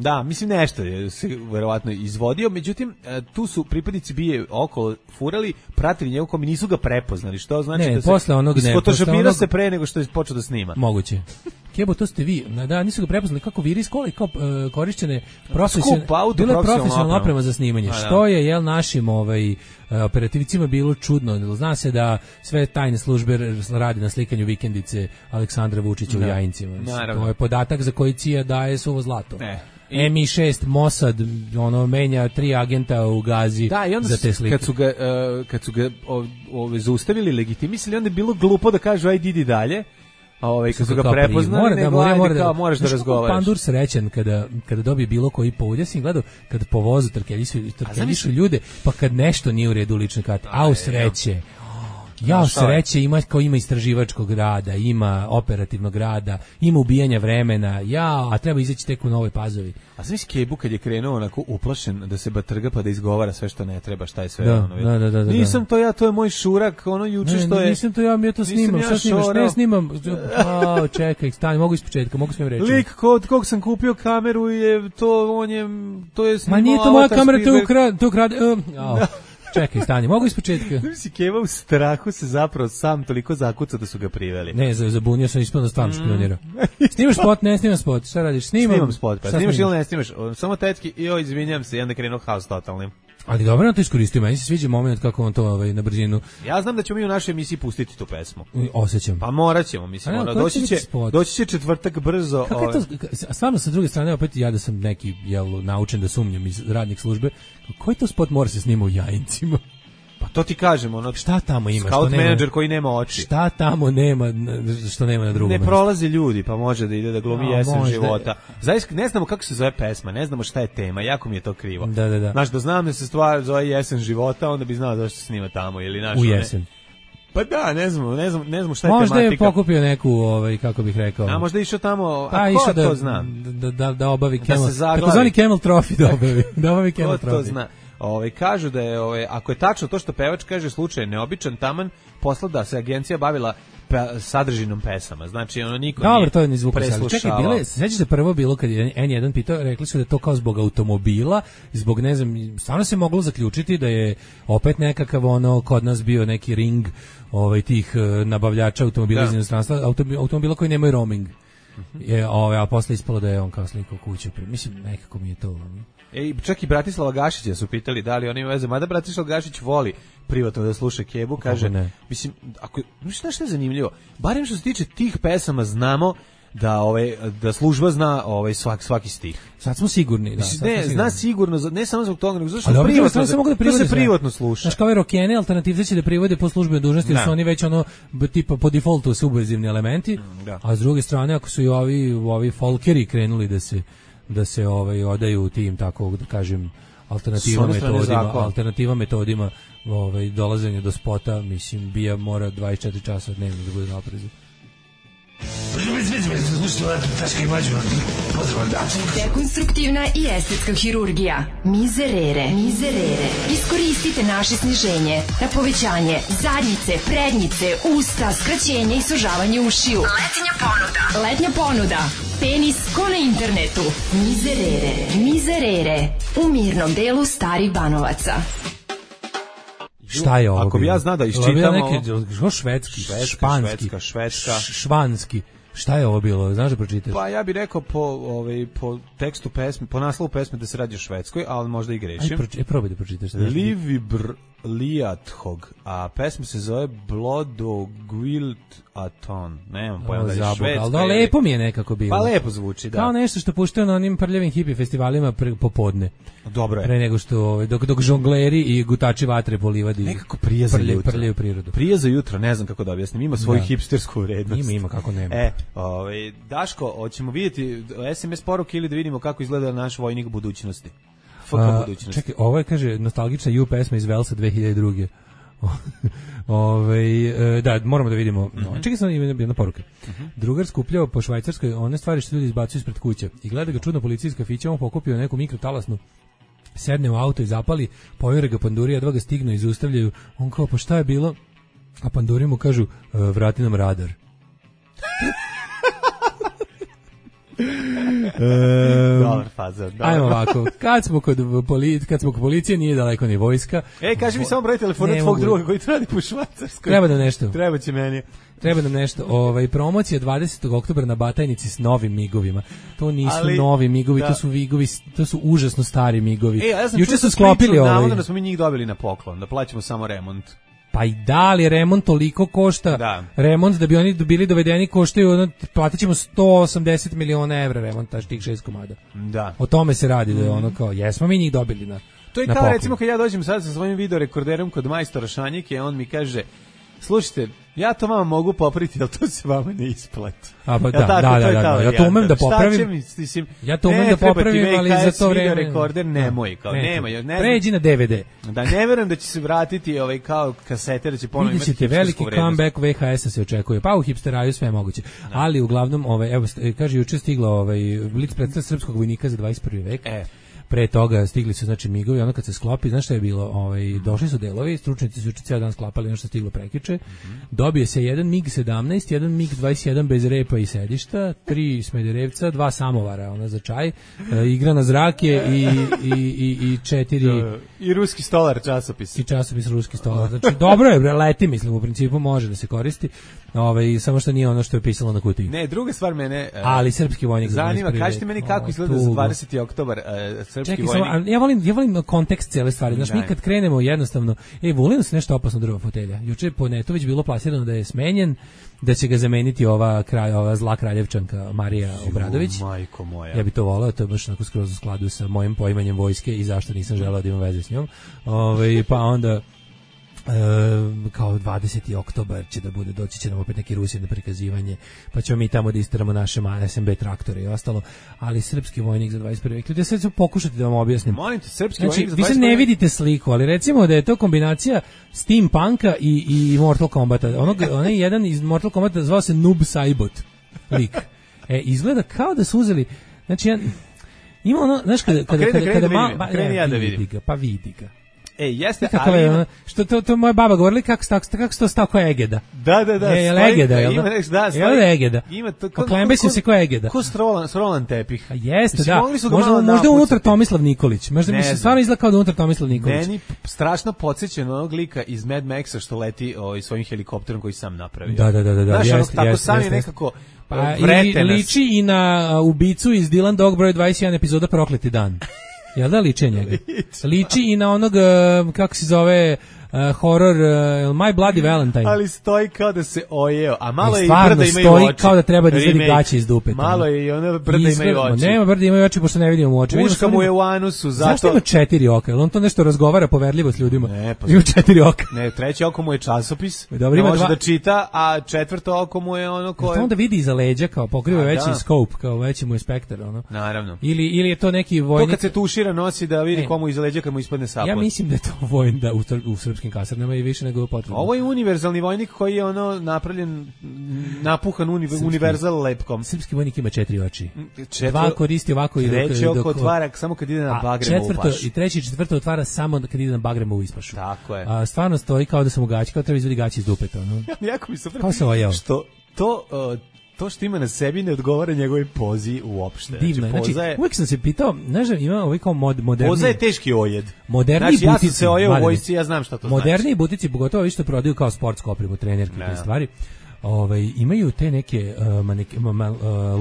Da, mislim nešto je se verovatno izvodio, međutim, tu su pripadnici bije okolo furali, pratili njegov kom i nisu ga prepoznali, što znači da se posle onog isfotošopirao se pre nego što je počeo da snima. Moguće. Kebo, to ste vi. Da, nisu ga prepoznali kako viris kola i kao korišćene profesionalna oprema za snimanje. Što je, jel, našim operativcima bilo čudno. Zna se da sve tajne službe radi na slikanju vikendice Aleksandra Vučića u Jajincima. To je podatak za koji CIA daje suvo zlato. MI6 Mossad menja 3 agenta u Gazi za te slike. Kad su ga zaustavili, legitimisali, onda je bilo glupo da kažu ajde idi dalje. Kad su ga prepoznali, moraš da razgovaraš. Pandur srećan kada dobije bilo koji povod. Ja sam gledao kad po vozu trkeljišu ljude, pa kad nešto nije u redu u ličnoj karti. U sreće. Sreće ima istraživačkog rada, ima operativnog rada, ima ubijanja vremena, a treba izaći tek u Novoj Pazovi. A znam si Kebu kad je krenuo onako uplašen da se batrga pa da izgovara sve što ne treba, šta je sve Da. Nisam to ja, to je moj šurak, juče što je... Nisam to ja, mi to snimam, šta snimaš? Ne snimam, čekaj, stani, mogu ispočetka, mogu smijem reći. Lik kod kog sam kupio kameru je to je snimao... Ma nije to moja kamera, to ukrade... Čekaj, stani, mogu ispočetka. Si Keva u strahu se zapravo sam toliko zakucao da su ga priveli. Ne, zabunio sam ispod da stvarno špionirao. Snimaš spot, ne snimam spot, šta radiš? Snimam spot, pa snimaš ili ne snimaš? Samo tetki, izvinjam se, i onda krenuo haos totalnim. Ali dobro na to iskoristio, meni se sviđa moment kako on to na brzinu. Ja znam da ćemo mi u našoj emisiji pustiti tu pesmu. Osjećam. Pa morat ćemo, mislim, doći će četvrtak brzo. Kako je to, stvarno sa druge strane, opet ja da sam neki naučen da sumnjam iz radnih službe, koji to spot mora se snima u Jajincima? Pa to ti kažem, šta tamo ima? Scout menadžer koji nema oči. Šta tamo nema što nema na drugom mestu? Ne prolaze ljudi, pa može da ide da glumi jesen života. Zaista ne znamo kako se zove pesma, ne znamo šta je tema, jako mi je to krivo. Da. Znaš, da znam da se stvar zove jesen života, onda bi znao zašto se snima tamo ili naš. U jesen. Pa da, ne znamo šta je možda tematika. Možda je pokupio neku, kako bih rekao. A možda je išao tamo, ko to zna? Da obavi Camel. Takozvani Camel Trophy da obavi Camel Trophy. Ko to zna? Kažu da je, ako je tačno to što pevač kaže, slučaj neobičan, taman posla da se agencija bavila sadržinom pesama. Znači, niko nije to je preslušavao. Čekaj, sećaš se prvo bilo kad je N1 pitao, rekli su da je to kao zbog automobila, zbog, ne znam, stvarno se moglo zaključiti da je opet nekakav kod nas bio neki ring tih nabavljača automobila iz inostranstva, automobila koji nemaju roaming. A posle ispalo da je on kao slikao kuću. Mislim, nekako mi je to... čak i Bratislava Gašića su pitali da li on ima veze, mada Bratislav Gašić voli privatno da sluša Kebu, kaže, mislim, šta je zanimljivo, barem što se tiče tih pesama znamo da služba zna svaki stih. Sad smo sigurni. Zna sigurno, ne samo zbog toga, nego zato što se privatno sluša. Znaš, kao rokene, alternativce će da privode po službenoj dužnosti, jer su oni već tipa po defaultu subverzivni elementi, a s druge strane, ako su i ovi folkeri krenuli da se odaju tim, tako da kažem, alternativa metodima dolaženja do spota, mislim, bija mora 24 časa dnevno da bude na oprezu. Dekonstruktivna i estetska hirurgija. Mizerere. Iskoristite naše sniženje na povećanje zadnjice, prednjice, usta, skraćenje i sužavanje ušiju. Letnja ponuda. Penis ko na internetu. Mizerere. U mirnom delu Starih Banovaca. Šta je ovo? Ako bi ja znao da iščitamo... Švedski, španski, švanski. Šta je ovo bilo? Znaš da pročitaš? Pa ja bih rekao po tekstu pesme, po naslovu pesme da se radi o Švedskoj, ali možda i grešim. Probaj da pročitaš. Livibr Liathog, a pesma se zove Blodogwild Aton. Nemam pojma da je Švedska. Ali lepo mi je nekako bilo. Pa lepo zvuči, da. Kao nešto što puštaju na onim prljavim hippie festivalima popodne. Dobro je. Pre nego što, dok žongleri i gutači vatre po livadi. Nekako prije za jutro. Prljaju prirodu. Prije za jutro, ne znam kako da objasnim. Ima svoju hipstersku vrednost. Ima, kako nema. Daško, hoćemo vidjeti SMS poruke ili da vidimo kako izgleda naš vojnik budućnosti? Čekaj, ovo je, kaže, nostalgična U pesma iz Velsa 2002. Da, moramo da vidimo. Čekaj, sam jedna poruka. Drugar skupljao po Švajcarskoj one stvari što ljudi izbacuju ispred kuće i gleda ga čudno policijska fića, on pokupio neku mikrotalasnu, sedne u auto i zapali, pojure ga panduri, a dva ga stignu i zaustavljaju. On kao, pa šta je bilo? A panduri mu kažu, vrati nam radar. Dobar fazon. Ajmo ovako, kad smo kod policije, nije daleko ni vojska. Kaži mi samo broj telefona tvog druga koji radi po Švajcarskoj. Treba da nešto. Treba će meni. Treba nam nešto. Promocija 20. oktobra na Batajnici s novim migovima. To nisu novi migovi, to su migovi, to su užasno stari migovi. Juče su sklopili navodno da smo mi njih dobili na poklon, da plaćamo samo remont. Pa i da li remont toliko košta? Remont da bi oni bili dovedeni koštaju, platit ćemo 180 miliona evra remonta tih 6 komada. Da. O tome se radi, da je ono kao, jesmo mi njih dobili na to je kao poklon. Recimo kad ja dođem sad sa svojim videorekorderom kod majstora Šanjike, on mi kaže, slušajte, ja to vama mogu popraviti, ali to se vama ne isplati. A pa da, ja to umem da popravim. Ja to umem da popravim, ali za to vreme rekorder nemoj, kao nema. Pređi na DVD. Da, ne verujem da će se vratiti kao kasete, da će ponovo imati hipstersku vrednost. Vidite, veliki comeback VHS-a se očekuje. Pa u hipsteraju sve je moguće. Ali uglavnom, evo, kaže, juče stigla Blic predstavlja srpskog vojnika za 21. vek. Pre toga stigli su znači migovi, ono kad se sklopi, znaš šta je bilo, došli su delovi, stručnjaci su ceo dan sklapali ono što stiglo prekjuče. Dobije se jedan MiG-17, jedan MiG-21 bez repa i sedišta, 3 Smederevca, 2 samovara, ona za čaj, igra na zrake i 4 i ruski stolar časopis. I časopis ruski stolar. Znači dobro je, leti, mislim, u principu može da se koristi. Samo što nije ono što je pisalo na kutiji. Ne, druga stvar mene ali srpski vojnik zanima, kažite meni kako izgleda za 20. oktobar srpski vojnik. Ja volim kontekst cele stvari. Znaš, mi kad krenemo jednostavno, Vulinu se nešto opasno drva fotelja. Juče po netu već bilo plasirano da je smenjen, da će ga zameniti ova zla kraljevčanka Marija Obradović. Majko moja. Ja bi to voleo, to je baš onako skroz u skladu sa mojim poimanjem vojske i zašto nisam želeo da imam veze s njom. Pa onda kao 20. oktobar će da bude, doći će nam opet neki Rusi na prikazivanje, pa ćemo mi tamo da isteramo naše SMB traktore i ostalo, ali srpski vojnik za 21. vek. Ljudi, sad ću pokušati da vam objasnim. Molim te, srpski vojnik za 21. Vi se ne vidite sliku, ali recimo da je to kombinacija steampunka i Mortal Kombata. Onaj jedan iz Mortal Kombata zvao se Noob Saibot lik. Izgleda kao da su uzeli, znači ima ono, znaš kada kreni ja da vidim. Pa vidi ga. Jeste, ali je, što to moja baba govorila kako se to stao ko Egeda. Da. Je Egeda, jel da? Je Egeda. Ima to Oklembesim se ko Egeda. Ko Roland tepih. Jeste, da. Možda unutar Tomislav Nikolić. Možda mi se stvarno izgleda kao da unutar Tomislav Nikolić. Meni strašno podsjeća na onog lika iz Mad Maxa što leti svojim helikopterom koji sam napravio. Da. Jeste, tako sam je nekako liči i na ubicu iz Dylan Dog broj 21 epizoda Prokleti dan. Jel da liči njega? Liči i na onog, kako se zove, horror My Bloody Valentine. Ali stoji kao da se ojeo, a malo je i brda imaju stoji oči. Kao da treba da izvedi gaće iz dupeta. Malo je i ona brda imaju oči. Nema brda imaju oči, pošto ne vidimo oči. Puška mu je u anusu, zato... Zašto ima 4 oka? Jel on to nešto razgovara poverljivo s ljudima? Ne, pa... Ima 4 oka. Ne, treće oko mu je časopis, dobro, ima može da čita, a četvrto oko mu je ono koje... Onda vidi iza leđa, kao pokriva veći scope, kao veći mu je spektar, ono. Naravno. Ili je to neki vojnik... To kad se tušira nosi da vidi komu iza leđa kad mu ispadne sapot. Ja mislim da je to vojnik u srpskim kasarnama i više nego potrebno. Ovo je univerzalni vojnik koji je napravljen, napuhan univerzal lepkom. Srpski vojnik ima 4 oči. 2 koristi ovako i treće oko otvara samo kad ide na Bagremovu pašu. I treće i četvrto otvara samo kad ide na Bagremovu ispašu. Tako je. Stvarno stoji kao da su mu gaći, kao treba izvedi gaći iz dupeta. Jako mi se što to što ima na sebi ne odgovara njegovoj pozi uopšte. Divno, znači uvijek sam se pitao, znaš, ima ovaj kao moderni... Poza je teški ojed. Moderni butici. Ja sam se ojeo u vojsci, ja znam šta to znači. Moderni butici, pogotovo što prodaju kao sportsku opremu, trenerke i stvari, imaju te neke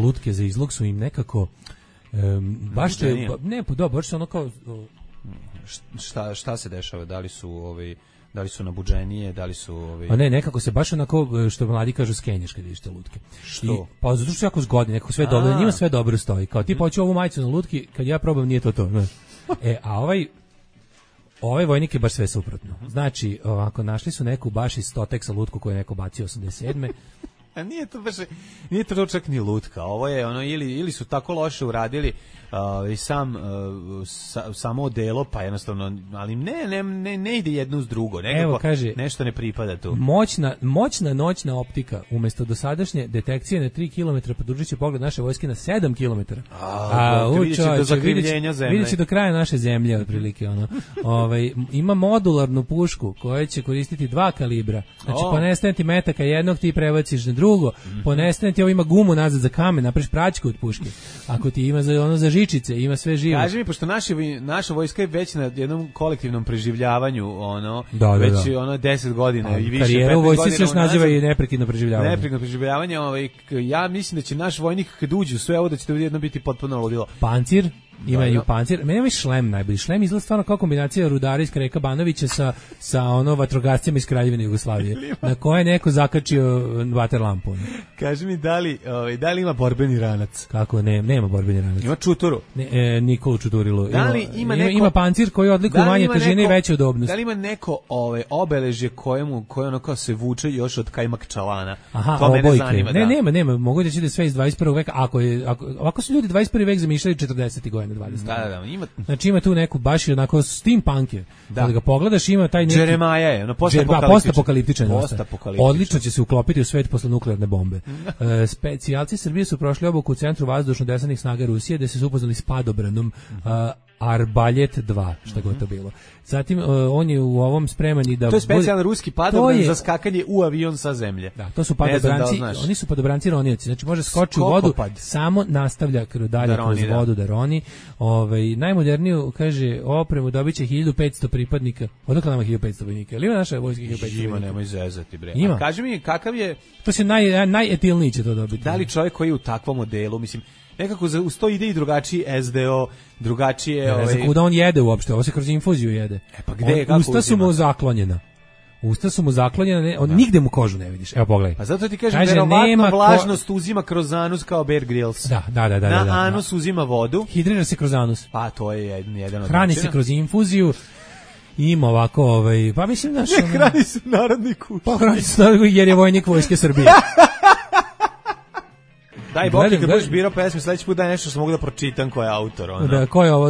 lutke za izlog su im nekako baš te... Ne, baš su ono kao... Šta se dešava? Da li su nabuđenije, da li su... A ne, nekako se baš onako, što mladi kažu, skenješ kad ideš te lutke. Što? Pa zato što su jako zgodni, nekako sve dobro, njima sve dobro stoji. Kao ti hoću ovu majicu na lutki, kad ja probam nije to. Znaš. A ovaj vojnik je baš sve suprotno. Znači, ovako, našli su neku baš iz Stoteksa lutku koju je neko bacio 87. A nije to čak ni lutka. Ovo je ono ili su tako loše uradili samo odelo, pa jednostavno, ali ne ide jedno uz drugo. Nekako kaže, nešto ne pripada tu. Moćna noćna optika umjesto dosadašnje detekcije na 3 km podružit će pogled naše vojske na 7 km. Vidjet će do kraja naše zemlje otprilike. Ima modularnu pušku koja će koristiti 2 kalibra. Znači po nestanti metaka jednog ti prebaciš na drugo, ponestane ti ovo, ima gumu nazad za kamen, napraviš praćku od puške. Ako ti ima za žičice, ima sve živo. Kaži mi, pošto naša vojska je već na jednom kolektivnom preživljavanju, već 10 godina i više. Karijera u vojsci se još naziva i neprekidno preživljavanje. Neprekidno preživljavanje, ja mislim da će naš vojnik kad uđe u sve ovo da će to jedno biti potpuno ludilo. Pancir, imaju pancir. Meni je šlem najbolji. Šlem izgleda stvarno kao kombinacija rudara iz Kreka Banovića sa vatrogascima iz Kraljevine Jugoslavije, na koje je neko zakačio vater lampu. Kaži mi, da li ima borbeni ranac? Kako nema borbeni ranac. Ima čuturu. Nikolu Čuturilu. Ima pancir koji odlikuje manje težine i veće udobnosti. Da li ima neko obeležje koje ono kao se vuče još od Kajmak Čalana? Aha, to mene zanima. Nema. Mogu da će da sve iz 21. veka. Ako su ljudi 21. vek zamišljali 40. godina 20. Da, ima. Znači ima tu neku baš onako steampunk je. Kada ga pogledaš ima taj neki Jeremaja je, postapokaliptičan. Odlično će se uklopiti u svet posle nuklearne bombe. Specijalci Srbije su prošli obuku u centru vazdušno-desanih snaga Rusije, gde se upoznali s padobranom Arbaljet 2, šta god to bilo. Zatim on je u ovom spreman i da... To je specijalni ruski padobran za skakanje u avion sa zemlje. Da, to su padobranci, oni su padobranci ronioci, znači može skoči u vodu, samo nastavlja dalje kroz vodu da roni. Najmoderniju, kaže, opremu dobit će 1500 pripadnika. Odakle nama 1500 vojnika? Ili ima naša vojska 1500 vojnika? Ima, nemoj zezati, bre. Ima. Kaži mi, kakav je... To se najetilniji će to dobiti. Da li čovjek koji je u takvom modelu, mislim, nekako uz to ide i drugačiji SDO, drugačije... Ne znam kuda on jede uopšte, ovo se kroz infuziju jede. Pa gde, kako usta su mu zaklonjena. Nigde mu kožu ne vidiš. Evo pogledaj. Pa zato ti kažem, verovatno vlažnost uzima kroz anus kao Bear Grylls. Da. Na anus uzima vodu. Hidrira se kroz anus. Pa to je jedan od hrani se kroz infuziju. Ima ovako, pa mislim naš... Ne, hrani se narodni kuć. Pa hrani se narodni jer je vojnik Vojske Srbije. Daj Bog kad budeš birao pesme, sledeći put daj nešto što mogu da pročitam ko je autor. Da, ko je ovo?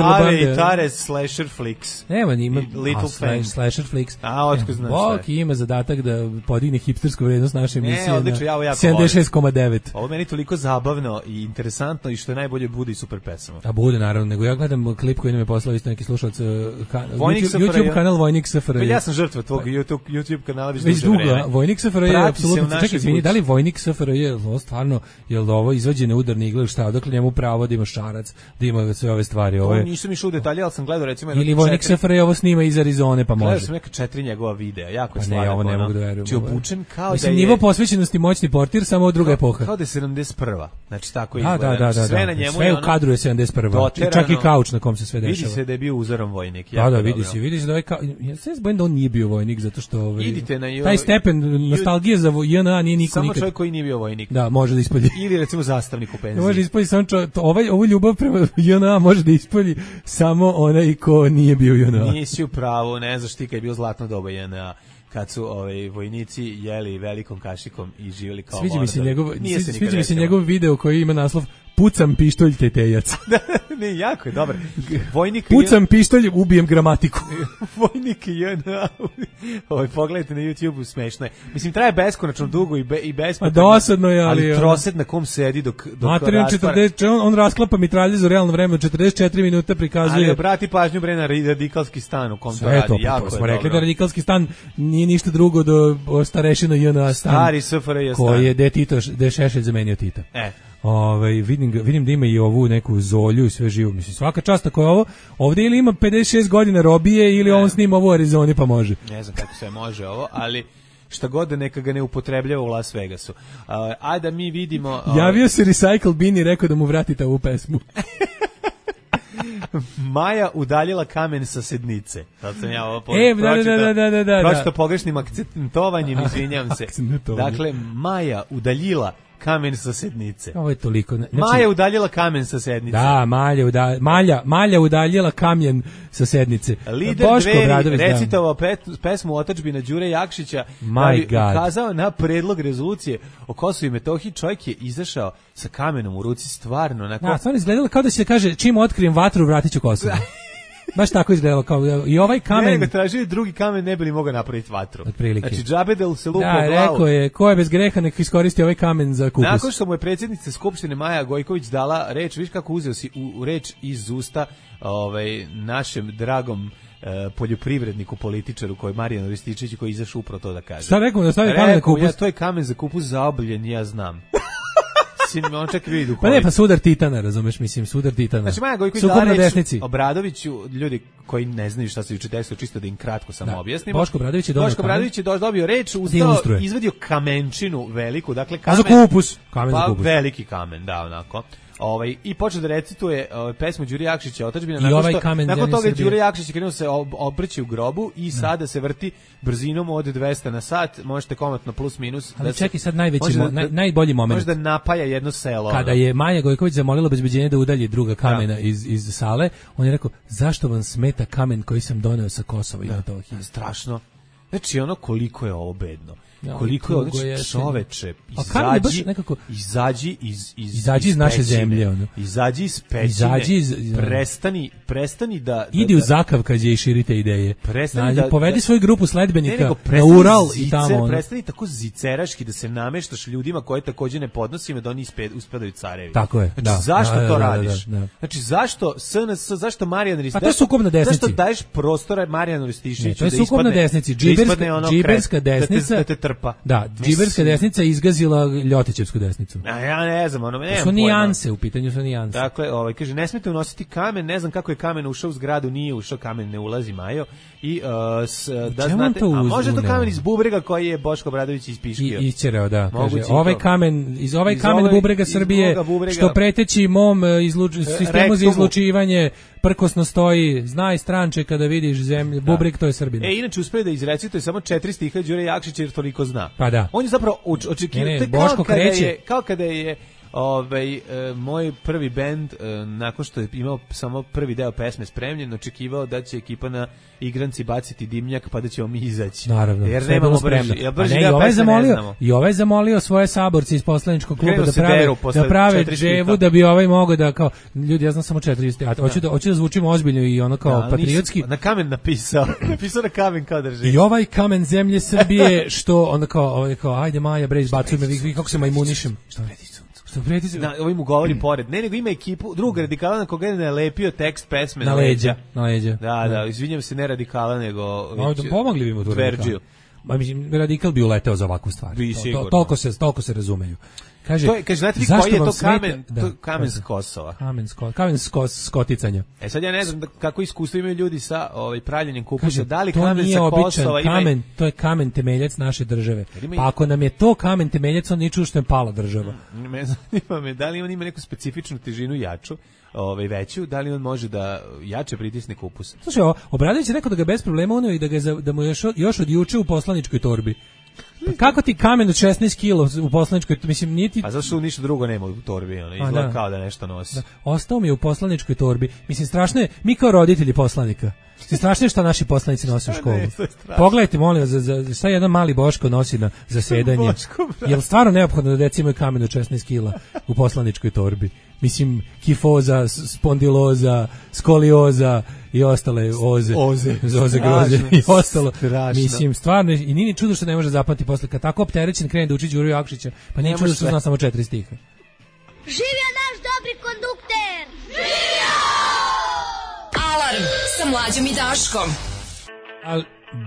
Ave Tares Slasher Flicks. Nema, ima Little Fan. Slasher Flicks. Otko znaš Bog ima zadatak da podigne hipstersku vrednost naše emisije na 76,9. Ovo meni toliko zabavno i interesantno i što je najbolje bude i super pesama. A bude naravno, nego ja gledam klip koji nam je poslao isto neki slušalac, YouTube kanal Vojnik SFRJ. Ja sam žrtva tvog YouTube kanala već dugo. Vojnik SFRJ je apsolutno, čekaj, izvini, da li Vojnik SFRJ stvarno, jel ovo izvađene udarne igle, šta, odakle njemu pravo da ima šarac, da ima sve ove stvari. Nisam išao u detalje, ali sam gledao recimo... Ili Vojnik SFRJ ovo snima iz Arizone, pa može. Gledao sam neka 4 njegova videa, jako je sladak. Ovo ne mogu da verujem. Či obučen kao da je... Mislim, nivo posvećenosti moćni portir, samo od druga epoha. Kao da je 71. Znači, tako izgleda. Da. Sve na njemu sve u kadru je 71. Čak i kauč na kom se sve dešava. Vidi se da je bio uzoran vojnik. Da, vidi se da je kao... Ja se bojim da on nije bio vojnik, zato što... Taj stepen nostalgije za JNA nije niko nikad. Samo čovjek koji nije bio vojnik. Da, može da ispolji. Ili recimo zastavnik u penziji. Može ispolji samo ovu ljubav prema JNA može da ispolji samo onaj ko nije bio JNA. Nisi u pravu, ne znaš ti kad je bio zlatno doba JNA, kad su vojnici jeli velikom kašikom i živjeli kao Sviđa mi se njegov video koji ima naslov Pucam pištolj tetejac. Ne, jako je dobar. Pucam pištolj, ubijem gramatiku. Vojnik JNA. Pogledajte na YouTube, smešno je. Mislim, traje beskonačno dugo i besplatno. Dosadno je, ali troset na kom sedi dok on rasklapa mitralje za realno vreme, 44 minuta prikazuje. Ali obrati pažnju bre na radikalski stan u kom to radi. Jako smo rekli da radikalski stan nije ništa drugo do starešina JNA stan. Stari SFRJ stan. Koji je de Šešelj zamenio Tita. Vidim da ima i ovu neku Zolju i sve živo. Mislim, svaka čast ako je ovo, ovdje ili ima 56 godina robije ili on snima ovu u Arizoni pa može. Ne znam kako se može ovo, ali šta god da neka ga ne upotrebljava u Las Vegasu. Ajde da mi vidimo... Javio se Recycle Bin i rekao da mu vratite ovu pesmu. Maja udaljila kamen sa sednice. Sad sam ja ovo pročitao. Da. Pročitao pogrešnim akcentovanjem, izvinjam se. Dakle, Maja udaljila kamen sa sednice. Ovo je toliko. Znači, Maja udaljila kamen sa sednice. Da, Malja udaljila kamen sa sednice. Lider Dveri recitovao pesmu Otadžbina Đure Jakšića da bi ukazao na predlog rezolucije o Kosovu i Metohiji. Čovjek je izašao sa kamenom u ruci, stvarno. Stvarno izgledalo kao da se kaže čim otkrijem vatru vratit ću Kosovo. Baš tako izgledalo kao i ovaj kamen. Ne, tražio drugi kamen, ne bi li mogao napraviti vatru. Otprilike. Znači džabedel se lupa u glavu. Rekao je, ko je bez greha nek iskoristi ovaj kamen za kupus. Nakon što mu je predsjednica Skupštine Maja Gojković dala reč, viš kako uzeo si u reč iz usta našem dragom poljoprivredniku, političaru koji je Marijan Rističević koji je izašao upravo to da kaže. Šta rekao da stavi kamen na kupus? Ja, to je kamen za kupus zaobljen, ja znam. On čak vidi pa ne, pa sudar titana, razumeš, mislim, sudar titana. Znači, Maja Gojković da reći Obradoviću, ljudi koji ne znaju šta se juče desilo, čisto da im kratko samo objasnimo. Boško Obradović je dobio reč, ustao, izvadio kamenčinu veliku, dakle kamen. A za kupus? Kamen za kupus. Veliki kamen, da, onako. I počeo da recituje pesmu Đure Jakšića Otadžbina, nakon toga Đure Jakšić krenuo se obrći u grobu i sada se vrti brzinom od 200 na sat, možete komatno plus minus. Ali čekaj sad najbolji moment. Može da napaja jedno selo. Kada je Maja Gojković zamolila obezbeđenje da udalji druga kamena iz sale, on je rekao, zašto vam smeta kamen koji sam doneo sa Kosova i Metohije? Strašno. Znači ono koliko je ovo bedno. Koliko je čoveče, izađi iz naše zemlje, ono. Izađi iz pećine, prestani da idi u Zakavkaz i širite ideje. Povedi svoju grupu sledbenika na Ural i tamo. Prestani tako ziceraški da se nameštaš ljudima koje takođe ne podnosimo da oni uspadaju carevi. Tako je. Znači, zašto to radiš? Znači, zašto SNS, zašto Marijan Rističević? A to je sukob na desnici. Zašto daješ prostora Marijanu Rističeviću? To je sukob na desnici. Džiberska desnica. Da, džiberska desnica izgazila Ljotićevsku desnicu. A ja ne znam, ono nema. Su nijanse, u pitanju su nijanse. Dakle, kaže ne smete unositi kamen, ne znam kako je kamen ušao u zgradu, nije ušao kamen, ne ulazi Majo. I da znate, a može to kamen iz bubrega koji je Boško Obradović ispiškio. Isćerao, da, kaže. Ovaj kamen bubrega Srbije što preteći mom sistemu za izlučivanje prkosno stoji, znaj stranče kada vidiš zemlju, bubreg to je Srbina. Inače uspeo da izrecituje samo 4 stiha Đure Jakšića jer toliko zna. Pa da. On je zapravo očekivao, kao kada je moj prvi bend, nakon što je imao samo prvi deo pesme spremljen, očekivao da će ekipa na igranci baciti dimnjak pa da ćemo mi izaći. Naravno, jer nemamo spremno. I ovaj zamolio svoje saborce iz poslaničkog kluba da prave dževu da bi ovaj mogao da kao, ljudi, ja znam samo 4 hoću da zvučimo ozbiljno i ono kao patriotski. Na kamen napisao na kamen kao drži. I ovaj kamen zemlje Srbije što onda kao ajde Maja bre izbacuj me, vi kako se majmunišem. Ovim mu govori pored. Ne, nego ima ekipu, drug radikala na koga je nalepio tekst pesme na leđa. Da, izvinjam se, ne radikala, nego pomogli bi mu tu radikal. Radikal bi uleteo za ovakvu stvar. Toliko se razumeju. Kaže, znate li koji je to kamen? Kamen s Kosova. Kamen s koticanja. Sad ja ne znam kako iskustvo imaju ljudi sa pravljenjem kupusa. Da li kamen sa Kosova ima... To je kamen temeljac naše države. Pa ako nam je to kamen temeljac, on niču što je pala država. Zanima me, da li on ima neku specifičnu težinu jaču, veću, da li on može da jače pritisne kupus? Slušaj, Obradović je rekao da ga bez problema unio i da mu još od juče u poslaničkoj torbi. Pa kako ti kamen od 16 kg u poslaničkoj, mislim, niti... A zašto ništa drugo nema u torbi, izgleda kao da nešto nosi. Ostao mi je u poslaničkoj torbi. Mislim, strašno je, mi kao roditelji poslanika, strašno je šta naši poslanici nose u školu. Pogledajte, molim vas, šta jedan mali Boško nosi na zasedanje. Je li stvarno neophodno da deci imaju kamen od 16 kg u poslaničkoj torbi? Mislim, kifoza, spondiloza, skolioza i ostale oze groze i ostalo. Mislim, stvarno, i nije čudo što ne može zapamtiti posle, kad tako opterećen krene da uči Đuru Jakšića, pa nije čudo što zna samo 4 stiha. Živio naš dobri kondukter! Živio! Alarm sa Mlađom i Daškom.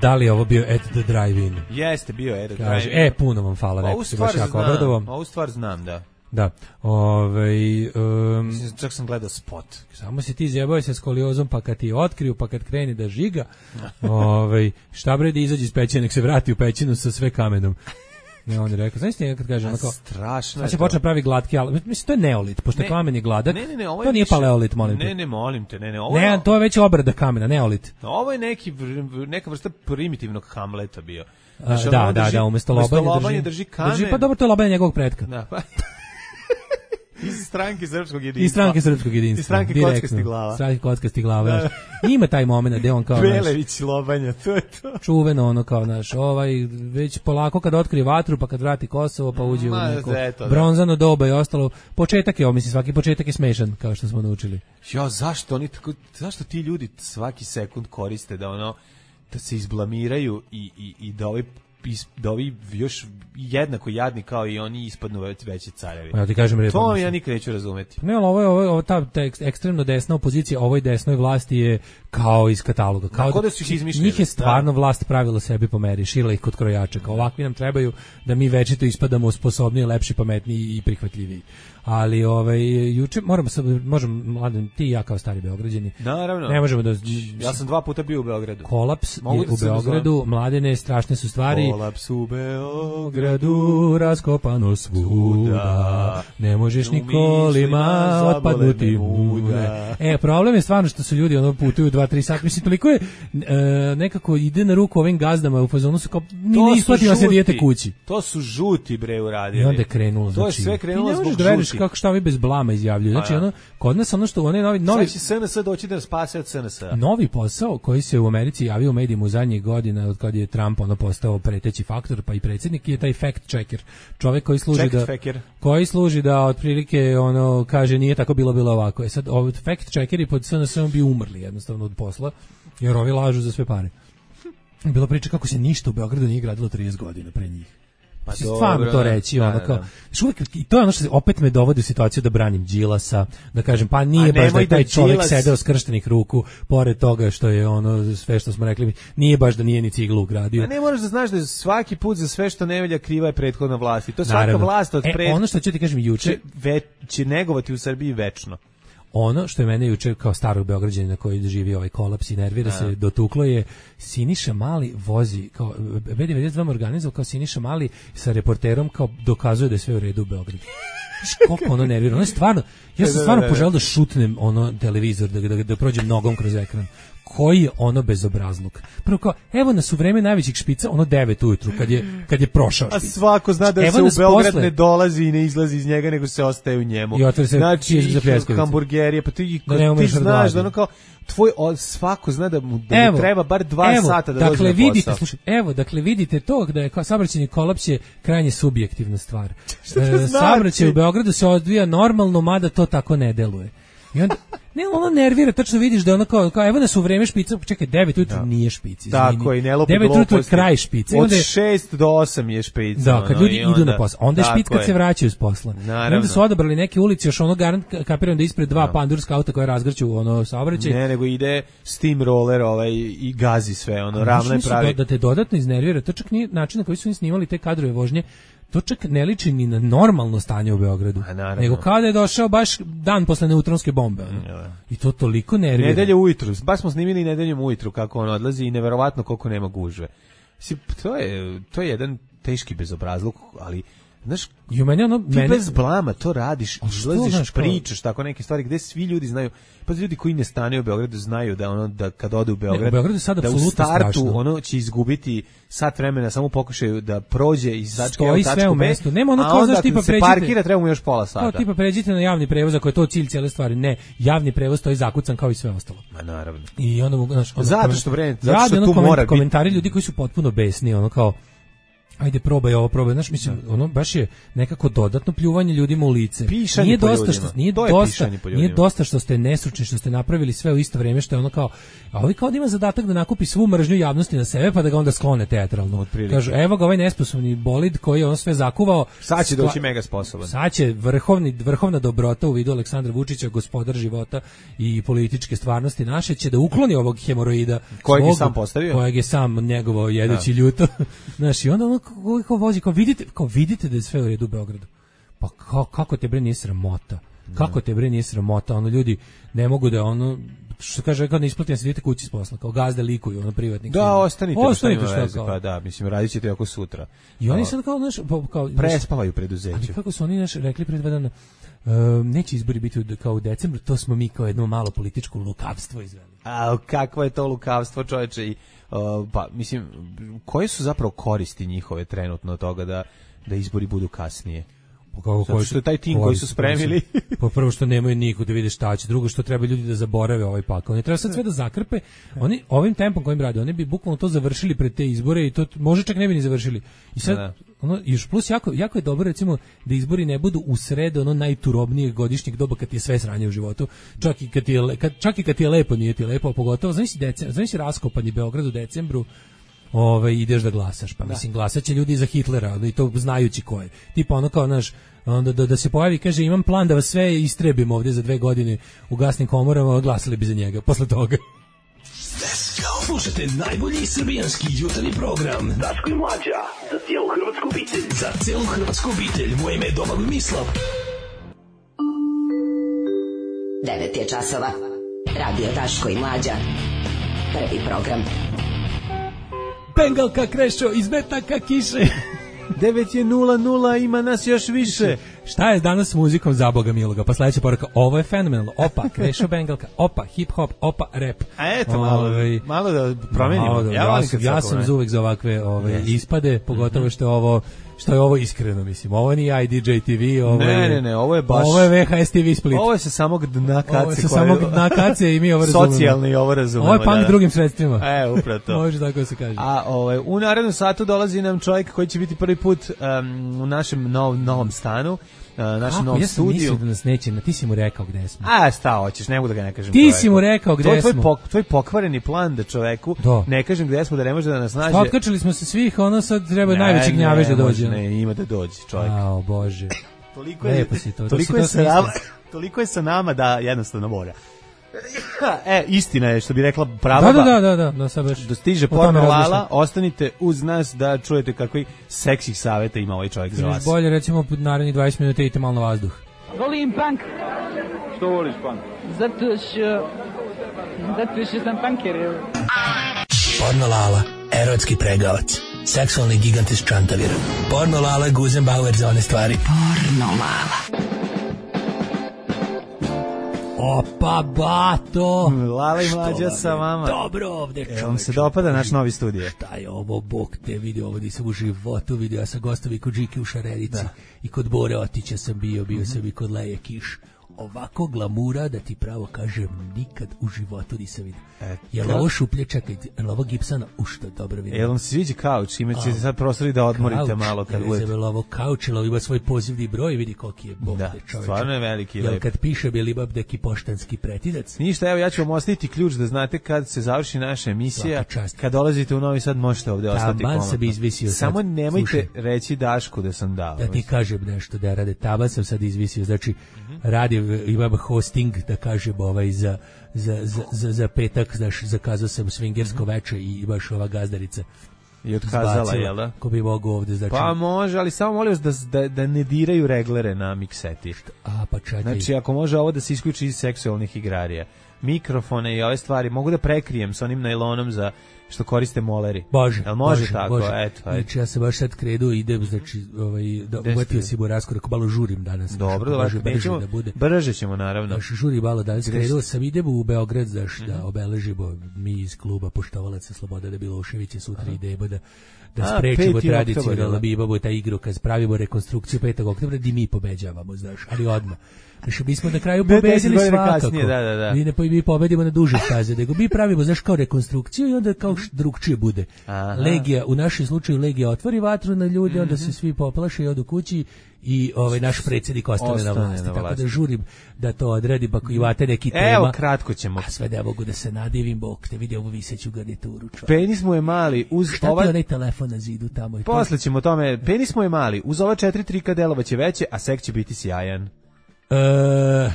Da li je ovo bio At the Drive-In? Jeste, bio At the Drive-In. Puno vam hvala, neko se baš jako obradovao. Ovu stvar znam, da. Da, čak sam gledao spot. Samo si ti zjebao se skoliozom, pa kad ti otkriju, pa kad kreni da žiga, šta bre da izađe iz pećine, nek se vrati u pećinu sa sve kamenom. Ne, on je rekao, znaš ti kad kaže onako, strašno. Sad se počne pravi glatki, ali mislim to je neolit, pošto kamen je gladak. Ne, to nije paleolit, molim te. Ne, molim te, ne, to je već obrada kamena, neolit. Ovo je neka vrsta primitivnog Hamleta bio. Da, umesto lobanje drži kamen. Pa dobro, to je lobanje njegovog pretka. Da, pa. Iz stranke srpskog jedinstva. Iz stranke kockastih glava. Da. Ima taj moment gde on kao Belević lobanja, to je to. Čuveno ono kao već polako kad otkrije vatru, pa kad vrati Kosovo, pa uđe u neko bronzano doba i ostalo. Početak je, mislim, svaki početak je smešan, kao što smo naučili. Zašto ti ljudi svaki sekund koriste da da se izblamiraju i da da ovi još jednako jadni kao i oni ispadnu veći carevi. Ja ti kažem, to ja nikad neću razumeti. Ne, ali ovo ta ekstremno desna opozicija ovoj desnoj vlasti je kao iz kataloga. Kao da su ih izmišljeni. Njih je stvarno vlast pravila sebi po meri, šila ih kod krojača. Kao ovakvi nam trebaju da mi večito ispadamo sposobniji, lepši, pametniji i prihvatljiviji. Ali juče možemo Mladen, ti i ja kao stari Beograđani. Naravno. Ne možemo da ja sam 2 puta bio u Beogradu. Kolaps je u Beogradu, Mladene, strašne su stvari. Kolaps u Beogradu, raskopano svuda. Ne možeš ni kolima otpadnuti muda. Problem je stvarno što su ljudi putuju 2-3 sata. Mislim, toliko je nekako ide na ruku ovim gazdama u fazonu su kao ne isplativa se dijete kući. To su žuti bre uradili. I onda je krenulo. To je sve krenulo zbog žuti. Kako šta ovi bez blama izjavljuju. Znači kod nas što one novi će SNS doći da nas spase od SNS-a. Novi posao koji se u Americi javio u medijima u zadnjih godina od kad je Trump postao preteći faktor pa i predsjednik je taj fact checker. Čovjek koji služi da otprilike kaže nije tako bilo ovako. Sad fact checkeri pod SNS-om bi umrli jednostavno od posla jer ovi lažu za sve pare. Bilo priča kako se ništa u Beogradu nije gradilo 30 godina pre njih. Pa stvarno to reći, kao. I to je ono što opet me dovodi u situaciju da branim Đilasa, da kažem, pa nije baš da je taj čovjek sedeo skrštenih ruku, pored toga što je sve što smo rekli, nije baš da nije ni ciglu ugradio. A ne moraš da znaš da svaki put za sve što ne velja kriva je prethodna vlast. I to svaka vlast od ono što ću ti kažem juče će negovati u Srbiji večno. Ono što je mene juče kao starog Beograđanina koji doživi ovaj kolaps i nervira se, dotuklo je Siniša Mali vozi, kao B92 organizovao kao Siniša Mali sa reporterom kao dokazuje da je sve u redu u Beogradu. Koliko nervira, ono je stvarno, ja sam stvarno poželio da šutnem televizor, da prođem nogom kroz ekran. Koji je bezobrazluk. Prvo kao, evo nas u vreme najvećih špica, 9 ujutru, kad je prošao špic. A svako zna da se u Beograd ne dolazi i ne izlazi iz njega, nego se ostaje u njemu. I otvori se hamburgerije, pa ti znaš da kao, svako zna da mu treba bar 2 sata da dođe na posao. Dakle, vidite to da je saobraćajni kolaps je krajnje subjektivna stvar. Saobraćaj u Beogradu se odvija normalno, mada to tako ne deluje. I onda, nervira, tačno vidiš da kao evo nas u vreme špica, čekaj, 9 ujutru nije špic. Tako i ne lopi 9 ujutru je kraj špice. Od 6 do 8 je špica. Da, kad ljudi idu na posao. Onda je špic kad se vraćaju s posla. Onda su odabrali neke ulice, još kapiram da ispred 2 pandurska auta koje razgrću saobraćaj. Ne, nego ide steamroller i gazi sve, ravne pravi. Da te dodatno iznervira, to čak nije način na koji su snimali te kadrove vožnje. To čak ne liči ni na normalno stanje u Beogradu, nego kada je došao baš dan posle neutronske bombe. I to toliko nervira. Nedelje ujutru, baš smo snimili nedeljom ujutru kako on odlazi i neverovatno koliko nema gužve. To je jedan teški bezobrazluk, ali znaš, ti bez blama to radiš, izlaziš, pričaš tako neke stvari gde svi ljudi znaju, pa ljudi koji ne stanuju u Beogradu znaju da kad ode u Beograd, da u startu će izgubiti sat vremena, samo pokušaju da prođe i začke u tačku B, a onda kad se parkira treba mu još pola sata. Kao tipa pređite na javni prevoz, ako je to cilj cijele stvari. Ne, javni prevoz stoji zakucan kao i sve ostalo. Ma naravno. I onda zato što tu mora biti komentari ljudi koji su potpuno besni, kao ajde probaj ovo, znaš, mislim, baš je nekako dodatno pljuvanje ljudima u lice. Pišanje po ljudima. Nije dosta što ste nestručni, što ste napravili sve u isto vrijeme, što je kao, a ovi kao da ima zadatak da nakupi svu mržnju javnosti na sebe, pa da ga onda sklone teatralno. Kažu, evo ga ovaj nesposobni bolid koji je sve zakuvao. Sad će doći mega sposoban. Sad će vrhovna dobrota u vidu Aleksandra Vučića, gospodar života i političke stvarnosti naše, će da ukloni ovog hemoroida. Kojeg je sam postavio? Kojeg je sam njegovo jedeći ljuto. Znaš, i onda kao vozi, kao vidite da je sve u redu u Beogradu. Pa kako te bre nije sramota? Kako te bre nije sramota? Ljudi ne mogu da što kaže, kad ne isplati, se idete kući s posla, kao gazde likuju, privatnik. Da, ostanite što veze, pa da, mislim, radit ćete ako sutra. I oni sad kao prespavaju preduzeće. Ali kako su oni rekli pred 2 dana, neće izbori biti kao u decembru, to smo mi kao jedno malo političko lukavstvo izveli. A kakvo je to lukavstvo, čoveče? Pa mislim, koje su zapravo koristi njihove trenutno od toga da izbori budu kasnije? Zato što je taj tim koji su spremili. Pa prvo što nemaju niko da vide šta će, drugo što treba ljudi da zaborave ovaj pakao. Oni treba sad sve da zakrpe. Oni ovim tempom kojim rade, oni bi bukvalno to završili pred te izbore i to može čak ne bi ni završili. I sad još plus jako je dobro recimo da izbori ne budu u sred najturobnijeg godišnjeg doba kad ti je sve sranje u životu. Čak i kad ti je lepo, nije ti lepo, a pogotovo znači raskopani Beograd u decembru. ideš da glasaš, pa mislim glasaće ljudi za Hitlera, i to znajući ko je. Tipa ono kao naš, onda da se pojavi, kaže imam plan da vas sve istrebim ovdje za 2 godine u gasnim komorama, glasali bi za njega posle toga. Slušajte najbolji srbijanski jutarnji program Daško i Mlađa, za cijelu hrvatsku obitelj. Za cijelu hrvatsku obitelj, moje ime je Domagoj Mislav. 9 je časova. Radio Daško i Mlađa. Prvi program. Bengalka Krešo iz metaka kiše. 9:00, ima nas još više. Šta je danas s muzikom za Boga miloga? Pa sledeća poruka, ovo je fenomenalno. Opa, Krešo Bengalka, opa, hip hop, opa, rap. A eto, malo da promenimo. Ja sam uvek za ovakve ispade, pogotovo što je ovo iskreno, mislim. Ovo nije IDJ TV, ovo je baš... Ovo je VHS TV Split. Ovo je sa samog dna kace. Ovo je sa samog dna kace i mi ovo razumemo. Socijalno i ovo razumemo. Ovo je punk drugim sredstvima. Upravo to. Može tako da se kaže. A u narednom satu dolazi nam čovjek koji će biti prvi put u našem novom stanu. Našem novom studiju. Ja sam mislio da nas neće, ti si mu rekao gde smo. Šta hoćeš, ne mogu da ga ne kažem. Ti si mu rekao gde smo. Tvoj pokvareni plan da čoveku ne kažem gde smo, da ne može da nas nađe. Otkačili smo se svih, sad treba najveći gnjavež da dođe. Ne, ima da dođe čovjek. O Bože. Toliko je sa nama da jednostavno mora. Istina je što bi rekla prava. Da, sad baš. Da stiže porno Lala, ostanite uz nas da čujete kakvi seksih savjeta ima ovaj čovjek za vas. Bolje recimo narednih 20 minuta idite malo na vazduh. Volim punk. Što voliš punk? Zato što sam punker. Porno Lala, erotski pregavac, seksualni gigant iz Čantavira. Porno Lala, Guzenbauer za one stvari. Porno Lala. Opa, bato! Lala i Mlađa sa vama. Dobro ovde, čovječe. Vam se dopada naš novi studije? Šta je ovo, Bog te vidio, ovo nisam u životu vidio. Ja sam gostovi kod Žike u Šarenici i kod Bore Otića sam bio sam i kod Leje Kiš. Ovako glamura, da ti pravo kažem, nikad u životu nisam vidio. Jel ovo šuplje, čekaj, jel ovo gipsana? Što dobro vidim. Jel vam se sviđa kauč? Imaće se sad prostori da odmorite malo kad budete. Jel ovo kauč, jel ovo ima svoj pozivni broj, vidi koliki je Bog te čoveče. Stvarno je veliki. Jel kad piše Belibab neki poštanski pretidac? Ništa, evo ja ću vam ostaviti ključ da znate kad se završi naša emisija. Kad dolazite u Novi Sad možete ovde ostati komotno. Samo nemojte reći Dašku da sam dao. Da ti kažem nešto, da rade, taban sam sad izvisio, znači radi imam hosting, da kažem, za petak, znaš, zakazao sam swingersko veče i baš ova gazdarica i otkazala, jel da? Ko bi mogu ovde, znači... Pa može, ali samo molim vas da ne diraju reglere na mikseti. Pa čekaj. Znači, ako može ovo da se isključi iz seksualnih igrarija. Mikrofone i ove stvari mogu da prekrijem sa onim najlonom za što koriste moleri. Bože, jel može tako? Bože. Eto, znači ja se baš sad kredu idem, znači da uvatio si mu raskorak, malo žurim danas. Dobro, brže ćemo naravno. Znači žuri malo danas, krenuo sam, idem u Beograd, znači da obeležimo mi iz kluba Poštovalaca Sloboda da Miloševića, sutra idemo da sprečimo tradicionalno bibabu taj igrokaz, pravimo rekonstrukciju 5. oktobra gdje mi pobeđavamo, znaš, ali odmah. Znači, mi smo na kraju pobedili svakako. Mi pobedimo na duže staze, nego mi pravimo, znaš, kao rekonstrukciju i onda kao drugčije bude. Legija, u našem slučaju Legija otvori vatru na ljude, onda se svi poplaše i odu kući i naš predsjednik ostane na vlasti. Tako da žurim da to odredi, pa ako imate neki tema. Evo, kratko ćemo. A sve ne mogu da se nadivim, Bog te vidi ovu viseću garnituru. Penis mu je mali. Šta ti onaj telefon na zidu tamo? Posle ćemo o tome. Penis mu je mali. Uz ova 4 trika delovaće veće, a sek će biti sjajan.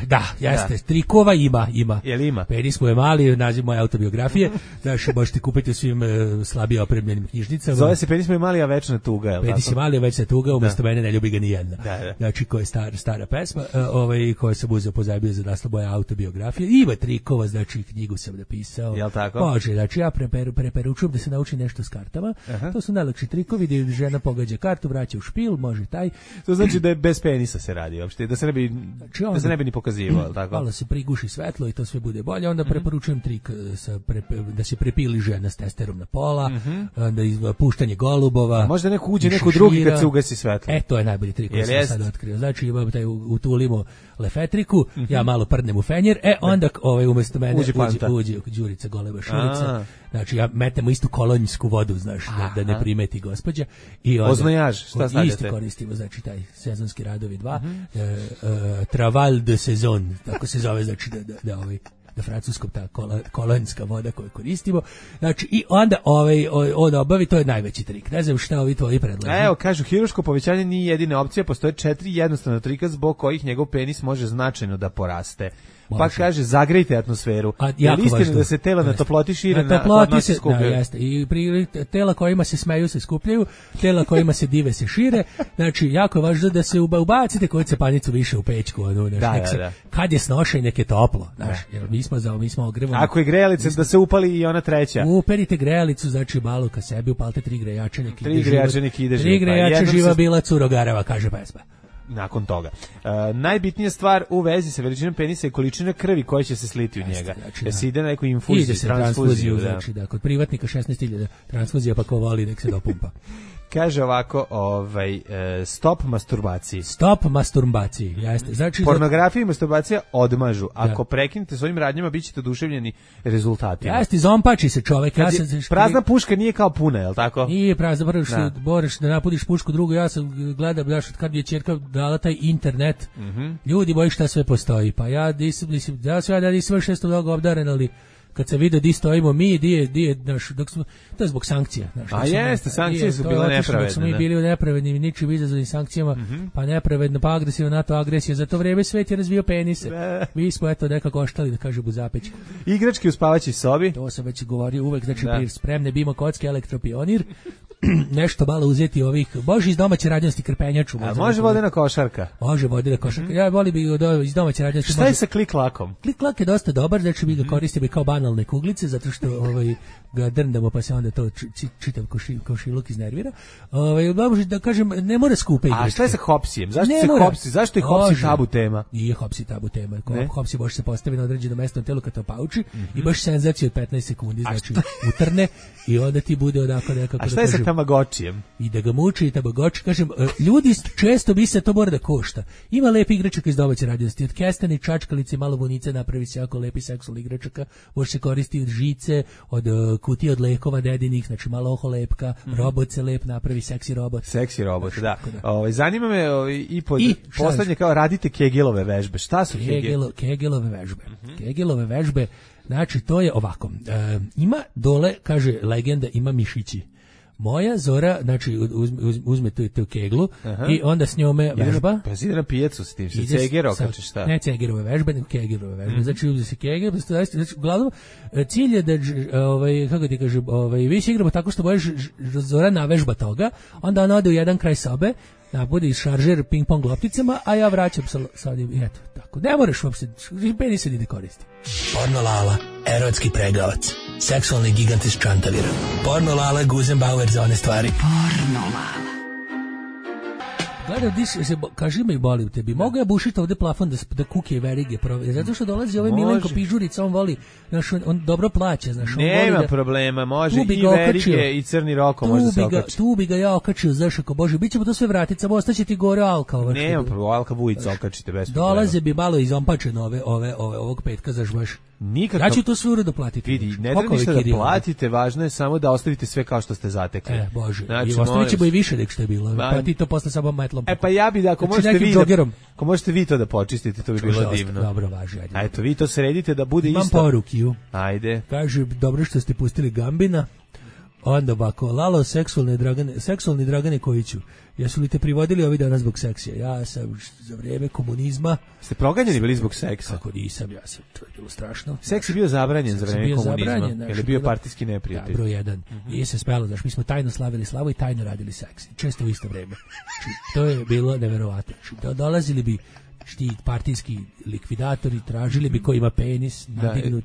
Da, jeste. Trikova ima. Jel ima? Penis mu je mali, naziv moje autobiografije. Znaš, možete kupiti u svim slabije opremljenim knjižnicama. Zove se Penis mu je mali, a večna tuga, jel tako? Penis je mali, a večna tuga, umjesto mene ne ljubi ga ni jedna. Znači, koja je stara pesma, koja sam uzeo pozajmio za naslov moje autobiografije. Ima trikova, znači, knjigu sam napisao. Jel tako? Može, znači, ja preporučujem da se nauči nešto s kartama. To su najlakši trikovi, gdje žena pogađa kartu, vraća u špil, može taj. To znači da je bez penisa se radi, uopšte, da se ne bi... Da se ne bi ni pokazivao, tako? Malo se priguši svetlo i to sve bude bolje. Onda preporučujem trik da se prepili žena s testerom na pola, da puštanje golubova. Možda neko uđe, neko drugi kad se ugasi svetlo. To je najbolji trik koji sam sad otkrio. Znači imam taj utulimo lefetriku, ja malo prdnem u fenjer, onda umjesto mene uđe Đurica Goleba Šurica. Znači ja metemo istu kolonjsku vodu, znaš, da ne primeti gospođa. Oznojaž, šta stavljate? Isto koristimo, znači taj sezonski radovi 2. Traval de sezon, tako se zove, znači da na francuskom ta kolonjska voda koju koristimo. Znači, i onda on obavi, to je najveći trik. Ne znam šta ovi tvoji predlažu. Evo, kažu, hirurško povećanje nije jedina opcija, postoje 4 jednostavna trika zbog kojih njegov penis može značajno da poraste. Pa kaže, zagrejte atmosferu. Je li istina da se tela na toploti šire, na hladno se skupljaju? Jeste. I tela kojima se smeju se skupljaju, tela kojima se dive se šire. Znači, jako je važno da se ubacite koju cepanicu više u pećku. Kad je snošaj, nek je toplo. Jer mi smo ogrevani. Ako je grejalica, da se upali i ona treća. Uperite grejalicu, znači malo ka sebi, upalite 3 grejača, nek ide život. 3 grejača živa bila curogareva, kaže pesma. Nakon toga. Najbitnija stvar u vezi sa veličinom penisa je količina krvi koja će se sliti u njega. Znači, se ide na neku infuziju, ide se transfuziju. Znači, kod privatnika 16.000 transfuzija, pa ko voli nek se dopumpa. Kaže ovako, stop masturbaciji. Stop masturbaciji, jeste. Znači, pornografija i masturbacija odmažu. Ako prekinete svojim radnjama, bit ćete oduševljeni rezultatima. Jeste, zompači se čovek. Prazna puška nije kao puna, je li tako? Nije prazna, moraš da napuniš pušku drugu. Ja sam gledao, kad je ćerka dala taj internet, ljudi boji šta sve postoji. Pa ja nisam još toga obdaren, ali kad se vidi di stojimo mi, to je zbog sankcija. A jeste, sankcije su bile nepravedne. Dok smo mi bili u nepravednim, ničim izazvanim sankcijama, pa nepravedno, pa agresivno, NATO agresija. Za to vreme svet je razvio penise. Mi smo nekako oštali, da kaže Buzapeć. Igračke u spavaćoj sobi. To sam već govorio uvek, znači spremne bimo kocke, elektropionir. Nešto malo uzeti ovih, može iz domaće radnjosti krpenjaču. Može vodena košarka. Može vodena košarka. Ja volim bi iz domaće radnjosti. Šta je sa klik-lakom? Klik-lak je dosta dobar, znači mi ga koristimo kao banalne kuglice, zato što ga drndamo, pa se onda to čitav košiluk iznervira. Da kažem, ne mora skupe igračke. A šta je sa hopsijem? Zašto je hopsi tabu tema? Nije hopsi tabu tema. Hopsi može se postaviti na određeno mesto na telu kad to pauči i baš senzaciju od 15 sekundi, znači utrne i onda ti bude onako nekako. A šta je sa Tamagočijem? I da ga muči i Tamagoči, kažem, ljudi često misle to mora da košta. Ima lepi igračaka iz domaće radnjosti, od kesteni, čačkalice, malo vunice, napravi se jako lepi seksualni igračaka, može se koristiti od žice, od kutije od lekova dedinih, znači malo oho lepka, robot se lep, napravi seksi robot. Seksi robot, da. Zanima me i poslednje kao radite Kegelove vežbe. Šta su Kegelove vežbe? Kegelove vežbe, znači to je ovako. Ima dole, kaže legenda, ima mišići. Moja Zora, znači, uzme tu keglu i onda s njome vežba. Pa ide na pijecu s tim, se ceger okače, šta? Ne cegerove vežbe, nego kegerove vežbe. Znači, uzme se keger, znači, uglavnom, cilj je da, kako ti kažem, vi se igramo tako što bojiš Zora navežba toga, onda ona ode u jedan kraj sobe, bude šaržer ping-pong lopticama, a ja vraćam sad i eto, tako. Ne moraš uopšte, penis se ne koristi. Porno Lala, erotski pregavac, seksualni gigant iz Čantavira. Porno Lala, Guzenbauer za one stvari. Porno Lala. Gledaj, kaži me i boli u tebi. Mogu ja bušiti ovde plafon da kuke i verige provede? Zato što dolazi ovaj Milenko Pižurica, on voli, on dobro plaća. Nema problema, može i verige i crni roko može se okačiti. Tu bi ga ja okačio, znaš, ako Bože, bit ćemo to sve vratiti, samo ostaće ti gore Alka. Nema problema, Alka Vujica okačite bez problema. Dolaze bi malo izompačeno ovog petka, znaš baš. Nikako. Ja ću to sve uredno platiti. Vidi, ne treba ništa da platite, važno je samo da ostavite sve kao što ste zatekli. Bože, znači, i ostavit ćemo i više nek što je bilo. Pa ti to posle samo metlom. Pa ja bi da, ako možete vi to da počistite, to bi bilo divno. Dobro, važi. A eto, vi to sredite da bude isto. Imam porukiju. Ajde. Kaže, dobro što ste pustili Gambina. Onda ovako, Lalo, seksualni Dragane Kojiću, jesu li te privodili ovi dana zbog seksija? Ja sam za vrijeme komunizma... Ste proganjeni bili zbog seksa? Kako nisam, ja sam, to je bilo strašno. Seks je bio zabranjen za vrijeme komunizma, jer je bio partijski neprijatelj. Da, broj 1. Nije se spelo, znaš, mi smo tajno slavili slavu i tajno radili seks. Često u isto vrijeme. To je bilo neverovatno. Dolazili bi ti partijski likvidatori, tražili bi ko ima penis nadignut,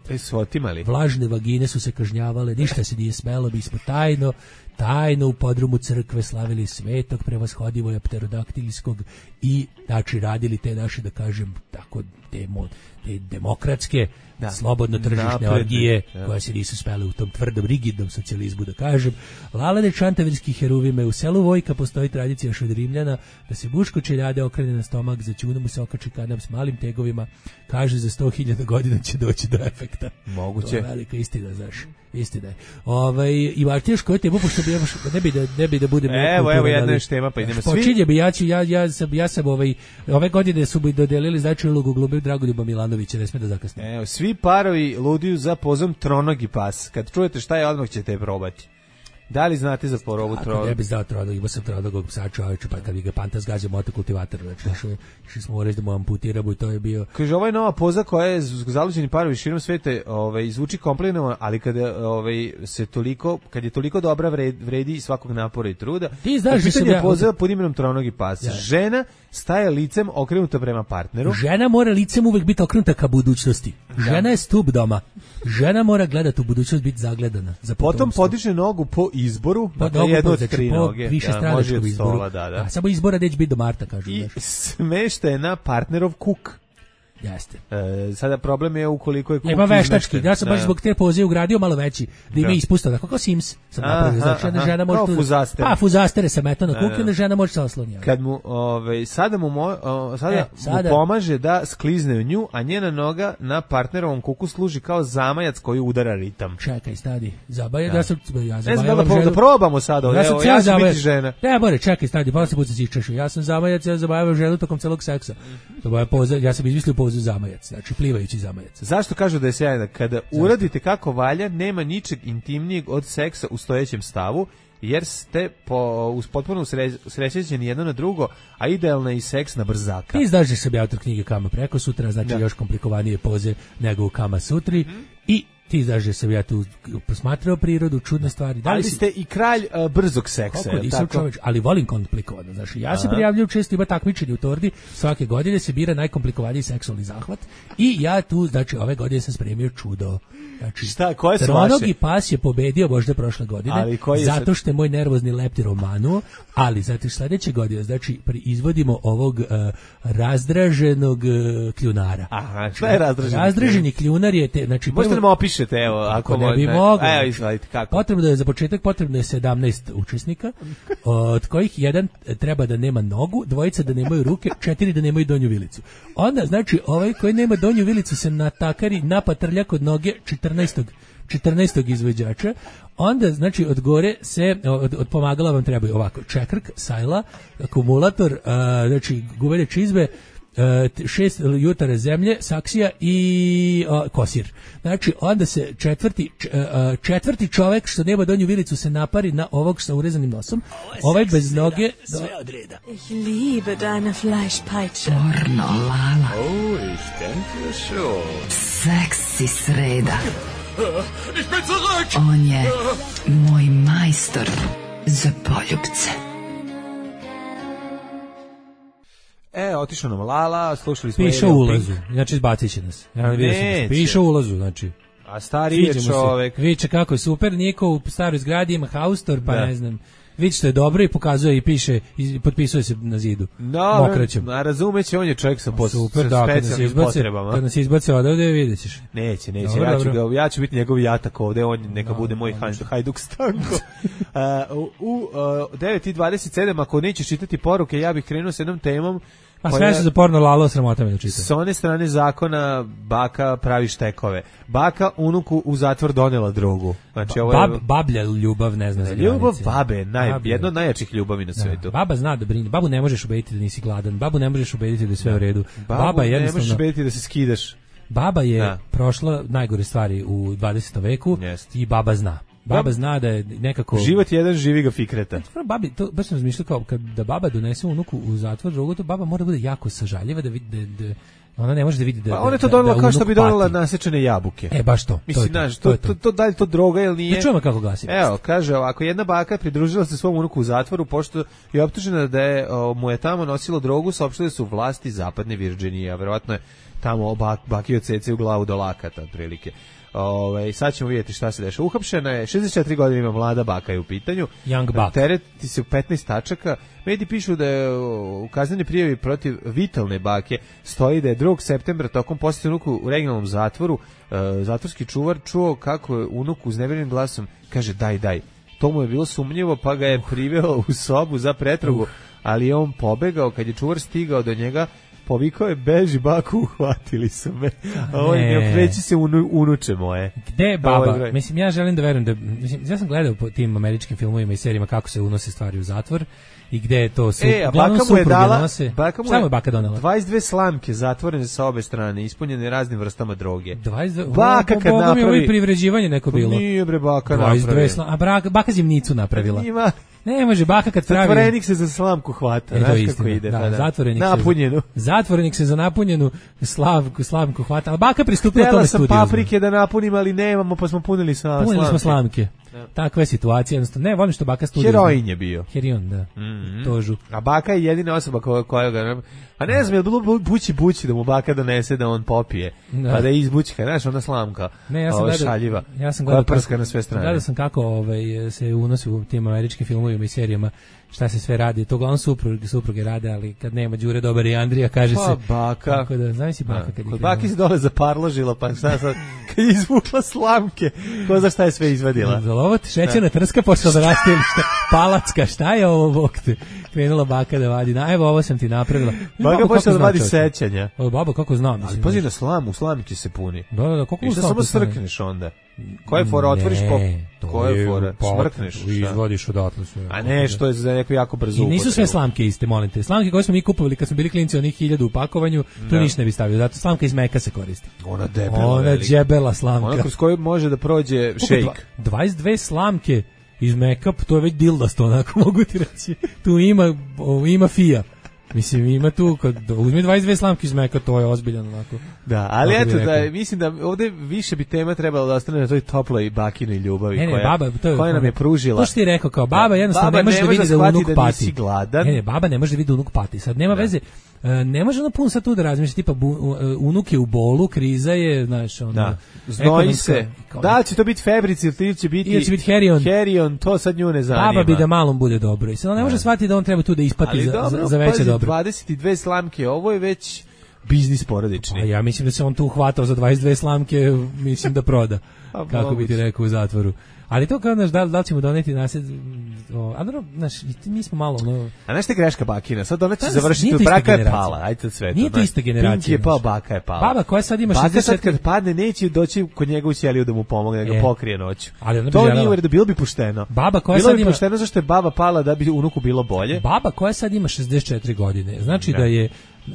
vlažne vagine su se kažnjavale, ništa se nije smelo, mi smo tajno u podrumu crkve slavili Svetog Prevashodivog pterodaktilskog i znači radili te naše, da kažem tako, te demokratske slobodno tržišne orgije koja se nisu spele u tom tvrdom rigidnom socijalizmu, da kažem. Lalane čantavirski heruvime, u selu Vojka postoji tradicija još od Rimljana da se muško čeljade okrene na stomak, za ćunu mu se okači kanap s malim tegovima, kaže za 100.000 godina će doći do efekta. Moguće. To je velika istina, znaš. Istina je. I Martijaš, koju tebu, pošto bi ne bi da budem... Evo jedna još tema, pa idemo svi. Počinje bi, ja sam ove godine su bi dodelili značajnu ulogu glumim Dragoljuba Milanovića. Radovića, ne sme da zakasni. Evo, svi parovi luduju za pozom tronogi pas. Kad čujete šta je, odmah ćete je probati. Da li znate za porovu tronogu? Ako ne bi znao tronog, imao sam tronogog psa čoveče, pa kad bi ga Panta zgazio motokultivator, znači išli smo reći da mu amputiramo i to je bio... Kaže, ovo je nova poza koja je zaluđeni parovi širom sveta, zvuči komplikovano, ali kad je toliko dobra vredi svakog napora i truda. Ti znaš da se poza pod imenom tronogi pas. Ja. Žena staje licem okrenuta prema partneru. Žena mora licem uvek biti okrenuta ka budućnosti. Žena je stup doma. Žena mora gledati u budućnost, biti zagledana. Potom podiže nogu po izboru, dakle jedno od tri noge. Više stranačkog izboru. Da. Samo izbora neće biti do marta, kažu. I smešta je na partnerov kuk. Jeste. Sada problem je ukoliko je kuk ima veštački. Ja sam baš zbog te poze ugradio malo veći, da ima ispusta, tako kao Sims. Sam napravio, znači žena može fuzastere. Pa fuzastere se meta na kuk i onda žena može se osloniti. Kad mu sada mu pomaže da sklizne u nju, a njena noga na partnerovom kuku služi kao zamajac koji udara ritam. Čekaj, stadi. Zabavaj, ja zabavam ženu. Da probamo sada, evo, ja ću biti žena. Ne, more, čekaj, stadi, pa se puca sičeš. Ja sam zamajac, ja zabavam ženu tokom celog seksa. To je poza, ja sam izmislio pozu zamajac, znači plivajući zamajac. Zašto kažu da je sjajna? Kada uradite kako valja, nema ničeg intimnijeg od seksa u stojećem stavu, jer ste potpuno usrećeni jedno na drugo, a idealna je i seks na brzaka. Ti znaš da sam autor knjige Kama preko sutra, znači još komplikovanije poze nego u Kama sutri i ti znaš da sam ja tu posmatrao prirodu, čudne stvari. Ali ste i kralj brzog seksa. Ali volim komplikovano. Znači, ja se prijavljujem često, ima takmičenje u Tordi, svake godine se bira najkomplikovaniji seksualni zahvat i ja tu, znači, ove godine sam spremio čudo. Znači, koje su tronogi pas je pobedio možda prošle godine, zato što je moj nervozni leptir omanuo, ali zato sledeće godine, znači, izvodimo ovog razdraženog kljunara. Aha, šta je razdraženi? Razdraženi kljunar je, znači, možete nam opišete, evo, ako ne bi mogli. Evo, izvalite, kako? Potrebno je, za početak, potrebno je 17 učesnika, od kojih jedan treba da nema nogu, dvojica da nemaju ruke, 4 da nemaju donju vilicu. Onda, znači, ovaj koji nema donju vilicu se natakari, napatrlja kod noge 14. izvođača, onda, znači, od gore se, od pomagala vam trebaju ovako, čekrk, sajla, akumulator, znači, guvene čizme, 6 jutara zemlje, saksija i kosir. Znači, onda se četvrti čovek što nema donju vilicu se napari na ovog sa urezanim nosom. Ovaj bez noge... Sve od reda. Ich liebe deine Fleischpeitsche. Pornolala. Oh, ich denke schon. Seksi sreda. Ich bin zurück! On je moj majstor za poljubce. Otišao nam Lala, slušali smo... Piše u ulazu, znači izbacit će nas. Piše u ulazu, znači. A stari je čovek. Viče kako je super, niko u staroj zgradi ima haustor, pa ne znam. Viče što je dobro i pokazuje i piše, i potpisuje se na zidu. Mokraćem. A razumeće, on je čovjek sa specijalnim potrebama. Kad nas izbace odavde, vidjet ćeš. Neće. Ja ću biti njegov jatak ovde, on neka bude moj Hajduk Stanko. U 9:27, ako nećeš čitati poruke, ja bih krenuo s jednom temom. A sve su za porno lalo, sramota me da čitam. S one strane zakona baka pravi štekove. Baka unuku u zatvor donela drogu. Znači, ovo je... Bablja ljubav ne zna za granice. Ljubav babe, jedno od najjačih ljubavi na svetu. Baba zna da brine. Babu ne možeš ubediti da nisi gladan. Babu ne možeš ubediti da je sve u redu. Babu ne možeš ubediti da se skidaš. Baba je prošla najgore stvari u 20. veku i baba zna. Baba zna da je nekako... Život jedan, živi ga fikreta. Babi, to baš sam razmišljao kao da baba donese unuku u zatvor drogu, to baba mora da bude jako sažaljiva da vidi da ona ne može da vidi da ona je to donela kao što bi donela nasečene jabuke. Baš to. Mislim, to da li to droga ili nije? Da čujemo kako glasi. Evo, kaže ovako, jedna baka pridružila se svom unuku u zatvoru pošto je optužena da je mu je tamo nosilo drogu, saopštile su vlasti zapadne Virginije, a verovatno je tamo baki odsece u glavu do lakata, otprilike. Sad ćemo vidjeti šta se dešava. Uhapšena je, 64 godine ima mlada baka je u pitanju. Young buck. Tereti se u 15 tačaka. Mediji pišu da je u kaznenoj prijavi protiv vitalne bake stoji da je 2. septembra tokom posjeta unuku u regionalnom zatvoru zatvorski čuvar čuo kako je unuk uznemirenim glasom kaže daj. To mu je bilo sumnjivo pa ga je priveo u sobu za pretragu, ali je on pobegao. Kad je čuvar stigao do njega, Povikao je, beži baku, uhvatili su me. Ne okreći se unuče moje. Gde je baba? Mislim, ja želim da verujem da... Mislim, ja sam gledao po tim američkim filmovima i serijama kako se unose stvari u zatvor i gde je to... A baka mu je dala... Šta mu je baka donela? 22 slamke zatvorene sa obe strane, ispunjene raznim vrstama droge. 22... Baka kad napravi... Boga mi je privređivanje neko bilo. Nije bre baka napravi. A baka zimnicu napravila. Ima... Ne može baka kad pravi... Zatvorenik se za slamku hvata, znaš kako ide. Da, zatvorenik napunjenu. Zatvorenik se za napunjenu slamku hvata, ali baka pristupila tome studiju. Htjela sam paprike da napunim, ali nemamo, pa smo punili slamke. Punili smo slamke. Takva je situacija, jednostavno. Ne, volim što baka studiju. Heroin je bio. Heroin, da. Tožu. A baka je jedina osoba koja ga... A ne znam, je bilo bući da mu baka donese da on popije, pa da je izbućka, znaš, ona slamka, šaljiva, koja prska na sve strane. Gledao sam kako se unosi u tim američkim filmovima i serijama, šta se sve radi, to uglavnom supruge rade, ali kad nema Đure Dobar i Andrija, kaže se... Pa baka. Tako da, znam si baka kad kod baki se dole zaparložila, pa šta sad, kad je izvukla slamke, ko za šta je sve izvadila. Zalovot, šećerna trska, počela da raste ili šta, palacka, šta je ovo, bok te? Krenula baka da vadi, evo ovo sam ti napravila. Baka počela da vadi sećanja. Baba, kako znam. Ali pazi na slamu, slamki se puni. Da, koliko slamki samo strkneš onda. Koje fora otvoriš koje fora smrkneš, izvodiš odatle sve. A ne, što je za neko jako brzo. I nisu sve slamke iste, molim te. Slamke koje smo mi kupovali kad smo bili klinci, onih 1000 u pakovanju, tu ništa ne bi stavio. Zato slamka iz meka se koristi. Ona debela. Ona džebela slamka. Ona kroz koju može da prođe šejk. 22 slamke iz meka, to je već dildasto, onako mogu ti reći. Tu ima fija. Mislim, ima tu, kad uzmi 22 slamke iz meka, to je ozbiljan onako. Da, ali eto, da, mislim da ovde više bi tema trebalo da ostane na toj toploj bakinoj ljubavi koja nam je pružila. To što ti rekao, kao baba jednostavno ne može da vidi da unuk pati. Ne, baba ne može da vidi da unuk pati. Sad nema veze, ne može ono puno sad tu da razmišlja, tipa unuk je u bolu, kriza je, znaš, ono... Znoji se. Da li će to biti febrici ili će biti herion, to sad nju ne zanima. Baba bi da malom bude dobro. I sad ne može shvatiti da on treba tu da ispati za veće dobro. 22 slamke, ovo je već biznis porodični. A ja mislim da se on tu hvatao za 22 slamke, mislim da proda. Kako bi ti rekao u zatvoru. Ali to kao, znaš, da li ćemo doneti nasled... A dobro, znaš, mi smo malo... A znaš te greška bakina? Sad ona će završiti, braka je pala. Ajde sve to. Nije to ista generacija. Pink je pao, baka je pala. Baba koja sad ima 60... Baka sad kad padne, neće doći kod njega u ćeliju da mu pomogne, da ga pokrije noću. To nije u redu, bilo bi pošteno. Bilo bi pošteno zašto je baba pala da bi unuku bilo bolje. Baba koja sad ima 64 godine, znači da je...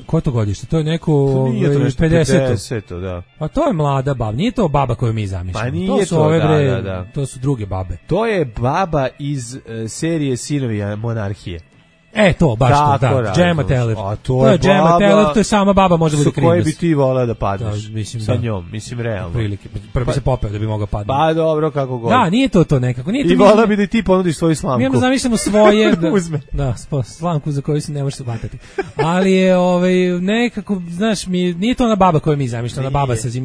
Koje to godište? To je neko 50. Da. A to je mlada baba, nije to baba koju mi zamišljamo. Pa nije to, to su druge babe. To je baba iz serije Sinovi monarhije. To, baš to, da. Džema Teller. To je Džema Teller, to je sama baba, može bude krivac. Koje bi ti voleo da padneš sa njom, mislim, realno. Prilike, prvo bi se popeo da bi mogao padniti. Pa dobro, kako god. Da, nije to nekako. I voleo bi da ti ponudiš svoju slamku. Mi zamišljamo svoje... Da, slamku za koju se ne može se vatati. Ali je nekako, znaš, nije to ona baba koju mi zamišljamo,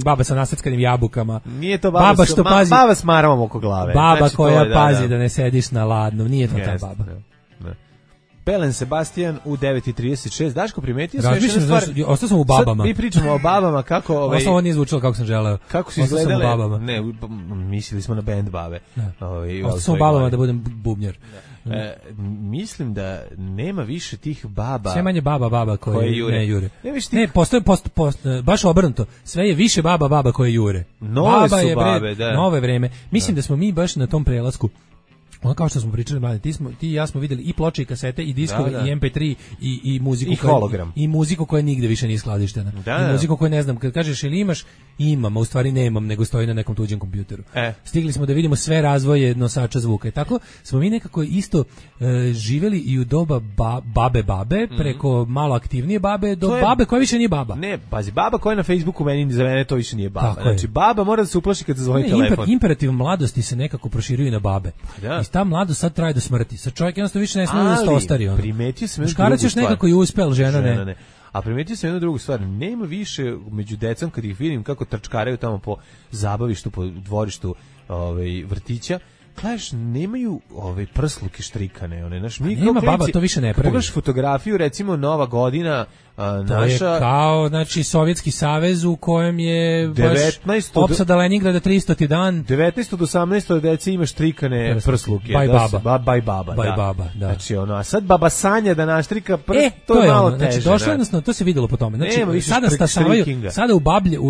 baba sa nasackanim jabukama. Nije to baba s maramom oko glave. Baba koja pazi da ne sediš na ladnom, nije to ta baba. Belen Sebastian u 9:36. Daško, primetio sam još jednu stvar. Ostao sam u babama. Sad mi pričamo o babama kako... Ovo nije zvučalo kako sam želeo. Kako su izgledale... Ne, mislili smo na band babe. Ostao sam u babama da budem bubnjar. Mislim da nema više tih baba. Sve manje baba koje ne jure. Ne, postoje baš obrnuto. Sve je više baba koje jure. Nove su babe, da. Nove vreme. Mislim da smo mi baš na tom prelasku. Ono kao što smo pričali, mladi, ti i ja smo videli i ploče i kasete i diskove i MP3 i muziku i hologram. I muziku koja nigde više nije skladištena. I muziku koju ne znam, kad kažeš ili imaš, imam, a u stvari nemam, nego stoji na nekom tuđem kompjuteru. Stigli smo da vidimo sve razvoje nosača zvuka. I tako smo mi nekako isto živjeli i u doba babe, preko malo aktivnije babe, do babe koja više nije baba. Ne, pazi, baba koja je na Facebooku za mene to više nije baba. Znači, baba mora da se uplaši kad se zvoni telefon. Imperativ mladosti se nekako proširuje na babe. I ta mladost sad traje do smrti. Sad čovjek jednostavno više ne smije da se ostari. Primetio sam muškarac još nekako i uspel, žena ne. A primetio sam jednu drugu stvar. Nema više među decom kad ih vidim kako trčkaraju tamo po zabavištu, po dvorištu vrtića. Gledaš, nemaju prsluke štrikane. Nema baba, to više ne pravi. Pogledaš fotografiju, recimo Nova godina, naša... To je kao, znači, Sovjetski savez u kojem je baš opsada Leningrada 300. dan. 19. do 18. dece ima štrikane prsluke. Baj baba. Baj baba, da. Znači, a sad baba sanja da naštrika prst, to je malo teže. Znači, došlo jednostavno, to se vidjelo po tome. Znači, sada stasavaju,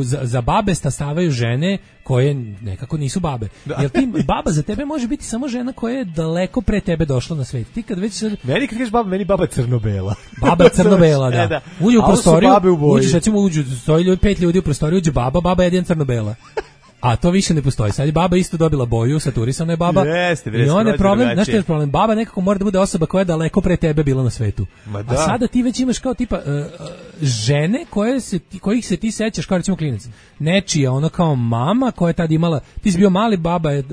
za babe stasavaju žene koje nekako nisu babe. Jer ti baba za tebe može biti samo žena koja je daleko pre tebe došla na svet. Ti kad već meni kad kažeš baba, meni baba crno-bela. Baba crno-bela, da. Uđe u prostoriju, uđeš recimo 5 ljudi u prostoriju, uđe baba je jedan crno-bela. A to više ne postoji. Sad je baba isto dobila boju, saturisana je baba. I on je problem, znaš što je problem? Baba nekako mora da bude osoba koja je daleko pre tebe bila na svetu. A sada ti već imaš kao tipa žene kojih se ti sećaš kao recimo klinac. Nečija ono kao mama koja je tad imala, ti si bio mali,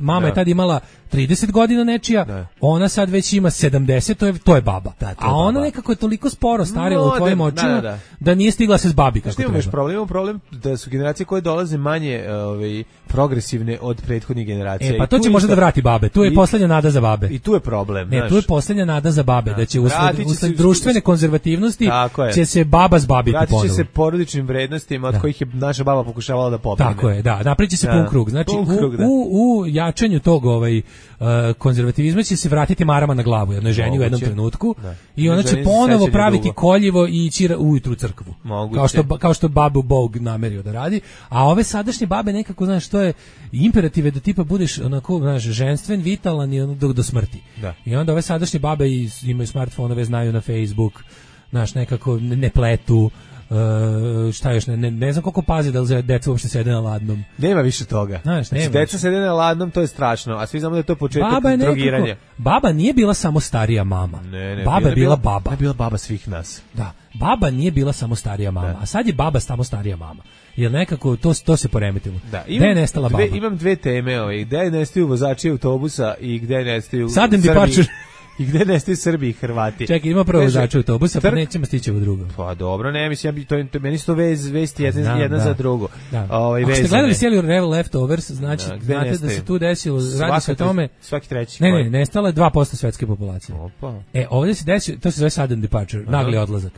mama je tad imala 30 godina nečija, ona sad već ima 70, to je baba. A ona nekako je toliko sporo starila u tvojim očima da nije stigla se zbabi kako treba. Imaš problem da su generacije koje dolaze manje progresivne od prethodnih generacija. Pa to će možda da vrati babe. Tu je poslednja nada za babe. I tu je problem. Ne, tu je poslednja nada za babe, da će usled društvene konzervativnosti će se baba zbabiti ponovo. Vratit će se porodičnim vrednostima od kojih je naša baba pokušavala da pobegne. Tako je, da. Napriči se pun krug. Znači, u jačanju tog konzervativizma će se vratiti marama na glavu jednoj ženi u jednom trenutku i ona će ponovo praviti koljivo i ići ujutru u crkvu. Kao što babu Bog namerio da radi. A ove sadašnje babe nekako, znaš, to je imperativ da tipa budeš onako, znaš, ženstven, vitalan i do smrti. I onda ove sadašnje babe imaju smartfonove, znaju na Facebook, znaš, nekako ne pletu, šta još, ne znam koliko pazi da deca uopšte sede na ladnom. Nema više toga. Znaš, znači, deca sede na ladnom, to je strašno, a svi znamo da je to početak drogiranja. Baba nije bila samo starija mama. Baba je bila baba. Je bila baba svih nas. Da, baba nije bila samo starija mama, a sad je baba samo starija mama. Jer nekako to se poremetilo. Gde je nestala baba? Imam dve teme, gde je nestaju vozači autobusa i gde je nestaju Srbi. I gde nestaju Srbi i Hrvati. Čekaj, ima prvo vozača autobusa, pa nećemo stići u drugo. Pa dobro, ne, mislim, meni su to vesti jedna za drugo. Ako ste gledali seriju Leftovers, znači, znate da se tu desilo, radi se o tome... Svaki treći. Ne, nestala je 2% svetske populacije. Ovdje se desilo, to se zove sudden departure, nagli odlazak.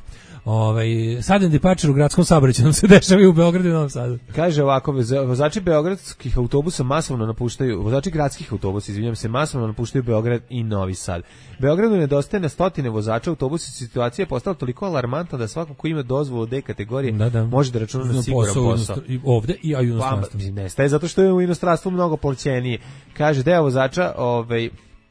Sudden departure u gradskom saobraćaju nam se dešava i u Beogradu i Novom Sadu. Kaže ovako, vozači beogradskih autobusa masovno napuštaju, vozači gradskih autobusa, izvinjam se, masovno napuštaju Beograd i Novi Sad. Beogradu nedostaje na stotine vozača autobusa, situacija je postala toliko alarmantna da svako ko ima dozvolu D kategorije može da računa na siguran posao. Ovde i u inostranstvu. Nestaje zato što je u inostranstvu mnogo plaćenije. Kaže, deo vozača...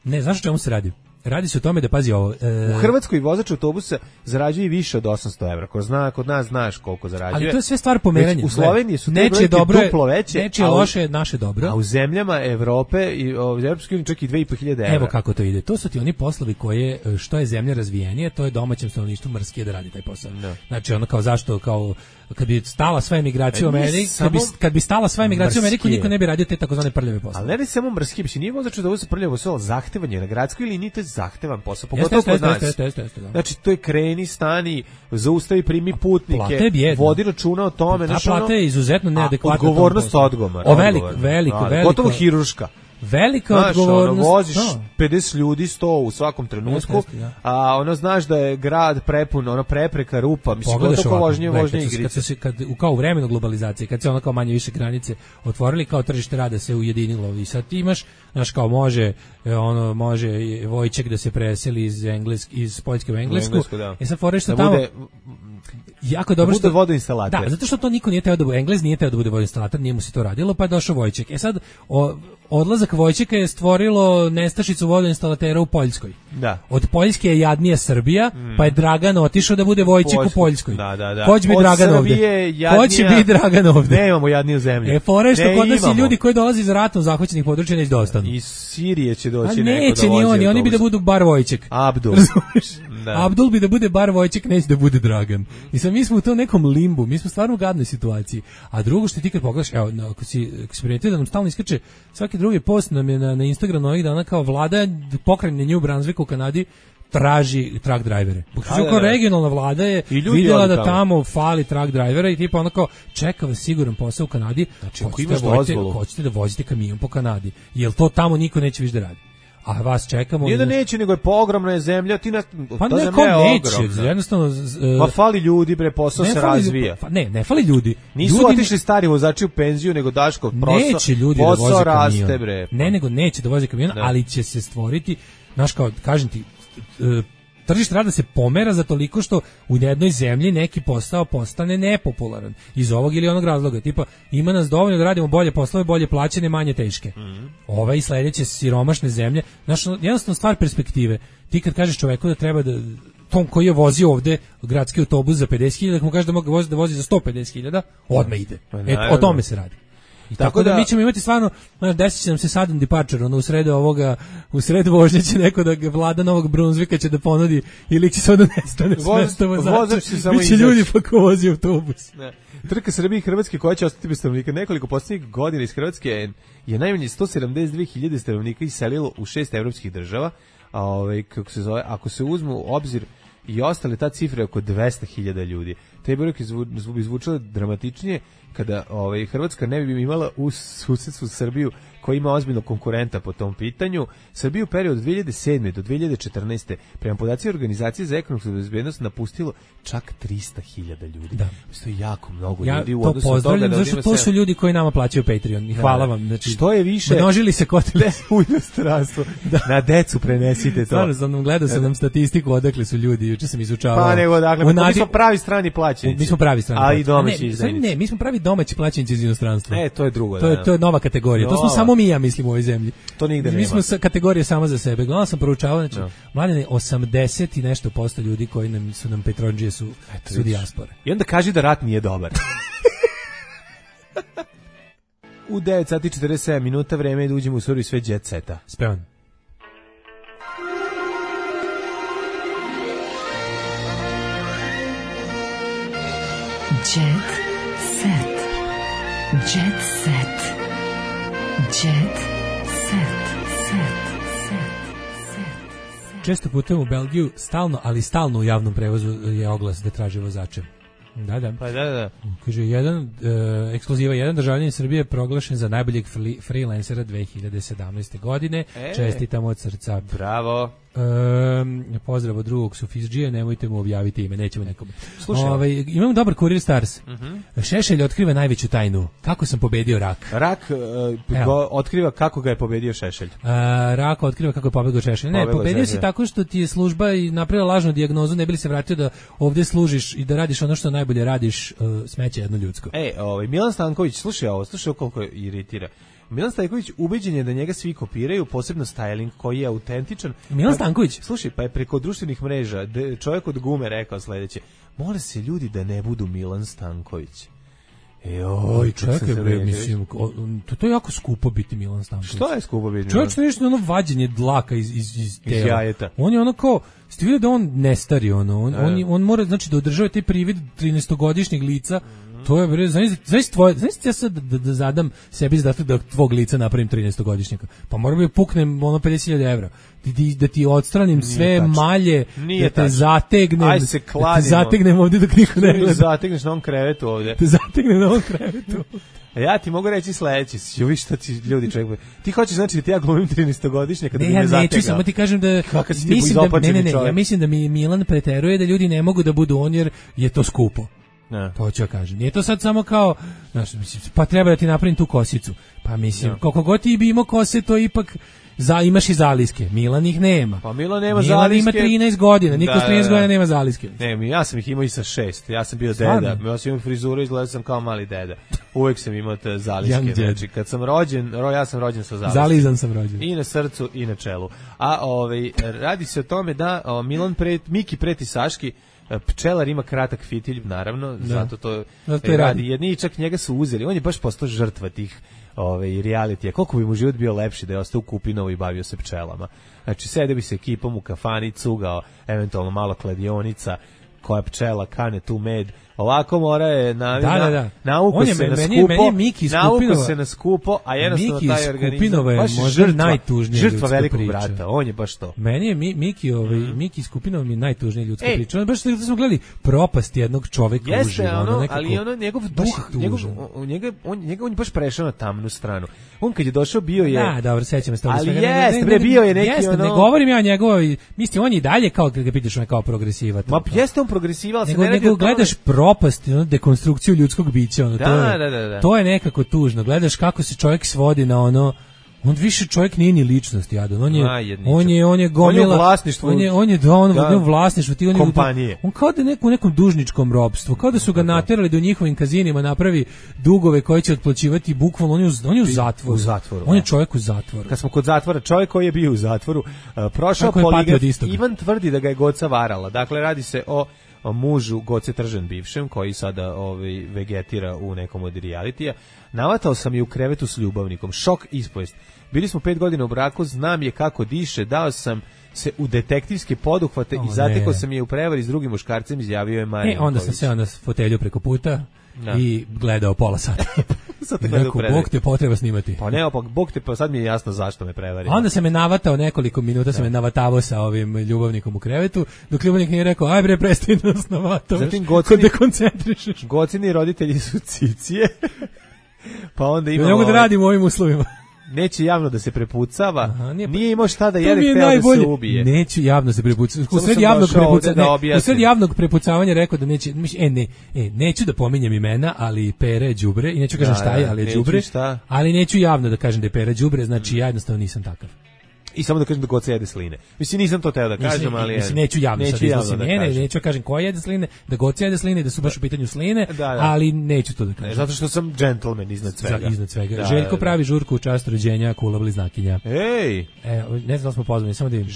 Ne, znaš o čemu se radi? Radi se o tome da, pazi ovo... U Hrvatskoj vozač autobusa zarađuje više od 800 evra. Kod nas znaš koliko zarađuje. Ali to je sve stvar pomeranja. U Sloveniji su te brojke duplo veće. Nečije loše, naše dobro. A u zemljama Evrope i u Evropskoj uniji čak i 2.500 evra. Evo kako to ide. To su ti oni poslovi koje, što je zemlja razvijenije, to je domaćem stanovništvu mrskije da radi taj posao. Znači ono kao zašto, kao kad bi stala sva emigracija u Ameriku, kad bi stala sva emigracija u Ameriku, niko ne bi radio te takozvane prljave poslove. Ali ne samo mrski, bi nije vozač da se prljavo posao, zahtevanje na gradskoj liniji, to je zahtevan posao, pogotovo kod nas. Znači to je kreni, stani, zaustavi, primi putnike, vodi računa o tome. Ta plata je izuzetno neadekvatna. Odgovornost odgovor. Veliko. Gotovo hiruška. Velika odgovornost. Voziš 50 ljudi, 100 u svakom trenutku, a ono znaš da je grad prepun, ono prepreka, rupa, mislim, gotovo vožnje igrice. Kao u vremenu globalizacije, kad se ono kao manje više granice otvorili, kao tržište rada se ujedinilo i sad ti imaš, znaš, kao može Vojček da se preseli iz Poljske u Englesku, i sad fore što tamo... Jako dobro što vodoinstalater. Da, zato što to niko nije teo da bude Englez, nije teo da bude vodoinstalater, nije mu se to radilo, pa je došao Vojček. Sad odlazak Vojčeka je stvorilo nestašicu vodoinstalatera u Poljskoj. Da. Od Poljske je jadnija Srbija, pa je Dragan otišao da bude Vojček u Poljskoj. Da. Ko će biti Dragan ovde? Ko će biti Dragan ovde? Nemamo jadniju zemlju. Fore što kod nas i ljudi koji dolaze iz ratom zahvaćenih područja neće da ostanu. Iz Sirije će doći neko da vozi. Neće ni oni bi da budu bar Vojček. Abdul. Abdul bi da bude bar Vojček, neće da bude Dragan. I sad mi smo u tom nekom limbu, mi smo stvarno u gadnoj situaciji. A drugo što ti kad pogledaš, evo, ako si primetio da nam stalno iskače, svaki drugi post nam je na Instagramu ovih dana kao vlada pokrajine New Brunswick u Kanadi traži truck drivere. Kao regionalna vlada je vidjela da tamo fali truck drivera i tipa onako čeka vas siguran posao u Kanadi. Znači, hoćete da vozite kamion po Kanadi. Jel to tamo niko neće više da radi? a vas čekamo. Nije da neće, nego je ogromna je zemlja, ti pa ta neko neće, jednostavno... Pa fali ljudi, bre, posao se razvija. Ne fali ljudi. Nisu otišli stari vozači u penziju, nego Daškov neće ljudi da voze raste, kamion. Bre. Ne, nego neće da voze kamion, ali će se stvoriti, znaš kao, kažem ti, tržište rada se pomera za toliko što u jednoj zemlji neki posao postane nepopularan iz ovog ili onog razloga, tipa ima nas dovoljno da radimo bolje poslove, bolje plaćene, manje teške. Ova i sledeće siromašne zemlje, znaš, jednostavno stvar perspektive. Ti kad kažeš čoveku da treba da tom koji je vozio ovde gradski autobus za 50.000, mu kaže da mogu da vozi za 150.000, odmah ide. O tome se radi. I tako da mi ćemo imati stvarno, desit će nam se sudden departure, u sred vožnje će neko da vlada Novog Brunsvika će da ponudi ili će se onda nestane s mesta vozača. Biće ljudi pa ko vozi autobus. Ne. Trka Srbije i Hrvatske koja će ostati bez stanovnika. Nekoliko posljednjih godina iz Hrvatske je najmanje 172.000 stanovnika iselilo u 6 evropskih država, a kako se zove, ako se uzmu u obzir i ostale, ta cifra je oko 200.000 ljudi. Te brojke bi zvučale dramatičnije kada Hrvatska ne bi imala u susedstvu Srbiju koja ima ozbiljno konkurenta po tom pitanju. Srbiju u periodu od 2007. do 2014. prema podacima Organizacije za ekonomsku bezbednost napustilo čak 300.000 ljudi. Da. To je jako mnogo ljudi u odnosu od toga da zašto to su ljudi koji nama plaćaju Patreon. I hvala vam. Znači, što je više množili se kotili u inostranstvo. Na decu prenesite to. Stvarno sam gledao sam statistiku odakle su ljudi. Juče sam izučavao. Pa nego dakle, mi smo pravi strani plaćenici. Mi smo pravi strani. A i domaći izdajnici. Ne, mi smo pravi domaći plaćenici iz inostranstva. To je drugo. To je nova kategorija. To smo samo mi, ja mislim, u ovoj zemlji. To nigde nema. Mi smo kategorija sama za sebe. Gledao sam, proučavao, znači, mladine, 80 i nešto posto ljudi koji su nam Petrodžije su dijaspore. I onda kaži da rat nije dobar. U 9 sati 47 minuta vreme je da uđemo u seriju sve jet seta. Spevan. Jet set. Jet set. Jet set. Često putujem u Belgiju, stalno u javnom prevozu je oglas da traži vozače. Da. Pa da. Kaže, ekskluziva, jedan državljanin Srbije je proglašen za najboljeg freelancera 2017. godine. Čestitam od srca. Bravo. Pozdrav od drugog sufizđije, nemojte mu objaviti ime, nećemo nekome. Imamo dobar kurir Stars. Šešelj otkriva najveću tajnu. Kako sam pobedio rak? Rak otkriva kako ga je pobedio Šešelj. Rak otkriva kako je pobedio Šešelj. Ne, pobedio si tako što ti je služba i napravila lažnu dijagnozu, ne bi li se vratio da ovdje služiš i da radiš ono što najbolje radiš, smeće jedno ljudsko. Milan Stanković, slušaj koliko iritira. Milan Stanković ubeđen je da njega svi kopiraju, posebno styling koji je autentičan. Milan Stanković? Slušaj, pa je preko društvenih mreža čovjek od gume rekao sledeće: mole se ljudi da ne budu Milan Stanković. Čekaj bre, mislim, to je jako skupo biti Milan Stanković. Što je skupo biti? Čovjek što nešto ono vađenje dlaka iz tela. Jajeta. On je ono kao, ste vidio da on ne stari, on mora, znači, da održava taj privid 13-godišnjeg lica. To je bre, znači ja sad da zadam sebi zadatak da tvog lica napravim 13-godišnjaka. Pa moram da puknem 50.000 evra. Da ti odstranim sve malje, da te zategnem ovdje dok niko ne gleda. Zategneš na ovom krevetu ovdje. Te zategnem na ovom krevetu. A ja ti mogu reći sledeći, vi šta ti ljudi čekaju. Ti hoćeš znači da ti ja glumim 13-godišnjaka kada bi me zategao. Ne, ja neću, samo ti kažem da ja mislim da mi Milan preteruje da ljudi ne mogu da budu on jer je to skupo. To ću ja kažem. Nije to sad samo kao, znaš, pa treba da ti napravim tu kosicu. Pa mislim, koliko god ti bi imao kose, to ipak imaš i zaliske. Milan ih nema. Pa Milan nema zaliske. Milan ima 13 godina, niko s 13 godina nema zaliske. Ne, ja sam ih imao i sa 6. Ja sam bio deda. Ja sam imao frizuru, izgledao sam kao mali deda. Uvek sam imao te zaliske. Znači, kad sam rođen, ja sam rođen sa zaliske. Zalizan sam rođen. I na srcu i na čelu. A radi se o tome da Miki preti Saški. Pčelar ima kratak fitilj, naravno, zato to radi. Jedni čak njega su uzeli, on je baš postao žrtva tih realitija. Koliko bi mu život bio lepši da je ostao u Kupinovu i bavio se pčelama. Znači, sede bi se ekipom u kafani, cugao, eventualno malo kladionica, koja pčela kane tu med, Ovako mora je Da. nauku se na skupo, nauku se na skupo, a jednostavno Miki taj organizam Skupinova je možda najtužnija žrtva velikog brata, on je baš to. Meni je Miki Skupinova mi najtužnija ljudska priča. On baš da smo gledali propast jednog čoveka uživo, ali njegov duh, on je baš prešao na tamnu stranu. On kad je došao bio je... Da, dobro, sećam se toga. Ali jeste, bio je neki ne govorim ja o njegovoj, mislim, on je i dalje kao, kad ga pitaš, on je kao progresivac. Ma jeste on progresivac, se ne radi nego gledaš propast, dekonstrukciju ljudskog bića, to je nekako tužno. Gledaš kako se čovjek svodi na ono, on više čovjek nije ni ličnost, jadan. On je gomila, on je vlasništvo, kompanije. On kao da je u nekom dužničkom ropstvu, kao da su ga naterali da u njihovim kazinima napravi dugove koje će otplaćivati bukvalno, on je u zatvoru. On je čovjek u zatvoru. Kad smo kod zatvora, čovjek koji je bio u zatvoru, prošao poligraf, Ivan tvrdi da ga je Goca varala. Dakle, radi se o mužu Goce Tržan bivšem, koji sada vegetira u nekom od realitija. Navatao sam je u krevetu s ljubavnikom. Šok ispovest. Bili smo 5 godina u braku, znam je kako diše, dao sam se u detektivske poduhvate i zatekao sam je u prevari s drugim muškarcem, izjavio je Marija. Onda sam seo na fotelju preko puta i gledao pola sata. Bog te potreba snimati. Pa ne, Bog te, pa sad mi je jasno zašto me prevari. Onda se me navatao nekoliko minuta, se me navatavao sa ovim ljubavnikom u krevetu, dok ljubavnik nije rekao, aj bre, prestani da nas navatavaš, ko dekoncentrišeš. Gocini roditelji su cicije, pa onda imamo... Ne mogu da radim u ovim uslovima. Neće javno da se prepucava, nije imao šta da jede, hteo da se ubije. Neću javno se prepucavati. U sred javnog prepucavanja rekao da neće, neću da pominjem imena, ali Pere je đubre, i neću kažem šta je, ali je đubre, ali neću javno da kažem da je Pere đubre, znači ja jednostavno nisam takav. I samo da kažem da Goca jede sline. Mislim, nisam to teo da kažem, ali... neću javno sad iznosim neću kažem ko jede sline, da Goca jede sline, da su baš u pitanju sline, ali neću to da kažem. Zato što sam džentlmen iznad svega. Željko pravi žurku u čast rođenja Kula bliznakinja. Ej! Ne znam da smo pozvani, samo da im.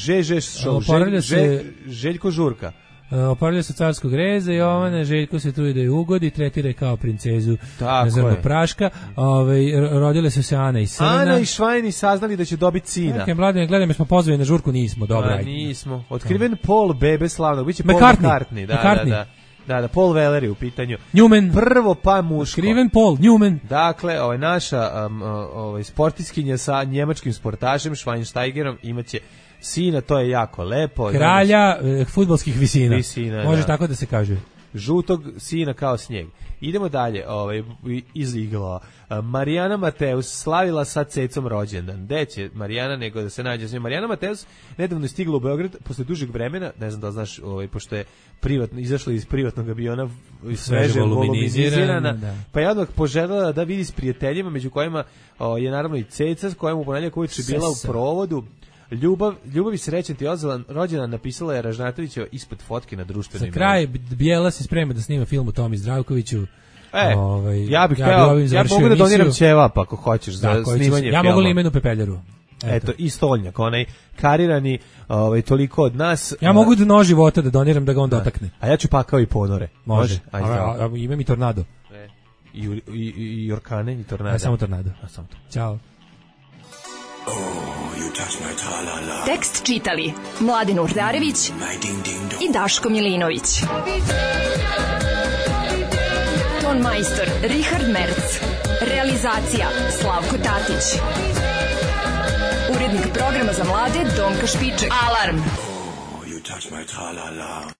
Željko žurka. Oporavlja se carskog reza, Jovana, Željko se tu i da je ugodi, tretira kao princezu zrnog praška. Rodile su se Ana i Srna. Ana i Švajni saznali da će dobiti sina. Mladine, gledaj, smo pozvani na žurku, nismo, dobro. Nismo. Otkriven Paul bebe slavnog, biće Paul McCartney. Da, Paul Weller je u pitanju. Newman. Prvo pa muško. Otkriven Paul Newman. Dakle, naša sportiskinja sa njemačkim sportašem Schweinsteigerom imaće sina, to je jako lepo. Kralja fudbalskih visina. Može tako da se kaže. Žutog sina kao snijeg. Idemo dalje, iz igla. Marijana Mateus slavila sa cecom rođendan. Gde će Marijana nego da se nađe s njom? Marijana Mateus nedavno je stigla u Beograd posle dužeg vremena, ne znam da znaš, pošto je izašla iz privatnog aviona, sveže voluminizirana, pa je odmah poželjela da vidi s prijateljima, među kojima je naravno i ceca, s kojom u ponedjeljak ujutru bila u provodu. Ljubav i srećan ti rođendan, napisala je Ražnatovićeva ispod fotke na društvenim mrežama. Za kraj Bijela se sprema da snima film o Tomi Zdravkoviću. Ja mogu da doniram ćevap ako hoćeš za snimanje filma. Ja mogu limenu pepeljaru. Eto, i stolnjak, onaj karirani, toliko od nas. Ja mogu da nož života da doniram da ga on dotakne. A ja ću pakao i ponore. Može. Ima mi tornado. I orkane i tornado. Samo tornado. Ćao. Tekst čitali Mladin Urdarević i Daško Milinović. Ton majstor Richard Merc. Realizacija Slavko Tatić. Urednik programa za mlade Donka Špiček. Alarm!